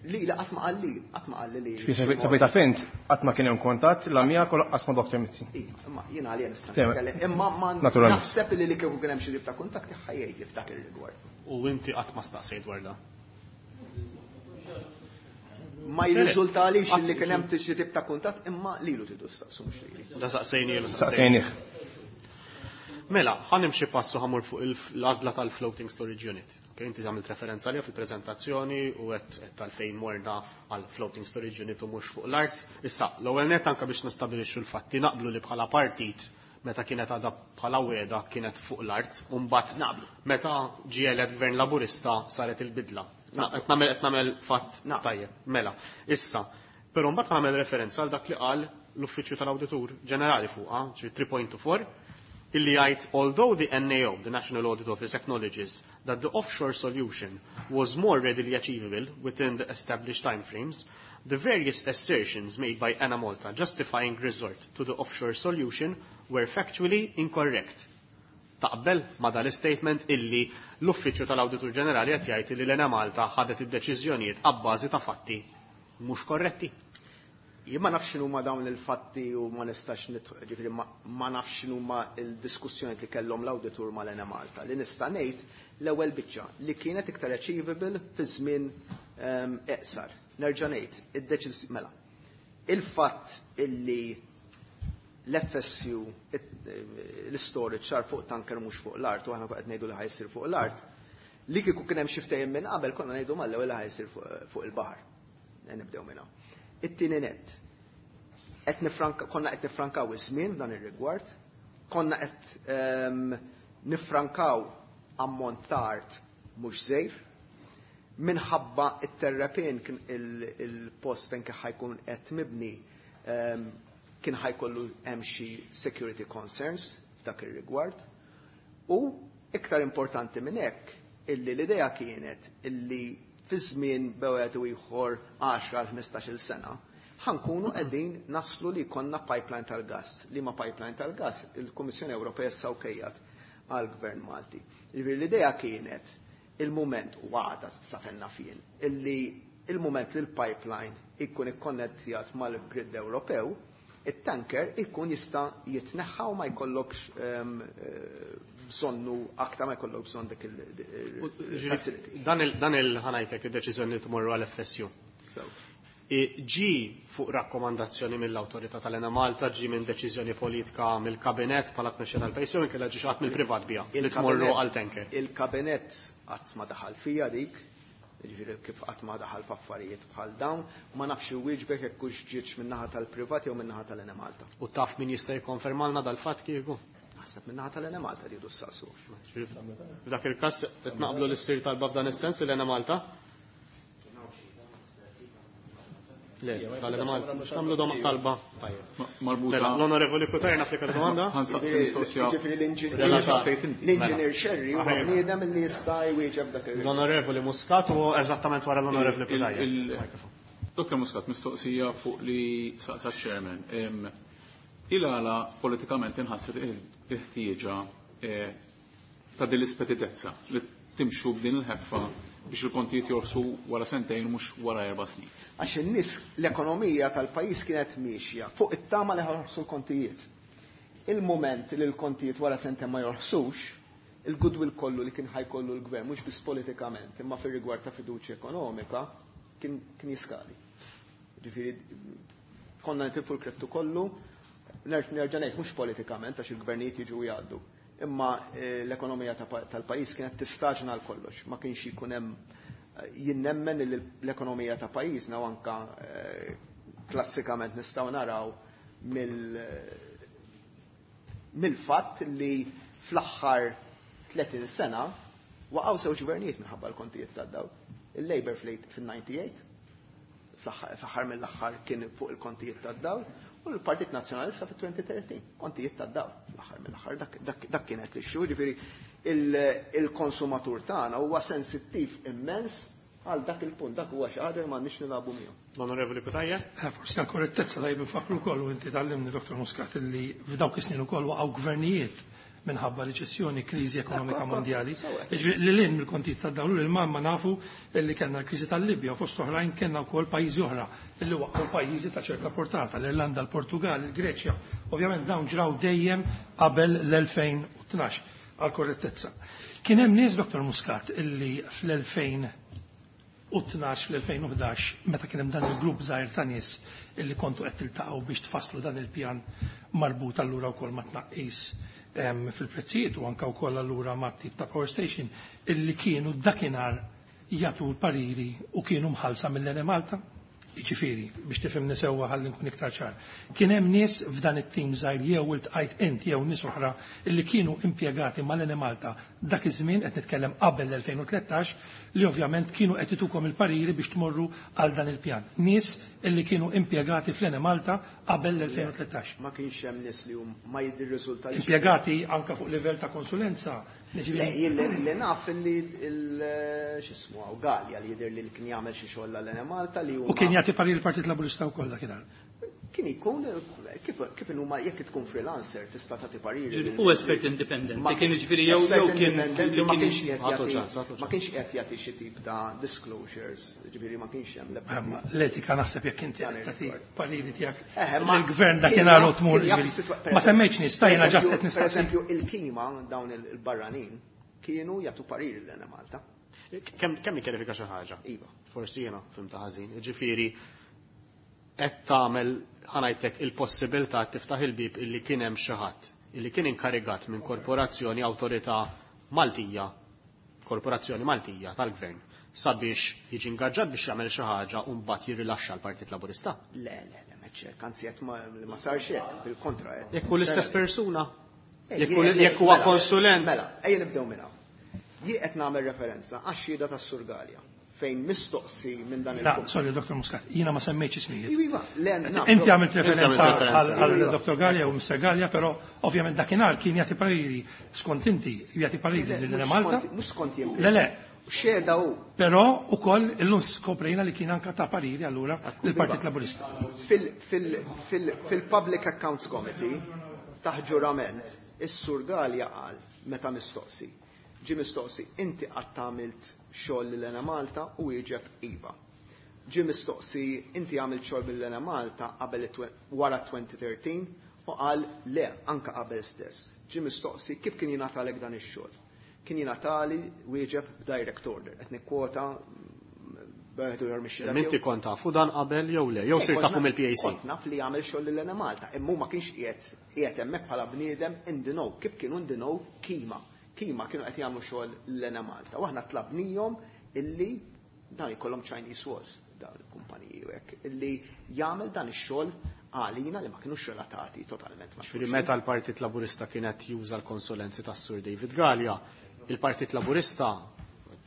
Li la qatt ma qalli, qatt ma qalli li. Sa fejn taf int, qatt ma kien hemm kuntatt la miegħek u lanqas ma' Dr. Mizzi. Iva, imma jiena għalija nista' Tema. nitkellem, imma ma Naturalment. naħseb li kieku kien hemm xi tip ta' kuntatt ħa jgħid li f'dak ir-rigward. U inti qatt ma staqsejt dwar dan? Ma jirriżultalix li kien hemm xi tip ta' kuntatt, imma lilu tridu staqsu, mhux lili. Da saqsejnielu. Saqsejnih. Mela, ħa nimxi passu, ħa mmur fuq l-għażla tal-floating storage unit. Okay, inti għamilt referenza għalija fil-prezentazzjoni u għedt tal-fejn morna għal floating storage unit u mhux fuq l-art. Issa, l-ewwel net, anka biex nistabilixxu l-fatti, naqblu li bħala partit, meta kienet għadha bħala wegħda, kienet fuq l-art, u mbagħad Naqblu. meta ġie elett gvern Laburista saret il-bidla. Qed nagħmel fatt tajjeb. Mela, issa, però mbagħad nagħmel referenza għal dak li qal l-Uffiċċju tal-Awditur Ġenerali fuqha, ġi 3.4, illi jgħid, "Although the NAO, the National Audit Office, acknowledges that the offshore solution was more readily achievable within the established timeframes, the various assertions made by Enemalta justifying resort to the offshore solution were factually incorrect." Taqbel ma dal-statement illi l-Uffiċċju tal-Awditur Ġenerali qed jgħid li l-Enemalta ħadet id-deċiżjonijiet abbażi ta' fatti mhux korretti? Jien ma nafx x'inhuma dawn il-fatti u ma nistax, ġifieri ma nafx x'inhuma il-diskussjoni li kellhom l-awditur mal-Enemalta. Li nista' ngħid l-ewwel biċċa li kienet iktar achievable fi żmien eqsar. Nerġa' ngħid, id-deċiż mela. Il-fatt illi l-FSU, l-storage sar fuq tanker mhux fuq l-art u aħna qed ngħidu li ħa jsir fuq l-art, li kieku kien hemm xi ftehim minn qabel konna ngħidu mal-ewwel li ħa jsir fuq il-baħar. Nibdew minn hawn. It-tieni net. Konna qed nifrankaw iż-żmien f'dan ir-rigward, konna qed nifrankaw ammont ta' art mhux żgħir, minħabba it-terrapien kien il-post fejn kien ħa jkun qed mibni kien ħa jkollu hemm xi security concerns f'dak ir-rigward. U iktar importanti minn hekk illi l-idea kienet illi fi żmien bejn wieħed u ieħor 10 għal 15-il sena Ħa nkunu qegħdin naslu li jkollna pipeline tal-gas. Liema pipeline tal-gas il-Kummissjoni Ewropea issa okejjat għall-Gvern Malti. Jiġifieri l-idea kienet il-mument u għada sa fejn naf jien illi il-mument li l-pipeline ikun ikkonnettjat mal-grid Ewropew, it-tanker ikun jista' jitneħħa u ma jkollokx bżonnu aktar, ma jkollok bżonn dik il-facility. Dan il-ħa ngħidlek id-deċiżjoni li tmorru għal FSU. Ġi fuq rakkomandazzjoni mill-awtorità tal-Enemalta, ġi minn deċiżjoni politika mill-kabinet bħala tmexxija tal-pajjiż, jew inkella ġi xi ħadd mill-privat biha li tmorru għal tanker? Il-kabinet qatt ma daħal fija dik, jiġifieri kif qatt ma daħal f'affarijiet bħal dawn, ma nafx iwieġbek jekk hux ġietx min-naħa tal-privat jew min-naħa tal-Enemalta. U taf min jista' jikkonfermalna dal-fatt kieku? Naħseb min-naħa tal-Enemalta rridu ssaqsu. F'dak il-każ qed naqblu li ssir talba f'dan is-sens l-Enemalta? Le, tal-Enemalta. Nagħmlu dom talba. Tajjeb. Marbuta. Mela, l-Onorevoli Cutajar naf li kellu domanda? Ħa nsaqsi mistoqsija. Jiġifieri l-inġinier Scerri huwa bniedem li jista' jwieġeb dak il- L-Onorevoli Muscat u eżattament wara l-Onorevoli Cutajar. Dr. Muscat, mistoqsija fuq li saqsa chairman. Il-għala politikament inħasset il-ħtieġa ta' din l-ispeditezza li timxu b'din il-ħeffa biex il-kontijiet jorsu wara sentejn mhux wara 4 snin. Għax in-nies l-ekonomija tal-pajjiż kienet miexja fuq it-tama li ħarsu l-kontijiet. Il-moment li l-kontijiet wara sentejn ma jorħsux, il-goodwill kollu li kien ħajkollu l-gvern, mhux biss politikament, imma fir-rigward ta' fiduċja ekonomika, kien jiskali. Ġifieri konna nitilfu l-krettu kollu, nerġa' ngħid mhux politikament għax il-gvernijiet jiġu jgħaddu. Imma l-ekonomija tal-pajjiż kienet tistaġna għal kollox, ma kienx ikun hemm jien nemmen li l-ekonomija ta' pajjiżna u anka klassikament nistgħu naraw mill-fatt li fl-aħħar 30 sena waqgħu żewġ gvernijiet minħabba l-kontijiet tad-dawl. Il-Labour fil-98, fl-aħħar mill-aħħar kien fuq il-kontijiet tad-dawl, u l-Partit Nazzjonalista fit-2013, kontijiet tad-dawl, fl-aħħar mill-aħħar dak kienet l-issue, ġifieri il-konsumatur tagħna huwa sensittiv immens għal dak il-punt, dak huwa xi ħaġa li m'għandniex nilagħbu miegħu. L-Onorevoli Cutajar? Forsi għal korrettezza tajjeb nfakru wkoll u inti tgħallimni Dr. Muscat illi f'dawk is-snin ukoll waqgħu gvernijiet minħabba riċessjoni, kriżi ekonomika mondjali. Jiġifieri li lin mill-kontijiet tad-dawl li l-mamma nafu li kellna l-kriżi tal-Libja u fost oħrajn kellna wkoll pajjiżi oħra li waqgħu pajjiżi ta' ċerta portata, l-Irlanda, l-Portugal, il-Greċja. Ovvjament dawn ġraw dejjem qabel l-2012 għal korrettezza. Kien hemm nies, Dr. Muscat, illi fl-2012, fl-2011, meta kien hemm dan il-grupp żgħir ta' nies illi kontu qed tiltaqgħu biex tfasslu dan il-pjan marbut allura wkoll ma' tnaqqis fil-prezzijiet u anka wkoll allura ma' tip ta' power station illi kienu dakinhar jagħtu l-pariri u kienu mħallsa mill-Enemalta. Jiġifieri, biex tifhimni sewwa ħalli nkun iktar ċar. Kien hemm nies f'dan it-tim żgħir jew iltqajt int jew nies oħra illi kienu impjegati mal-Enemalta dak iż-żmien qed nitkellem qabel l-2013 li ovvjament kienu qed itukom il-pariri biex tmorru għal dan il-pjan. Nies illi kienu impjegati fl-Enemalta qabel l-2013. Ma kienx hemm nies li hum ma jiddirriżulta li Impjegati anka fuq livell ta' konsulenza. Le, jien li naf li x'ismu hawn Galea li jidher li kien jagħmel xi xogħol għall-Enemalta li huma U kien jagħti parir il-Partit Laburista wkoll dakinhar. Kien ikun kif huma jekk tkun freelancer tista' tagħti pariri. Ġifieri, u espert indipendenti, Ma kien jiġifieri jew espert jew kien indipendenti, ma kienx qiegħed Għatu jagħti ċans, għatu ma kienx qiegħed jagħti xi tip ta' disclosures, jiġifieri ma kienx hemm l-ebda Ma l-etika naħseb jekk inti Dan qed tagħti ir-rigward. pariri tiegħek Ma il-gvern kien dakinhar u jaf- tmur kien jaf jiġifieri. is-sitwa- Ma semmejtx nies, ta' jiena per ġast qed eżempju, nistaqsi. Per eżempju, il-kima dawn il-barranin kienu jagħtu pariri l-Enemalta. Kemm nikkjarifika xi ħaġa? Iva. Forsi jiena fhimta ħażin. Jiġifieri qed tagħmel ħa ngħidlek il-possibilità tiftaħ il-bib illi kien hemm xi ħadd illi kien inkarigat minn korporazzjoni awtorità Maltija, korporazzjoni Maltija tal-gvern, sabiex jiġi ingaġġat biex jagħmel xi ħaġa u mbagħad jirrilaxxa l-Partit Laburista. Le, le, le, m'hekk hekk, anzi qed ma sarx hekk, bil-kontra qed. Jekk hu l-istess persuna, jekk huwa Mela, konsulent. Mela, ejja nibdew minn hawn. Jien qed nagħmel referenza għax-xhieda tas-Sur Galea fejn mistoqsi minn dan La, il-punt. sorry, Dr. Muscat, jiena ma semmejtx ismijiet. Iva, iva, le, naf, Inti għamilt Inti għamilt referenza referenza. għal Iva. Dr. Galea u Mr. Galea, però ovvjament dakinhar kien jagħti pariri skont inti, jagħti pariri Le, lil mhux Malta. mhux skont jien Le, le, Xhieda hu. Però ukoll illum skoprejna li kien anka ta pariri allura lill-Partit Laburista. Fil-Public Accounts Committee taħt ġurament is-Sur Galea qal meta mistoqsi. Ġie mistoqsi inti qatt għamilt xogħol lil Enemalta u wieġeb iva. Ġie mistoqsi inti għamilt xogħol bil Enemalta qabel wara 2013 u qal le anka qabel stess. Ġie mistoqsi kif kien jingħatalek dan ix-xogħol. Kien jingħatali wieġeb b'direct order. Qed nikkwota b'eħdu jew mixi. Inti kont tafu dan qabel jew le, jew sirt tafu mill-PAC. Kont naf li jagħmel xogħol lil Enemalta, imma ma kienx qiegħed hemmhekk bħala bniedem in the know, kif kienu in the know Kima. Kima kienu qed jagħmlu xogħol lil Enemalta. U aħna tlabnihom illi dan ikollhom Chinese walls dawn il-kumpaniji u hekk, illi jagħmel dan ix-xogħol għalina li ma kinux relatati totalment ma' Ġifieri meta l-Partit Laburista kienet juża l-konsulenzi tas-Sur David Galea, il-Partit Laburista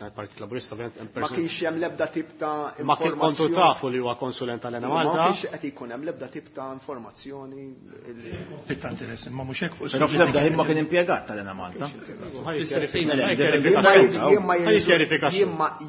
il-Partit Laburista ovvjament Ma kienx hemm l-ebda tip ta' Ma kien kontu tafu li huwa konsulent tal-Enemalta. Ma kienx qed ikun hemm l-ebda tip ta' informazzjoni Konflitt ta' interess, imma mhux hekk fuq Però fl-ebda ħin ma kien impjegat tal-Enemalta.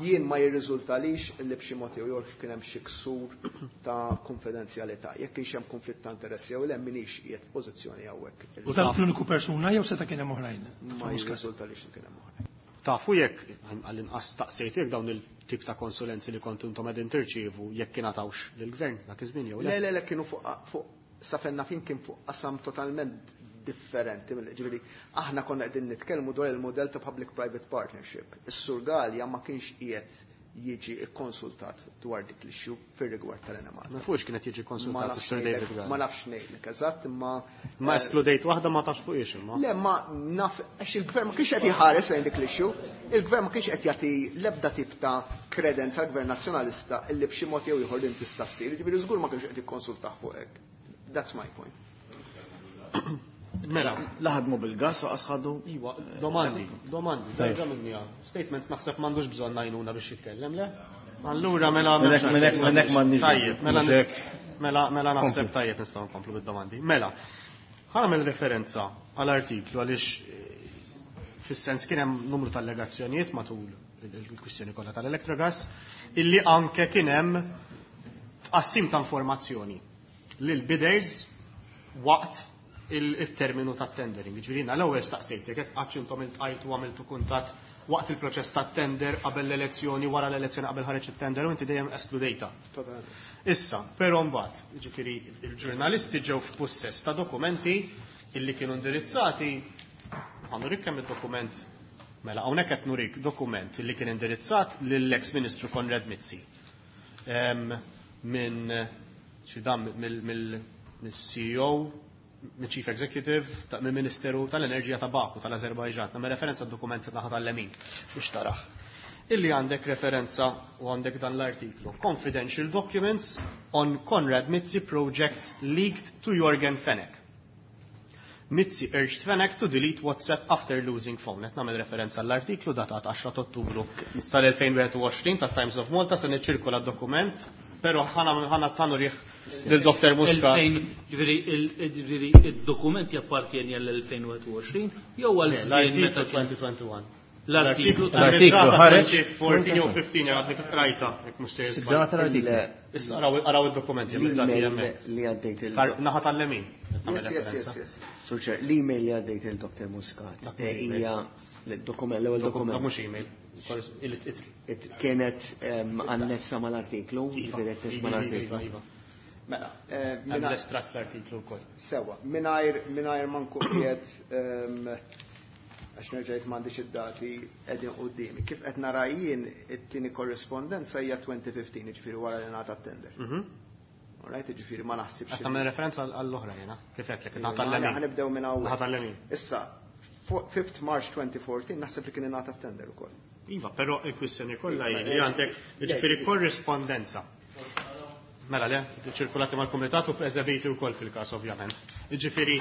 Jien ma jirriżultalix li b'xi mod jew ieħor kien hemm xi ksur ta' konfidenzjalità. Jekk kienx hemm konflitt ta' interess jew le m'iniex qiegħed f'pożizzjoni hawnhekk. U dan l-uniku persuna jew seta' kien hemm oħrajn? Ma jirriżultalix li kien hemm oħrajn. Tafu jekk għall-inqas staqsejt jekk dawn il-tip ta' konsulenzi li kontu intom qegħdin tirċievu jekk ingħatawx lill-gvern dak iż-żmien jew le? Le, le, le, kienu fuq sa fejn naf jien kien fuq qasam totalment differenti. Ġifieri aħna konna qegħdin nitkellmu dwar il-mudell ta' public-private partnership. Is-Sur Galea ma kienx qiegħed jiġi kkonsultat dwar dik l-issue fir-rigward tal-Enemalta. Ma fuqx kienet jiġi konsultat is-Sur David Galea. Ma nafx ngħidlek eżatt, imma Ma eskludejt waħda ma tafx fuqiex imma. Le, ma naf għax il-gvern ma kienx qed jħares lejn dik l-issue, il-gvern ma kienx qed jagħti l-ebda tip ta' kredenza għall-Gvern Nazzjonalista illi b'xi mod jew ieħor din tista' ssir, jiġifieri żgur ma kienx qed jikkonsultah fuq hekk. That's my point. Mela. La ħadmu bil-gas u qas ħadu. Iwa, domandi, domandi, terġa' minnija. Statements naħseb m'għandux bżonn għajnuna biex jitkellem, le? Allura mela Minnek m'għandniex. Tajjeb, mela mela mela naħseb tajjeb nistgħu nkomplu bid-domandi. Mela, ħa nagħmel referenza għal artiklu għaliex fis-sens kien hemm numru ta' allegazzjonijiet matul il-kwistjoni kollha tal-Electrogas illi anke kien hemm tqassim ta' informazzjoni lil bidders waqt il-terminu ta' tendering. Ġifieri l-ewwel staqsejtek qed qatt intom iltqajtu għamiltu kuntatt waqt il-proċess ta' tender qabel l-elezzjoni, wara l-elezzjoni qabel ħareġ it-tender u inti dejjem eskludejta. Issa, però mbagħad, ġifieri il-ġurnalisti ġew f'pussess ta' dokumenti illi kienu indirizzati, ħa nurik kemm id-dokument, mela hawnhekk qed nurik dokument illi kien indirizzat lill-ex Ministru Konrad Mizzi. Minn xi dan mill-CEO, mill-Chief Executive, mill-Ministeru tal-Enerġija ta' Baku tal-Azerbajġan. Nagħmel referenza d-dokument naħa tal-lemin biex taraħ. Illi għandek referenza u għandek dan l-artiklu. Confidential documents on Konrad Mizzi projects leaked to Yorgen Fenech. Mizzi urged Fenech to delete WhatsApp after losing phone. Qed nagħmel referenza l-artiklu datat 10 Ottubru tal-2021 ta' Times of Malta se niċċirkola d-dokument, però ħana tanu rih lil Dr. Muscat. Ġifieri id-dokument jappartjeni għall-2021 jew għal L-artiklu 2021. L-artiklu L-artiklu ħareġ 14 jew 15 għadni kif qrajta, jekk mhux sejjer żball. Id-data tal-artiklu. Issa araw id-dokumenti L-email li għaddejt il- Naħa tal-lemin. Yes, yes, yes, yes. Sur Chair, l-email li għaddejt il-Dr. Muscat hija l-dokument, l-ewwel dokument. Mhux email. Il-itri. Kienet annessa mal-artiklu, direttiv mal-artiklu. Mela, Hemm l-estratt fl-artiklu wkoll. Sewa, mingħajr ma nkun qiegħed għax nerġajt m'għandix id-dati qegħdin quddiemi. Kif qed nara jien it-tieni korrispondenza hija 2015, jiġifieri wara li ngħata t-tender. Alright, jiġifieri ma naħsibx. Qed nagħmel referenza għall-oħra jiena, kif qed lek, naħa tal-lemin. Ħa nibdew minn hawn. Naħa tal-lemin. Issa, 5th March 2014 naħseb li kien ingħata t-tender ukoll. Iva, però il-kwistjoni kollha hi li għandek jiġifieri korrispondenza. Mela le, ċirkulati mal-kumitat u eżebiti wkoll fil-każ ovvjament. Jiġifieri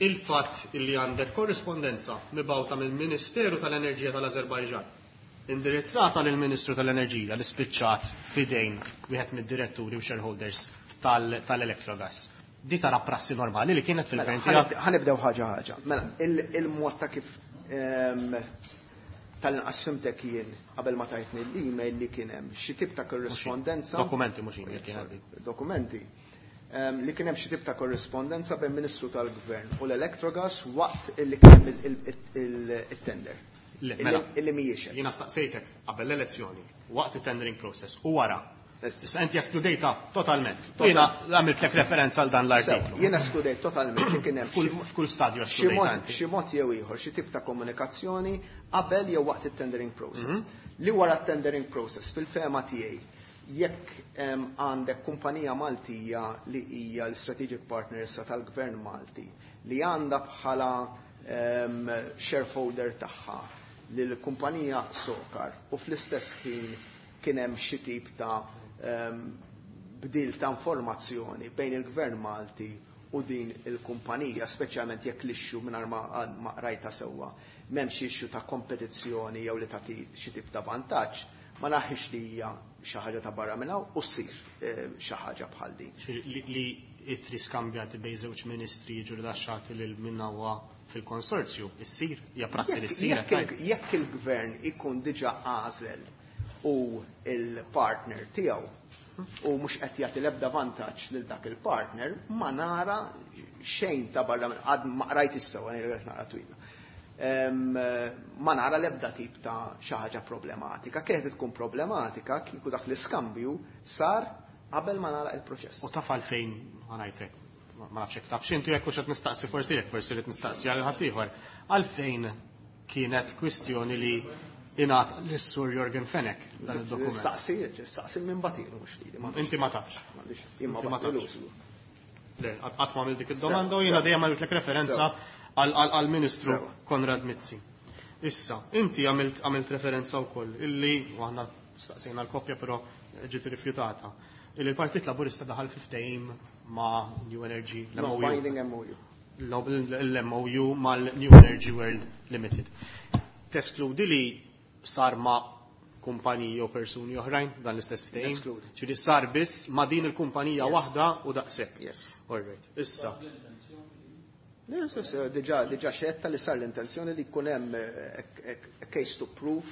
il-fatt li għandek korrispondenza mibgħuta mill-Ministeru tal-Enerġija tal-Azerbajġan indirizzata lill-Ministru tal-Enerġija li spiċċat fidejn wieħed mid-diretturi u shareholders tal-Electrogas. Di tara prassi normali li kienet fil-gvern tiegħek. Ħa nibdew ħaġa ħaġa. Mela, il-mod ta' kif Tal-inqas fhimtek jien qabel ma tajtni l-email li kien hemm xi tip ta' korrispondenza. Dokumenti mhux email kien għaddi. Dokumenti. Li kien hemm xi tip ta' korrispondenza bejn Ministru tal-Gvern u l-Electrogas waqt illi kien hemm il-tender. Le, mela. Illi mhijiex hekk. Jiena staqsejtek qabel l-elezzjoni, waqt it-tendering process u wara. Issa inti eskludejta totalment. Jiena għamiltlek referenza għal dan l-artiklu. Jiena eskludejt totalment li kien hemm F'kull stadju eskludejta inti. xi mod jew ieħor, xi tip ta' komunikazzjoni qabel jew waqt it-tendering process. Li wara t-tendering process fil-fehma tiegħi jekk għandek kumpanija Maltija li hija l-strategic partner issa tal-Gvern Malti li għandha bħala shareholder tagħha lil kumpanija Sokar u fl-istess ħin kien hemm xi tip ta' bdil ta' informazzjoni bejn il-Gvern Malti u din il-kumpanija, speċjalment jekk l-issue mingħajr ma qrajta sewwa, m'hemmx issue ta' kompetizzjoni jew li tagħti xi tip ta' vantaġġ, ma naħħix li hija xi ħaġa ta' barra minn hawn u ssir xi ħaġa bħal din. Li ittri skambjati bejn żewġ ministri jiġu rilaxxati lil min huwa fil-konsorzju, issir, hija prassi li ssir, qed tgħid? Jekk il-gvern ikun diġà għażel u il-partner tiegħu u mhux qed jagħti l-ebda vantaġġ lil dak il-partner, ma nara xejn ta' barra minn għad ma qrajt is-sewwa, ngħidlek naqra twila. Ma nara l-ebda tip ta' xi ħaġa problematika. Kienet tkun problematika kieku dak l-iskambju sar qabel ma nagħlaq il-proċess. U taf għalfejn ma ngħidlek, ma nafx jekk taf x'intu jekk hux qed nistaqsi forsi jekk forsi rrid nistaqsi għal ħaddieħor. Għalfejn kienet kwistjoni li ingħata lis-Sur Yorgen Fenech dan id-dokument? Nistaqsi, nistaqsi minn batilu mhux lili, ma nafx. Inti ma tafx. M'għandix, jien ma Inti ma batilu. tafx. Le, qatt ma għamilt dik id-domanda u jiena dejjem għamiltlek referenza għall-Ministru Konrad Mizzi. Issa, inti għamilt referenza wkoll illi, u aħna staqsejna l-koppja però ġiet irrifjutata, illi l-Partit Laburista daħal fi ftehim ma' New Energy, No, l-MOU. binding MOU. L-MOU mal-New Energy World Limited. Teskludi li sar ma' kumpaniji u persuni oħrajn dan l-istess ftehim? Neskludi. Ġifieri sar biss ma' din il-kumpanija Yes. waħda u daqshekk. Yes. All right. Issa. Yes, yes, diġà xetta li sar l-intenzjoni li jkun hemm case to proof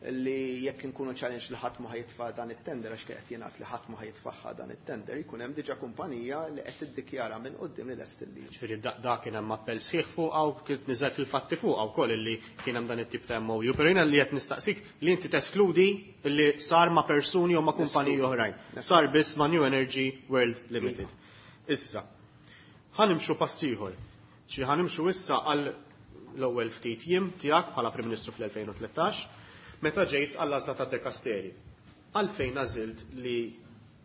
li jekk inkunu challenge li ħadd ma ħajitfa' dan it-tender, għax qed jingħad li ħadd ma ħajitfaħħa dan it-tender, jkun hemm diġà kumpanija li qed tiddikjara minn quddiem li lest il-liġi. Ġifieri da kien hemm appell sħiħ fuqha u kif niżel fil-fatti fuqha wkoll illi kien hemm dan it-tip ta' MOU, però jiena li qed nistaqsik li inti teskludi li sar ma' persuni u ma' kumpaniji oħrajn. Sar biss ma' New Energy World Limited. Issa, ħanimxu pass ieħor. Xi ħanimxu issa għal l-ewwel ftit jiem tiegħek bħala Prim Ministru fl-2013, meta ġejt għall-għażla ta' Dekasteri. Għalfejn għażilt li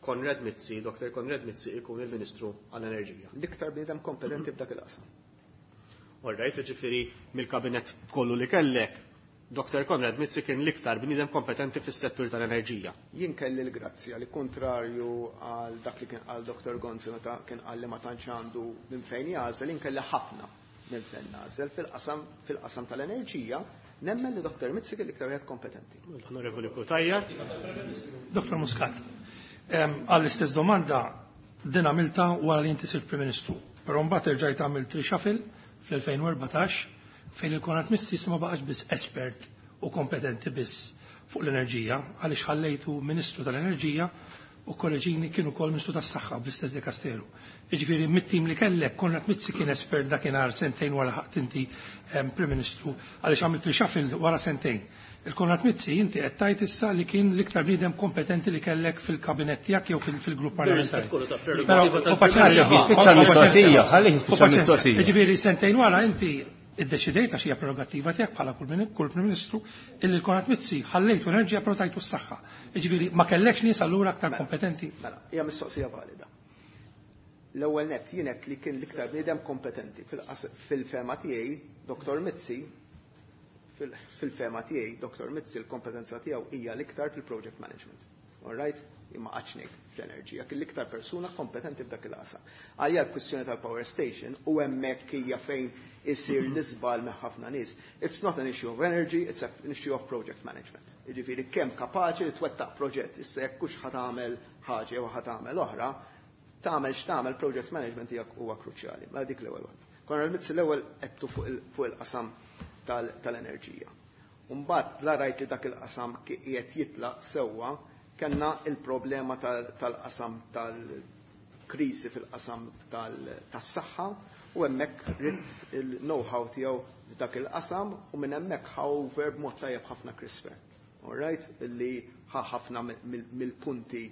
Konrad Mizzi, Dr. Konrad Mizzi ikun il-Ministru għall-Enerġija? L-iktar bniedem kompetenti f'dak il-qasam. All right, ġifieri mill-kabinet kollu li kellek, Dr. Konrad Mizzi kien l-iktar bniedem kompetenti fis-settur tal-enerġija. Jien kelli l-grazzja li kontrarju għal dak li kien qal Dr. Gonzi meta kien qal li ma tantx għandu minn fejn jagħżel, jien kelli ħafna minn fejn nagħżel fil-qasam tal-enerġija. Nemmen li Dr. Mizzi kien l-iktar wieħed kompetenti. L-Onorevoli Cutajar. Dr. Muscat, għall-istess domanda din għamilta wara li inti sirt Prim Ministru, però mbagħad erġajt għamilt reshuffle fl-2014 fejn il-Konrad Mizzi ma baqax biss espert u kompetenti biss fuq l-enerġija, għaliex ħallejtu Ministru tal-Enerġija u kolleġini kienu kol Ministru tas-Saħħa bl-istess dikasteru. Jiġifieri mit-tim li kellek Konrad Mizzi kien espert dakinhar sentejn wara ħadd inti Prim Ministru, għaliex għamilt reshuffle wara sentejn. Il-Konrad Mizzi inti qed tgħid issa li kien l-iktar bniedem kompetenti li kellek fil-kabinett tiegħek jew fil-grupp parlamentari. Kollu ta' Però, prerogativa u paċenzja, tal-Prim Jispiċċa u paċenzja. l-mistoqsija, ħalli jispiċċa U paċenzja. l-mistoqsija. Jiġifieri sentejn wara inti iddeċidejt għax hija prerogattiva tiegħek bħala kull Prim Ministru illi l-Konrad Mizzi ħallejtu enerġija però tajtu s-saħħa. Jiġifieri ma kellekx nies allura aktar kompetenti. Mela, hija mistoqsija valida. L-ewwel nett jien hekk li kien l-iktar bniedem kompetenti fil-fema tiegħi, Dr. Mizzi, fil-fema tiegħi, Dr. Mizzi l-kompetenza tiegħu hija l-iktar fil-project management. All right? Imma qatt ngħid fl-enerġija, kien l-iktar persuna kompetenti f'dak il-qasam. Għalija l-kwistjoni tal-power station u hemmhekk hija fejn isir l-iżbal minn ħafna nies. It's not an issue of energy, it's an issue of project management. Jiġifieri kemm kapaċi li twettaq proġett, issa jekk hux ħa tagħmel ħaġa jew ħa tagħmel oħra, tagħmel x'tagħmel project management tiegħek huwa kruċjali. Mela dik l-ewwel waħda. Konrad Mizzi l-ewwel qedtu fuq il-qasam tal-enerġija. Mbagħad la rajt li dak il-qasam qiegħed jitlaq sewwa, kellna il-problema tal-qasam tal-kriżi fil-qasam tas-saħħa u hemmhekk ridt il-know-how tiegħu f'dak il-qasam u minn hemmhekk ħa over b'mod tajjeb ħafna Chris Fearne. All right? Illi ħa ħafna mill-punti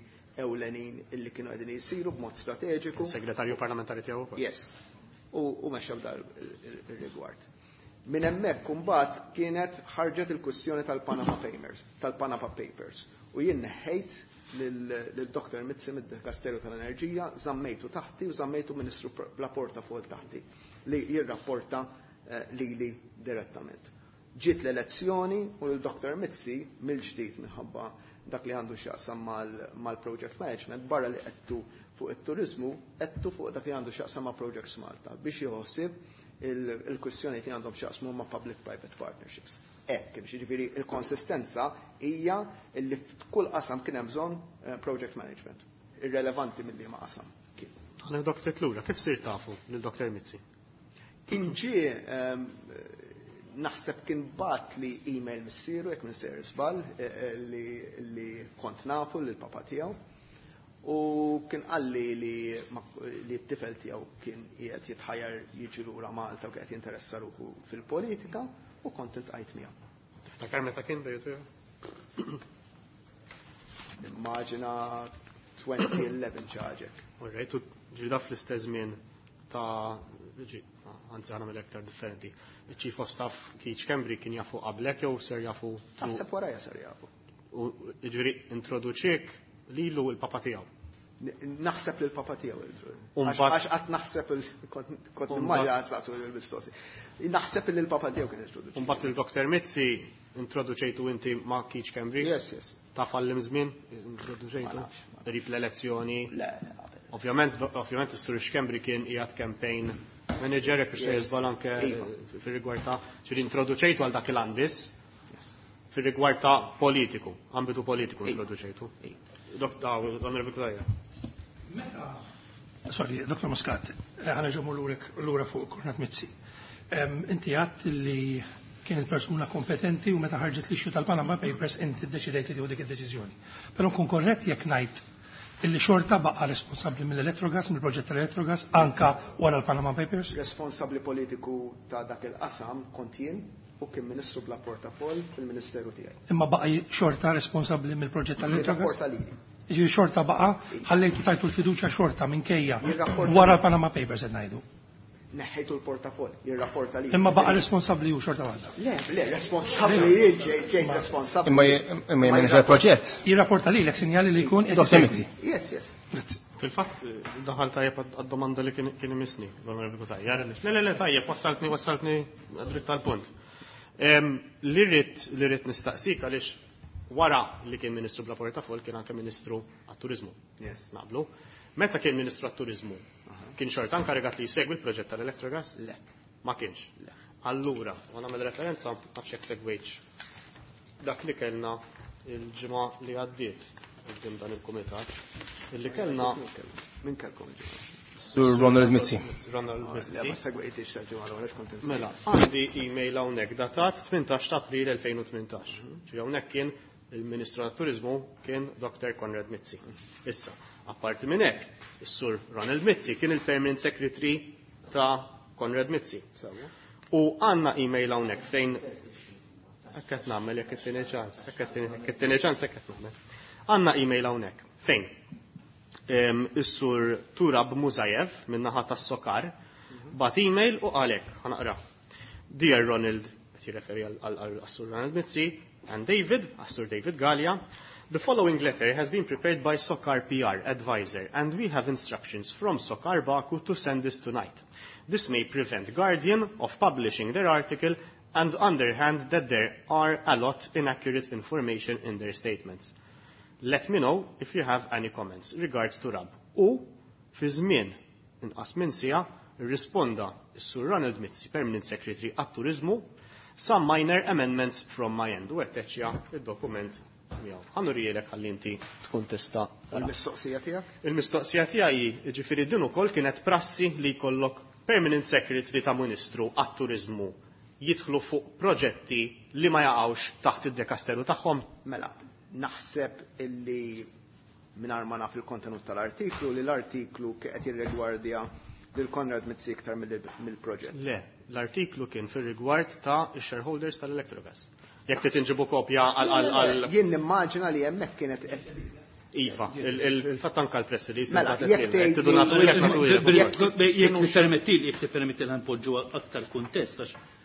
ewlenin illi kienu qegħdin jsiru b'mod strateġiku. Segretarju parlamentari tiegħu ukoll. Yes. U mexa f'dar ir-rigward. Minn hemmhekk imbagħad kienet ħarġet il-kwistjoni tal-Panama Papers, tal-Panama Papers. U jien neħħejt lil Dr. Mizzi mid-Dikasteru tal-Enerġija, żammejtu taħti u żammejtu Ministru bla portafol taħti li jirrapporta lili direttament. Ġiet l-elezzjoni u l-Dr. Mizzi mill-ġdid minħabba dak li għandu x'jaqsam mal-project management, barra li qedtu fuq it-turizmu, qedtu fuq dak li għandu x'jaqsam ma' Projects Malta biex jħossib il-kwistjoni li għandhom x'jaqsmu ma' public-private partnerships. Hekk, biex jiġifieri il-konsistenza hija li f'kull qasam kien hemm bżonn project management, irrelevanti mill ma qasam kien. Aħna Dr. Klura, kif sir tafu lil Dr. Mizzi? Kien ġie, naħseb kien bat li email missieru, jekk minn sejjer żball, li kont nafu lil papa tiegħu. U kien qalli li t-tifel tiegħu kien qiegħed jitħajjar jiġi lura Malta u kien qed jinteressa ruħu fil-politika u kont iltqajt miegħu. Tiftakar meta kien bejtu? Immaġina 2011 ċaġek. All right, u ġida fl-istess żmien ta' ġi, anzi ħana mill-aktar differenti. Il-Chief of Staff Keith Schembri kien jafu qablek jew ser jafu? Naħseb warajja ser jafu. U ġifieri introduċiek lilu il-papa tiegħu. Naħseb li l-papa tiegħu Għax qatt naħseb kont nimmaġina saqsu l-mistoqsi. Naħseb li l-papa tiegħu kien introduċi. Mbagħad il-Dr. Mizzi introduċejtu inti ma' Keith Schembri? Yes. Ta' fallim żmien introduċejtu? Ma nafx, ma nafx. Qrib l-elezzjoni. Le, qabel. Ovvjament is-Sur Schembri kien qiegħed campaign manager jekk biex jiżbal anke fir-rigward ta' ġifieri introduċejtu għal dak il-għan biss. Fir-rigward ta' politiku, ambitu politiku introduċejtu. Onorevoli Cutajar. Meta, sorry, Dr. Muscat, ħana ġommu lura fuq Konrad Mizzi. Inti għadt li kien il-persuna kompetenti u meta ħarġet l-issue tal-Panama Papers inti ddeċidejt li tieħu dik id-deċiżjoni. Però nkun korrett jekk ngħid illi xorta baqa' responsabbli mill-Electrogas, mill-proġett tal-Electrogas, anka wara l-Panama Papers? Responsabbli politiku ta' dak il-qasam kont jien u kien ministru bla portafol fil-ministeru tiegħi. Imma baqa' xorta responsabbli mill-proġett tal-Electrogas? Jirrapporta lili. Jiġifieri xorta baqa', ħallejtu tajtu l-fiduċja xorta minkejja Jirrapporta wara l-Panama Papers qed ngħidu. Neħħejtu l-portafol, jirrapporta lili. Imma baqa' responsabbli hu xorta waħda. Le, le, responsabbli jien, ġejt responsabbli. Imma jemmen il-proġett. Jirrapporta lilek sinjali li jkun qed Dr. isegwi. Mizzi. Yes, yes. Grazzi. Fil-fatt, daħal tajjeb għad-domanda li kien imisni, l-Onorevoli Cutajar, le, le, le, tajjeb, wassaltni dritt tal-punt. Li rrid nistaqsik għaliex wara li kien Ministru bla portafol kien anke Ministru għat-Turizmu. Yes. Naqblu. Meta kien Ministru għat-Turizmu, kien xorta inkarigat li jsegwi l-proġett tal-Electrogas? Le. Ma kienx. Le. Allura, u nagħmel referenza nafx jekk segwejtx dak li kellna il-ġimgħa li għaddiet qudiem dan il-kumitat, illi kellna Min kellkom il-ġimgħa? Sur Ronald Mizzi. Ronald Le, Mizzi. ma segwejtix tal-ġimgħa l-oħra, x'kont insejt. Mela, għandi email hawnhekk datat 18 ta' April 2018. Ġifieri hawnhekk kien il-Ministru tat-Turizmu kien Dr. Konrad Mizzi. Issa, apparti minn hekk, is-Sur Ronald Mizzi kien il-Permanent Secretary ta' Konrad Mizzi. Sewwa. U għandna email hawnhekk fejn hekk qed nagħmel jekk it-tieni ċans, hekk it-tieni ċans hekk qed nagħmel. Għandna email hawnhekk fejn is-Sur Turab Muzajev min-naħa tas-Sokar bat email u qalek, ħanaqra. Dear Ronald, qed jirreferi għal-Sur Ronald Mizzi, and David, għas-Sur David Galea, the following letter has been prepared by Sokar PR advisor, and we have instructions from Sokar Baku to send this tonight. This may prevent Guardian of publishing their article and underhand that there are a lot inaccurate information in their statements. Let me know if you have any comments. Regards to Rab. U fi żmien inqas minn siegħa rrisponda s-Sur Ronald Mizzi, Permanent Secretary għat-Turizmu, some minor amendments from my end. U għetteċja il-dokument miegħu. Ħa nurihielek ħalli inti tkun tista' tara. Il-mistoqsija tiegħek? Il-mistoqsija tiegħi, jiġifieri din ukoll kienet prassi li jkollok Permanent Secretary ta' Ministru għat-Turizmu jidħlu fuq proġetti li ma jaqgħux taħt id-dekasteru tagħhom? Mela, naħseb illi mingħajr ma naf il-kontenut tal-artiklu, li l-artiklu qed jirrigwardja lil Konrad Mizzi iktar mill-proġett. Le, l-artiklu kien fir-rigward ta' shareholders tal-Electrogas. Jekk trid inġibu kopja għal Jien nimmaġina li hemmhekk kienet Iva, il-fatt anka l-press release. Mela, jekk Jekk tippermettili, jekk tippermettili npoġġu aktar kuntest għax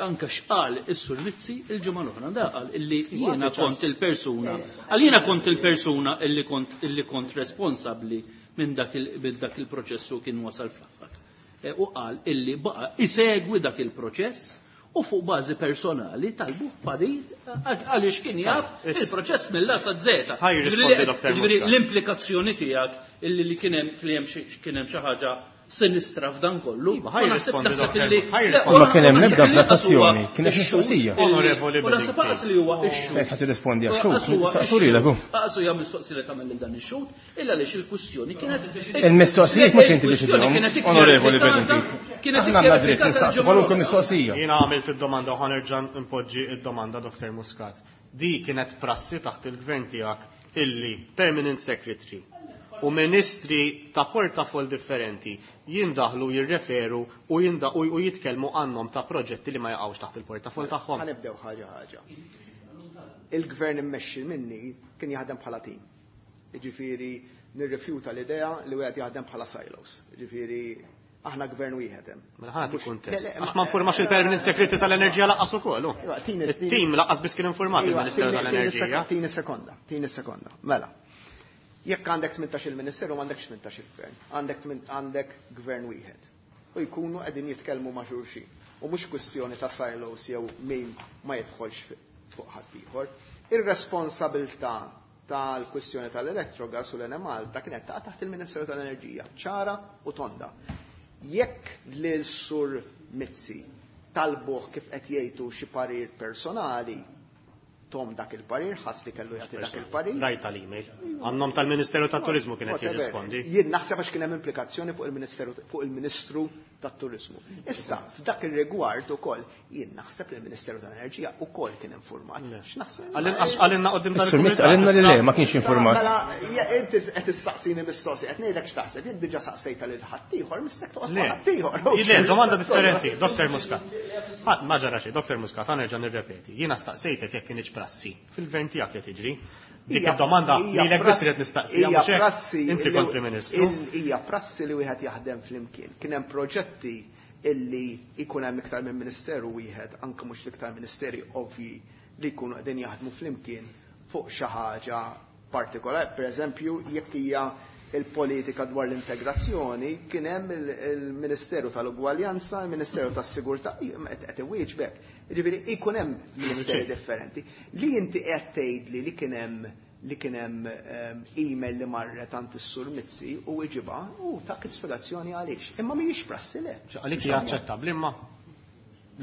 anka x'qal is-Sur Mizzi il-ġimgħa l-oħra da qal illi jiena kont il-persuna, għal jiena kont il-persuna illi kont responsabbli minn dak il-proċessu kien wasal fl-aħħar. U qal illi baqa' isegwi dak il-proċess u fuq bażi personali talbu parir għaliex kien jaf il-proċess mill-A sa Z. Ħaj jirrispondi Dr. Muscat. L-implikazzjoni tiegħek illi li kien hemm xi ħaġa sinistra f'dan kollu. Iva, ħaj jirrispondi Dr. Ħaj Ma kien hemm l-ebda applikazzjoni, kienet mistoqsija. Onorevoli U naħseb aqas li huwa ix-xhud. Qed tirrispondi għax xhud, saqsuri hu. Aqas hija mistoqsija li tagħmel lil dan ix-xhud, illa għaliex il-kwistjoni kienet Il-mistoqsijiet mhux inti biex idhom, onorevoli Bedingfield. Kienet Aħna għandna dritt nistaqsu kwalunkwe mistoqsija. Jiena għamilt id-domanda u ħa nerġa' npoġġi id-domanda Dr. Muscat. Di kienet prassi taħt il-gvern tiegħek illi permanent secretary u ministri ta' portafol differenti jindaħlu, jirreferu u u jitkellmu għannom ta' proġetti li ma jaqgħux taħt il-portafol tagħhom. Ħa nibdew ħaġa ħaġa. Il-gvern immexxi minni kien jaħdem bħala tim. Jiġifieri nirrifjuta l-idea li wieħed jaħdem bħala silos. Jiġifieri aħna gvern wieħed hemm. Mela ħa nagħti kuntest. Għax ma nfurmax il-permanent secretary tal-enerġija laqqas ukoll. Il-tim laqqas biss kien informat il-Ministeru tal-Enerġija. Tini sekonda, tini sekonda. Mela. Jekk għandek 18 il-ministeru m'għandekx 18 il-gvern, għandek gvern wieħed. U jkunu qegħdin jitkellmu ma' xulxin. U mhux kwistjoni ta' silos jew min ma jidħolx fuq ħadd ieħor. Ir-responsabilità tal-kwistjoni tal-Electrogas u l-Enemalta kienet taqa' taħt il-Ministeru tal-Enerġija, ċara u tonda. Jekk lil Sur Mizzi talbuh kif qed jgħidu xi parir personali, tom dak il-parir, ħass li kellu jagħti dak il-parir. Rajt tal-email. Għannom tal-Ministeru tat-Turizmu kienet jirrispondi. Jien naħseb għax kien hemm implikazzjoni fuq il-Ministeru fuq il-Ministru tat-Turizmu. Issa, f'dak ir-rigward ukoll jien naħseb li l-Ministeru tal-Enerġija ukoll kien informat. X'naħseb? Għallinna qudiem tal-Kumitat. Għallinna li le, ma kienx informat. Mela, inti qed issaqsini mistoqsi, qed ngħidlek x'taħseb, jien diġà saqsejta lil ħaddieħor, mistek toqgħod ma' ħaddieħor. Le, domanda differenti, Dr. Muscat. Ma ġara xejn, Dr. Muscat, ħa nerġa' nirrepeti. Jiena staqsejtek jekk kienx prassi fil-gvern tiegħek li tiġri. Dik id-domanda lilek biss irid nistaqsija mhux hekk. Inti kont Prim Ministru. Hija prassi li wieħed jaħdem flimkien. Kien hemm proġetti illi jkun hemm iktar minn ministeru wieħed, anke mhux l-iktar ministeri ovvji li jkunu qegħdin jaħdmu flimkien fuq xi ħaġa partikolari. Per eżempju, jekk hija il-politika dwar l-integrazzjoni, kien hemm il-Ministeru tal-Ugwaljanza, il-Ministeru tas-Sigurtà, qed iwieġbek. Jiġifieri jkun hemm ministeri differenti. Li inti qed tgħidli li kien hemm email li marret għand is-Sur Mizzi u iġibha u tak spjegazzjoni għaliex. Imma mhijiex prassi le. Għalik hija aċċettabbli imma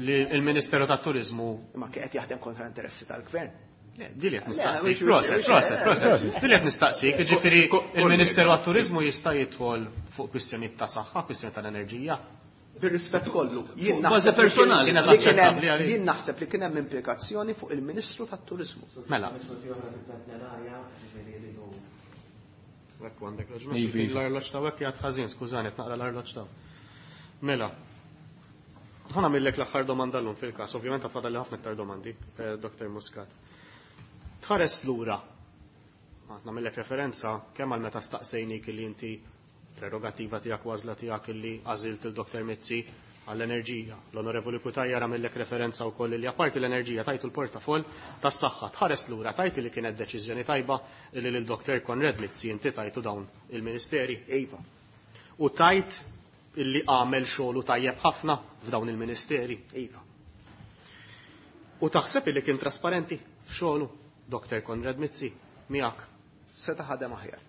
li l-Ministeru tat-Turiżmu Imma qed jaħdem kontra l-interessi tal-gvern. Dili qed nistaqsik, proset, proset, proset. Dili qed nistaqsik, jiġifieri il-Ministeru għat-Turiżmu jista' jidħol fuq kwistjonijiet ta' saħħa, kwistjoni tal-enerġija. Bir-rispett kollu, jien Bażi naħseb li personali. kien Kienet li kien hemm aċċettabbli għalik. jien naħseb li kien hemm implikazzjoni fuq il-Ministru tat-Turiżmu. Mela. Ekku għandek raġun. L-arloġġ ta' hekk jgħid ħażin, skużani, qed naqra l-arloġġ ta'. Mela. Ħa nagħmillek l-aħħar domanda llum fil-każ, ovvjament fadal li ħafna iktar domandi, Dr. Muscat. Tħares lura. Nagħmillek referenza kemm għal meta staqsejnik li inti prerogativa tiegħek u għażla tiegħek illi għażilt il-Dr. Mizzi għall-enerġija. L-Onorevoli Cutajar għamillek referenza wkoll li apparti l-enerġija tajtu l-portafol tas-saħħa. Tħares lura tajti li kienet deċiżjoni tajba li lil Dr. Konrad Mizzi inti tajtu dawn il-ministeri. Iva. U tajt illi għamel xogħlu tajjeb ħafna f'dawn il-ministeri. Iva. U taħseb illi kien trasparenti f'xogħlu Dr. Konrad Mizzi miegħek. Seta' ħadem aħjar.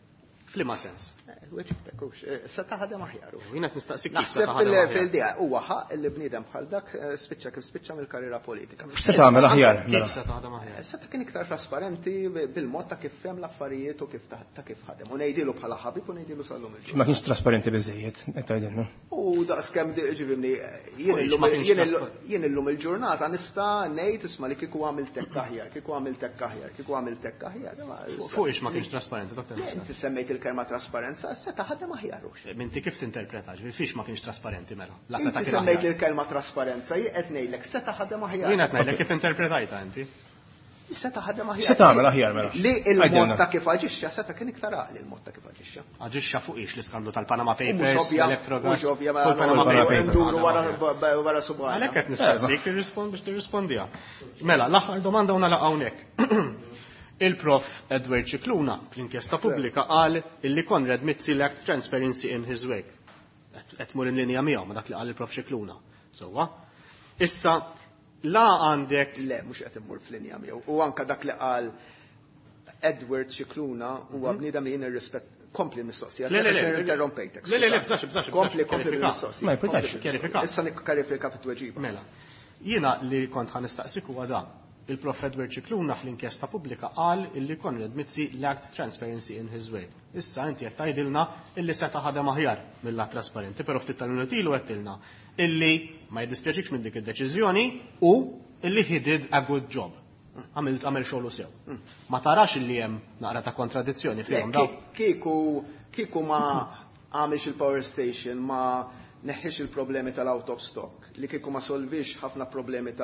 F'liema sens? Weġibtek, hux, seta' ħadem aħjar. U Jien qed nistaqsik kif seta' Naħseb ħadem aħjar. fil-dija huwa ħaq li bniedem bħal dak spiċċa kif spiċċa mill-karriera politika. X'se tagħmel aħjar? Kif Mela? seta' ħadem aħjar? Seta' kien iktar trasparenti bil-mod ta' kif fehem l-affarijiet u kif ta' kif ħadem. U ngħidilu bħala ħabib u ngħidilu sal-lum il-ġurnata. Ma kienx trasparenti biżejjed, qed tgħidilna. U daqskemm ġifieri jien U illum ma kienx jien illum- trasparenti. jien illum il-ġurnata nista' ngħid isma' li kieku għamilt hekk aħjar, kieku għamilt hekk aħjar, kieku għamilt hekk aħjar. Ma Fuq ix ma kienx trasparenti, Dr. Le, Muscat. Inti semmejt il-kelma trasparenza, seta' ħadem aħjar hux. Minti kif tinterpreta, ġifieri fiex ma kienx trasparenti mela. La seta' Inti kien semmejt aħjar. il-kelma trasparenza, jien qed ngħidlek seta' ħadem aħjar. Jien qed ngħidlek kif interpretajta inti. Seta' ħadem aħjar. X'se tagħmel aħjar mela? Li il-mod Għidilna. ta' kif aġixxa seta' kien iktar għaqli il-mod ta' kif aġixxa. Aġixxa fuq ix l-iskandlu tal-Panama U mhux Papers, ovvja, l-Electrogas. mhux ovvja, ma fuq il-Panama Panama Papers. nduru wara subgħajna. Għalhekk qed nistaqsik irrispond biex tirrispondiha. Mela, l-aħħar domanda u nagħlaq hawnhekk. Il-prof Edward Scicluna fl-inkjesta pubblika qal illi Konrad Mizzi lacked transparency in his work. Qed mur in linja miegħu ma dak li qal il-prof Scicluna. Sewwa. Issa la għandek Le, mhux qed immur fl-linja miegħu. U anka dak li qal Edward Scicluna huwa bniedem li jien irrispett kompli l-mistoqsija. Le, le, le. Għax interrompejtek. Le, le, le, bżax, bżax, bżax. Kompli, kompli Kjarifika. bil-mistoqsija. Ma jkunx. Kompli bil-mistoqsija. Kjarifika. Issa nikkarifika fit-tweġiba. Mela, jiena li kont ħa nistaqsik huwa dan. Il-prof Edward Scicluna fl-inkjesta pubblika qal illi Konrad Mizzi lacked transparency in his work. Issa inti qed tgħidilna illi seta' ħadem aħjar mill-lat trasparenti, però ftit tal-minuti ilu għedtilna illi ma jiddispjaċikx minn dik id-deċiżjoni u illi he did a good job. Għamel xogħlu sew. Ma tarax illi hemm naqra ta' kontradizzjoni Le, fihom daw. Kieku ma għamilx il-power station, ma neħħiex il-problemi tal-out of stock, li kieku ma solvix ħafna problemi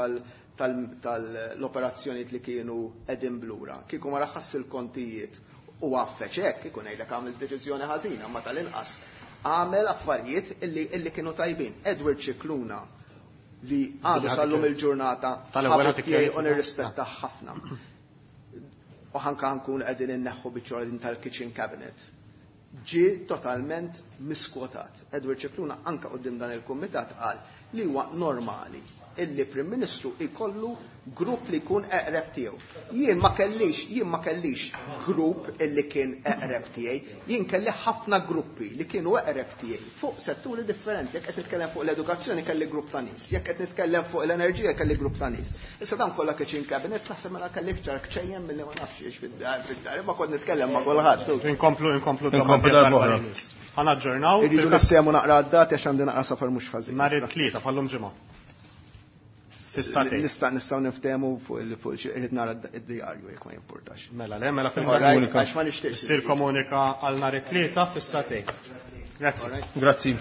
tal-operazzjonijiet li kienu qegħdin blura, kieku ma raħas il-kontijiet u għaffeċ hekk, kieku ngħidlek għamel deċiżjoni ħażina, ma tal-inqas għamel affarijiet illi kienu tajbin. Edward Scicluna li għadu sal-lum il-ġurnata Tal-ewwel ħabib ħadd tiegħi u ikkjarifika. nirrispetta ħafna. U ħanka nkun qegħdin inneħħu biċċa din tal-kitchen cabinet. Ġie totalment miskwotat. Edward Scicluna anka quddiem dan il-kumitat qal li huwa normali illi Prim Ministru ikollu grupp li jkun eqreb tiegħu. Jien ma kellix grupp illi kien eqreb tiegħi, jien kelli ħafna gruppi li kienu eqreb tiegħi fuq setturi differenti. Jekk qed nitkellem fuq l-edukazzjoni kelli grupp ta' nies, jekk qed nitkellem fuq l-enerġija kelli grupp ta' nies. Issa dan kollha kitchen cabinets naħseb mela kelli iktar kċejjem milli ma nafx ix fid-dar, imma kont nitkellem ma' kulħadd. Inkomplu, inkomplu Inkomplu darba oħra. Ħa naġġornaw. Irridu niftehmu naqra d-dati għax għandi naqra safar mhux ħażin. Nhar it-Tlieta bħallum ġimgħa. Fis-sagħtejn. Nistgħu niftehmu fuq irrid nara d-diarju jekk ma jimpurtax. Mela, le, mela All right, għax ma nixtieqx. Issir komunika għal nhar it-Tlieta fis-sagħtejn. Grazzi. Grazzi.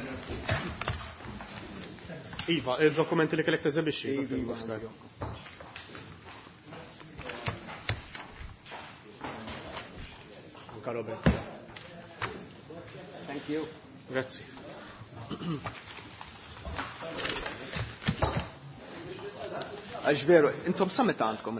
Iva, il-dokumenti li kellek teżebixxi. Iva, Dr. iva. Anka Robert. Thank you. Grazzi. Għax veru, intom sa meta għandkom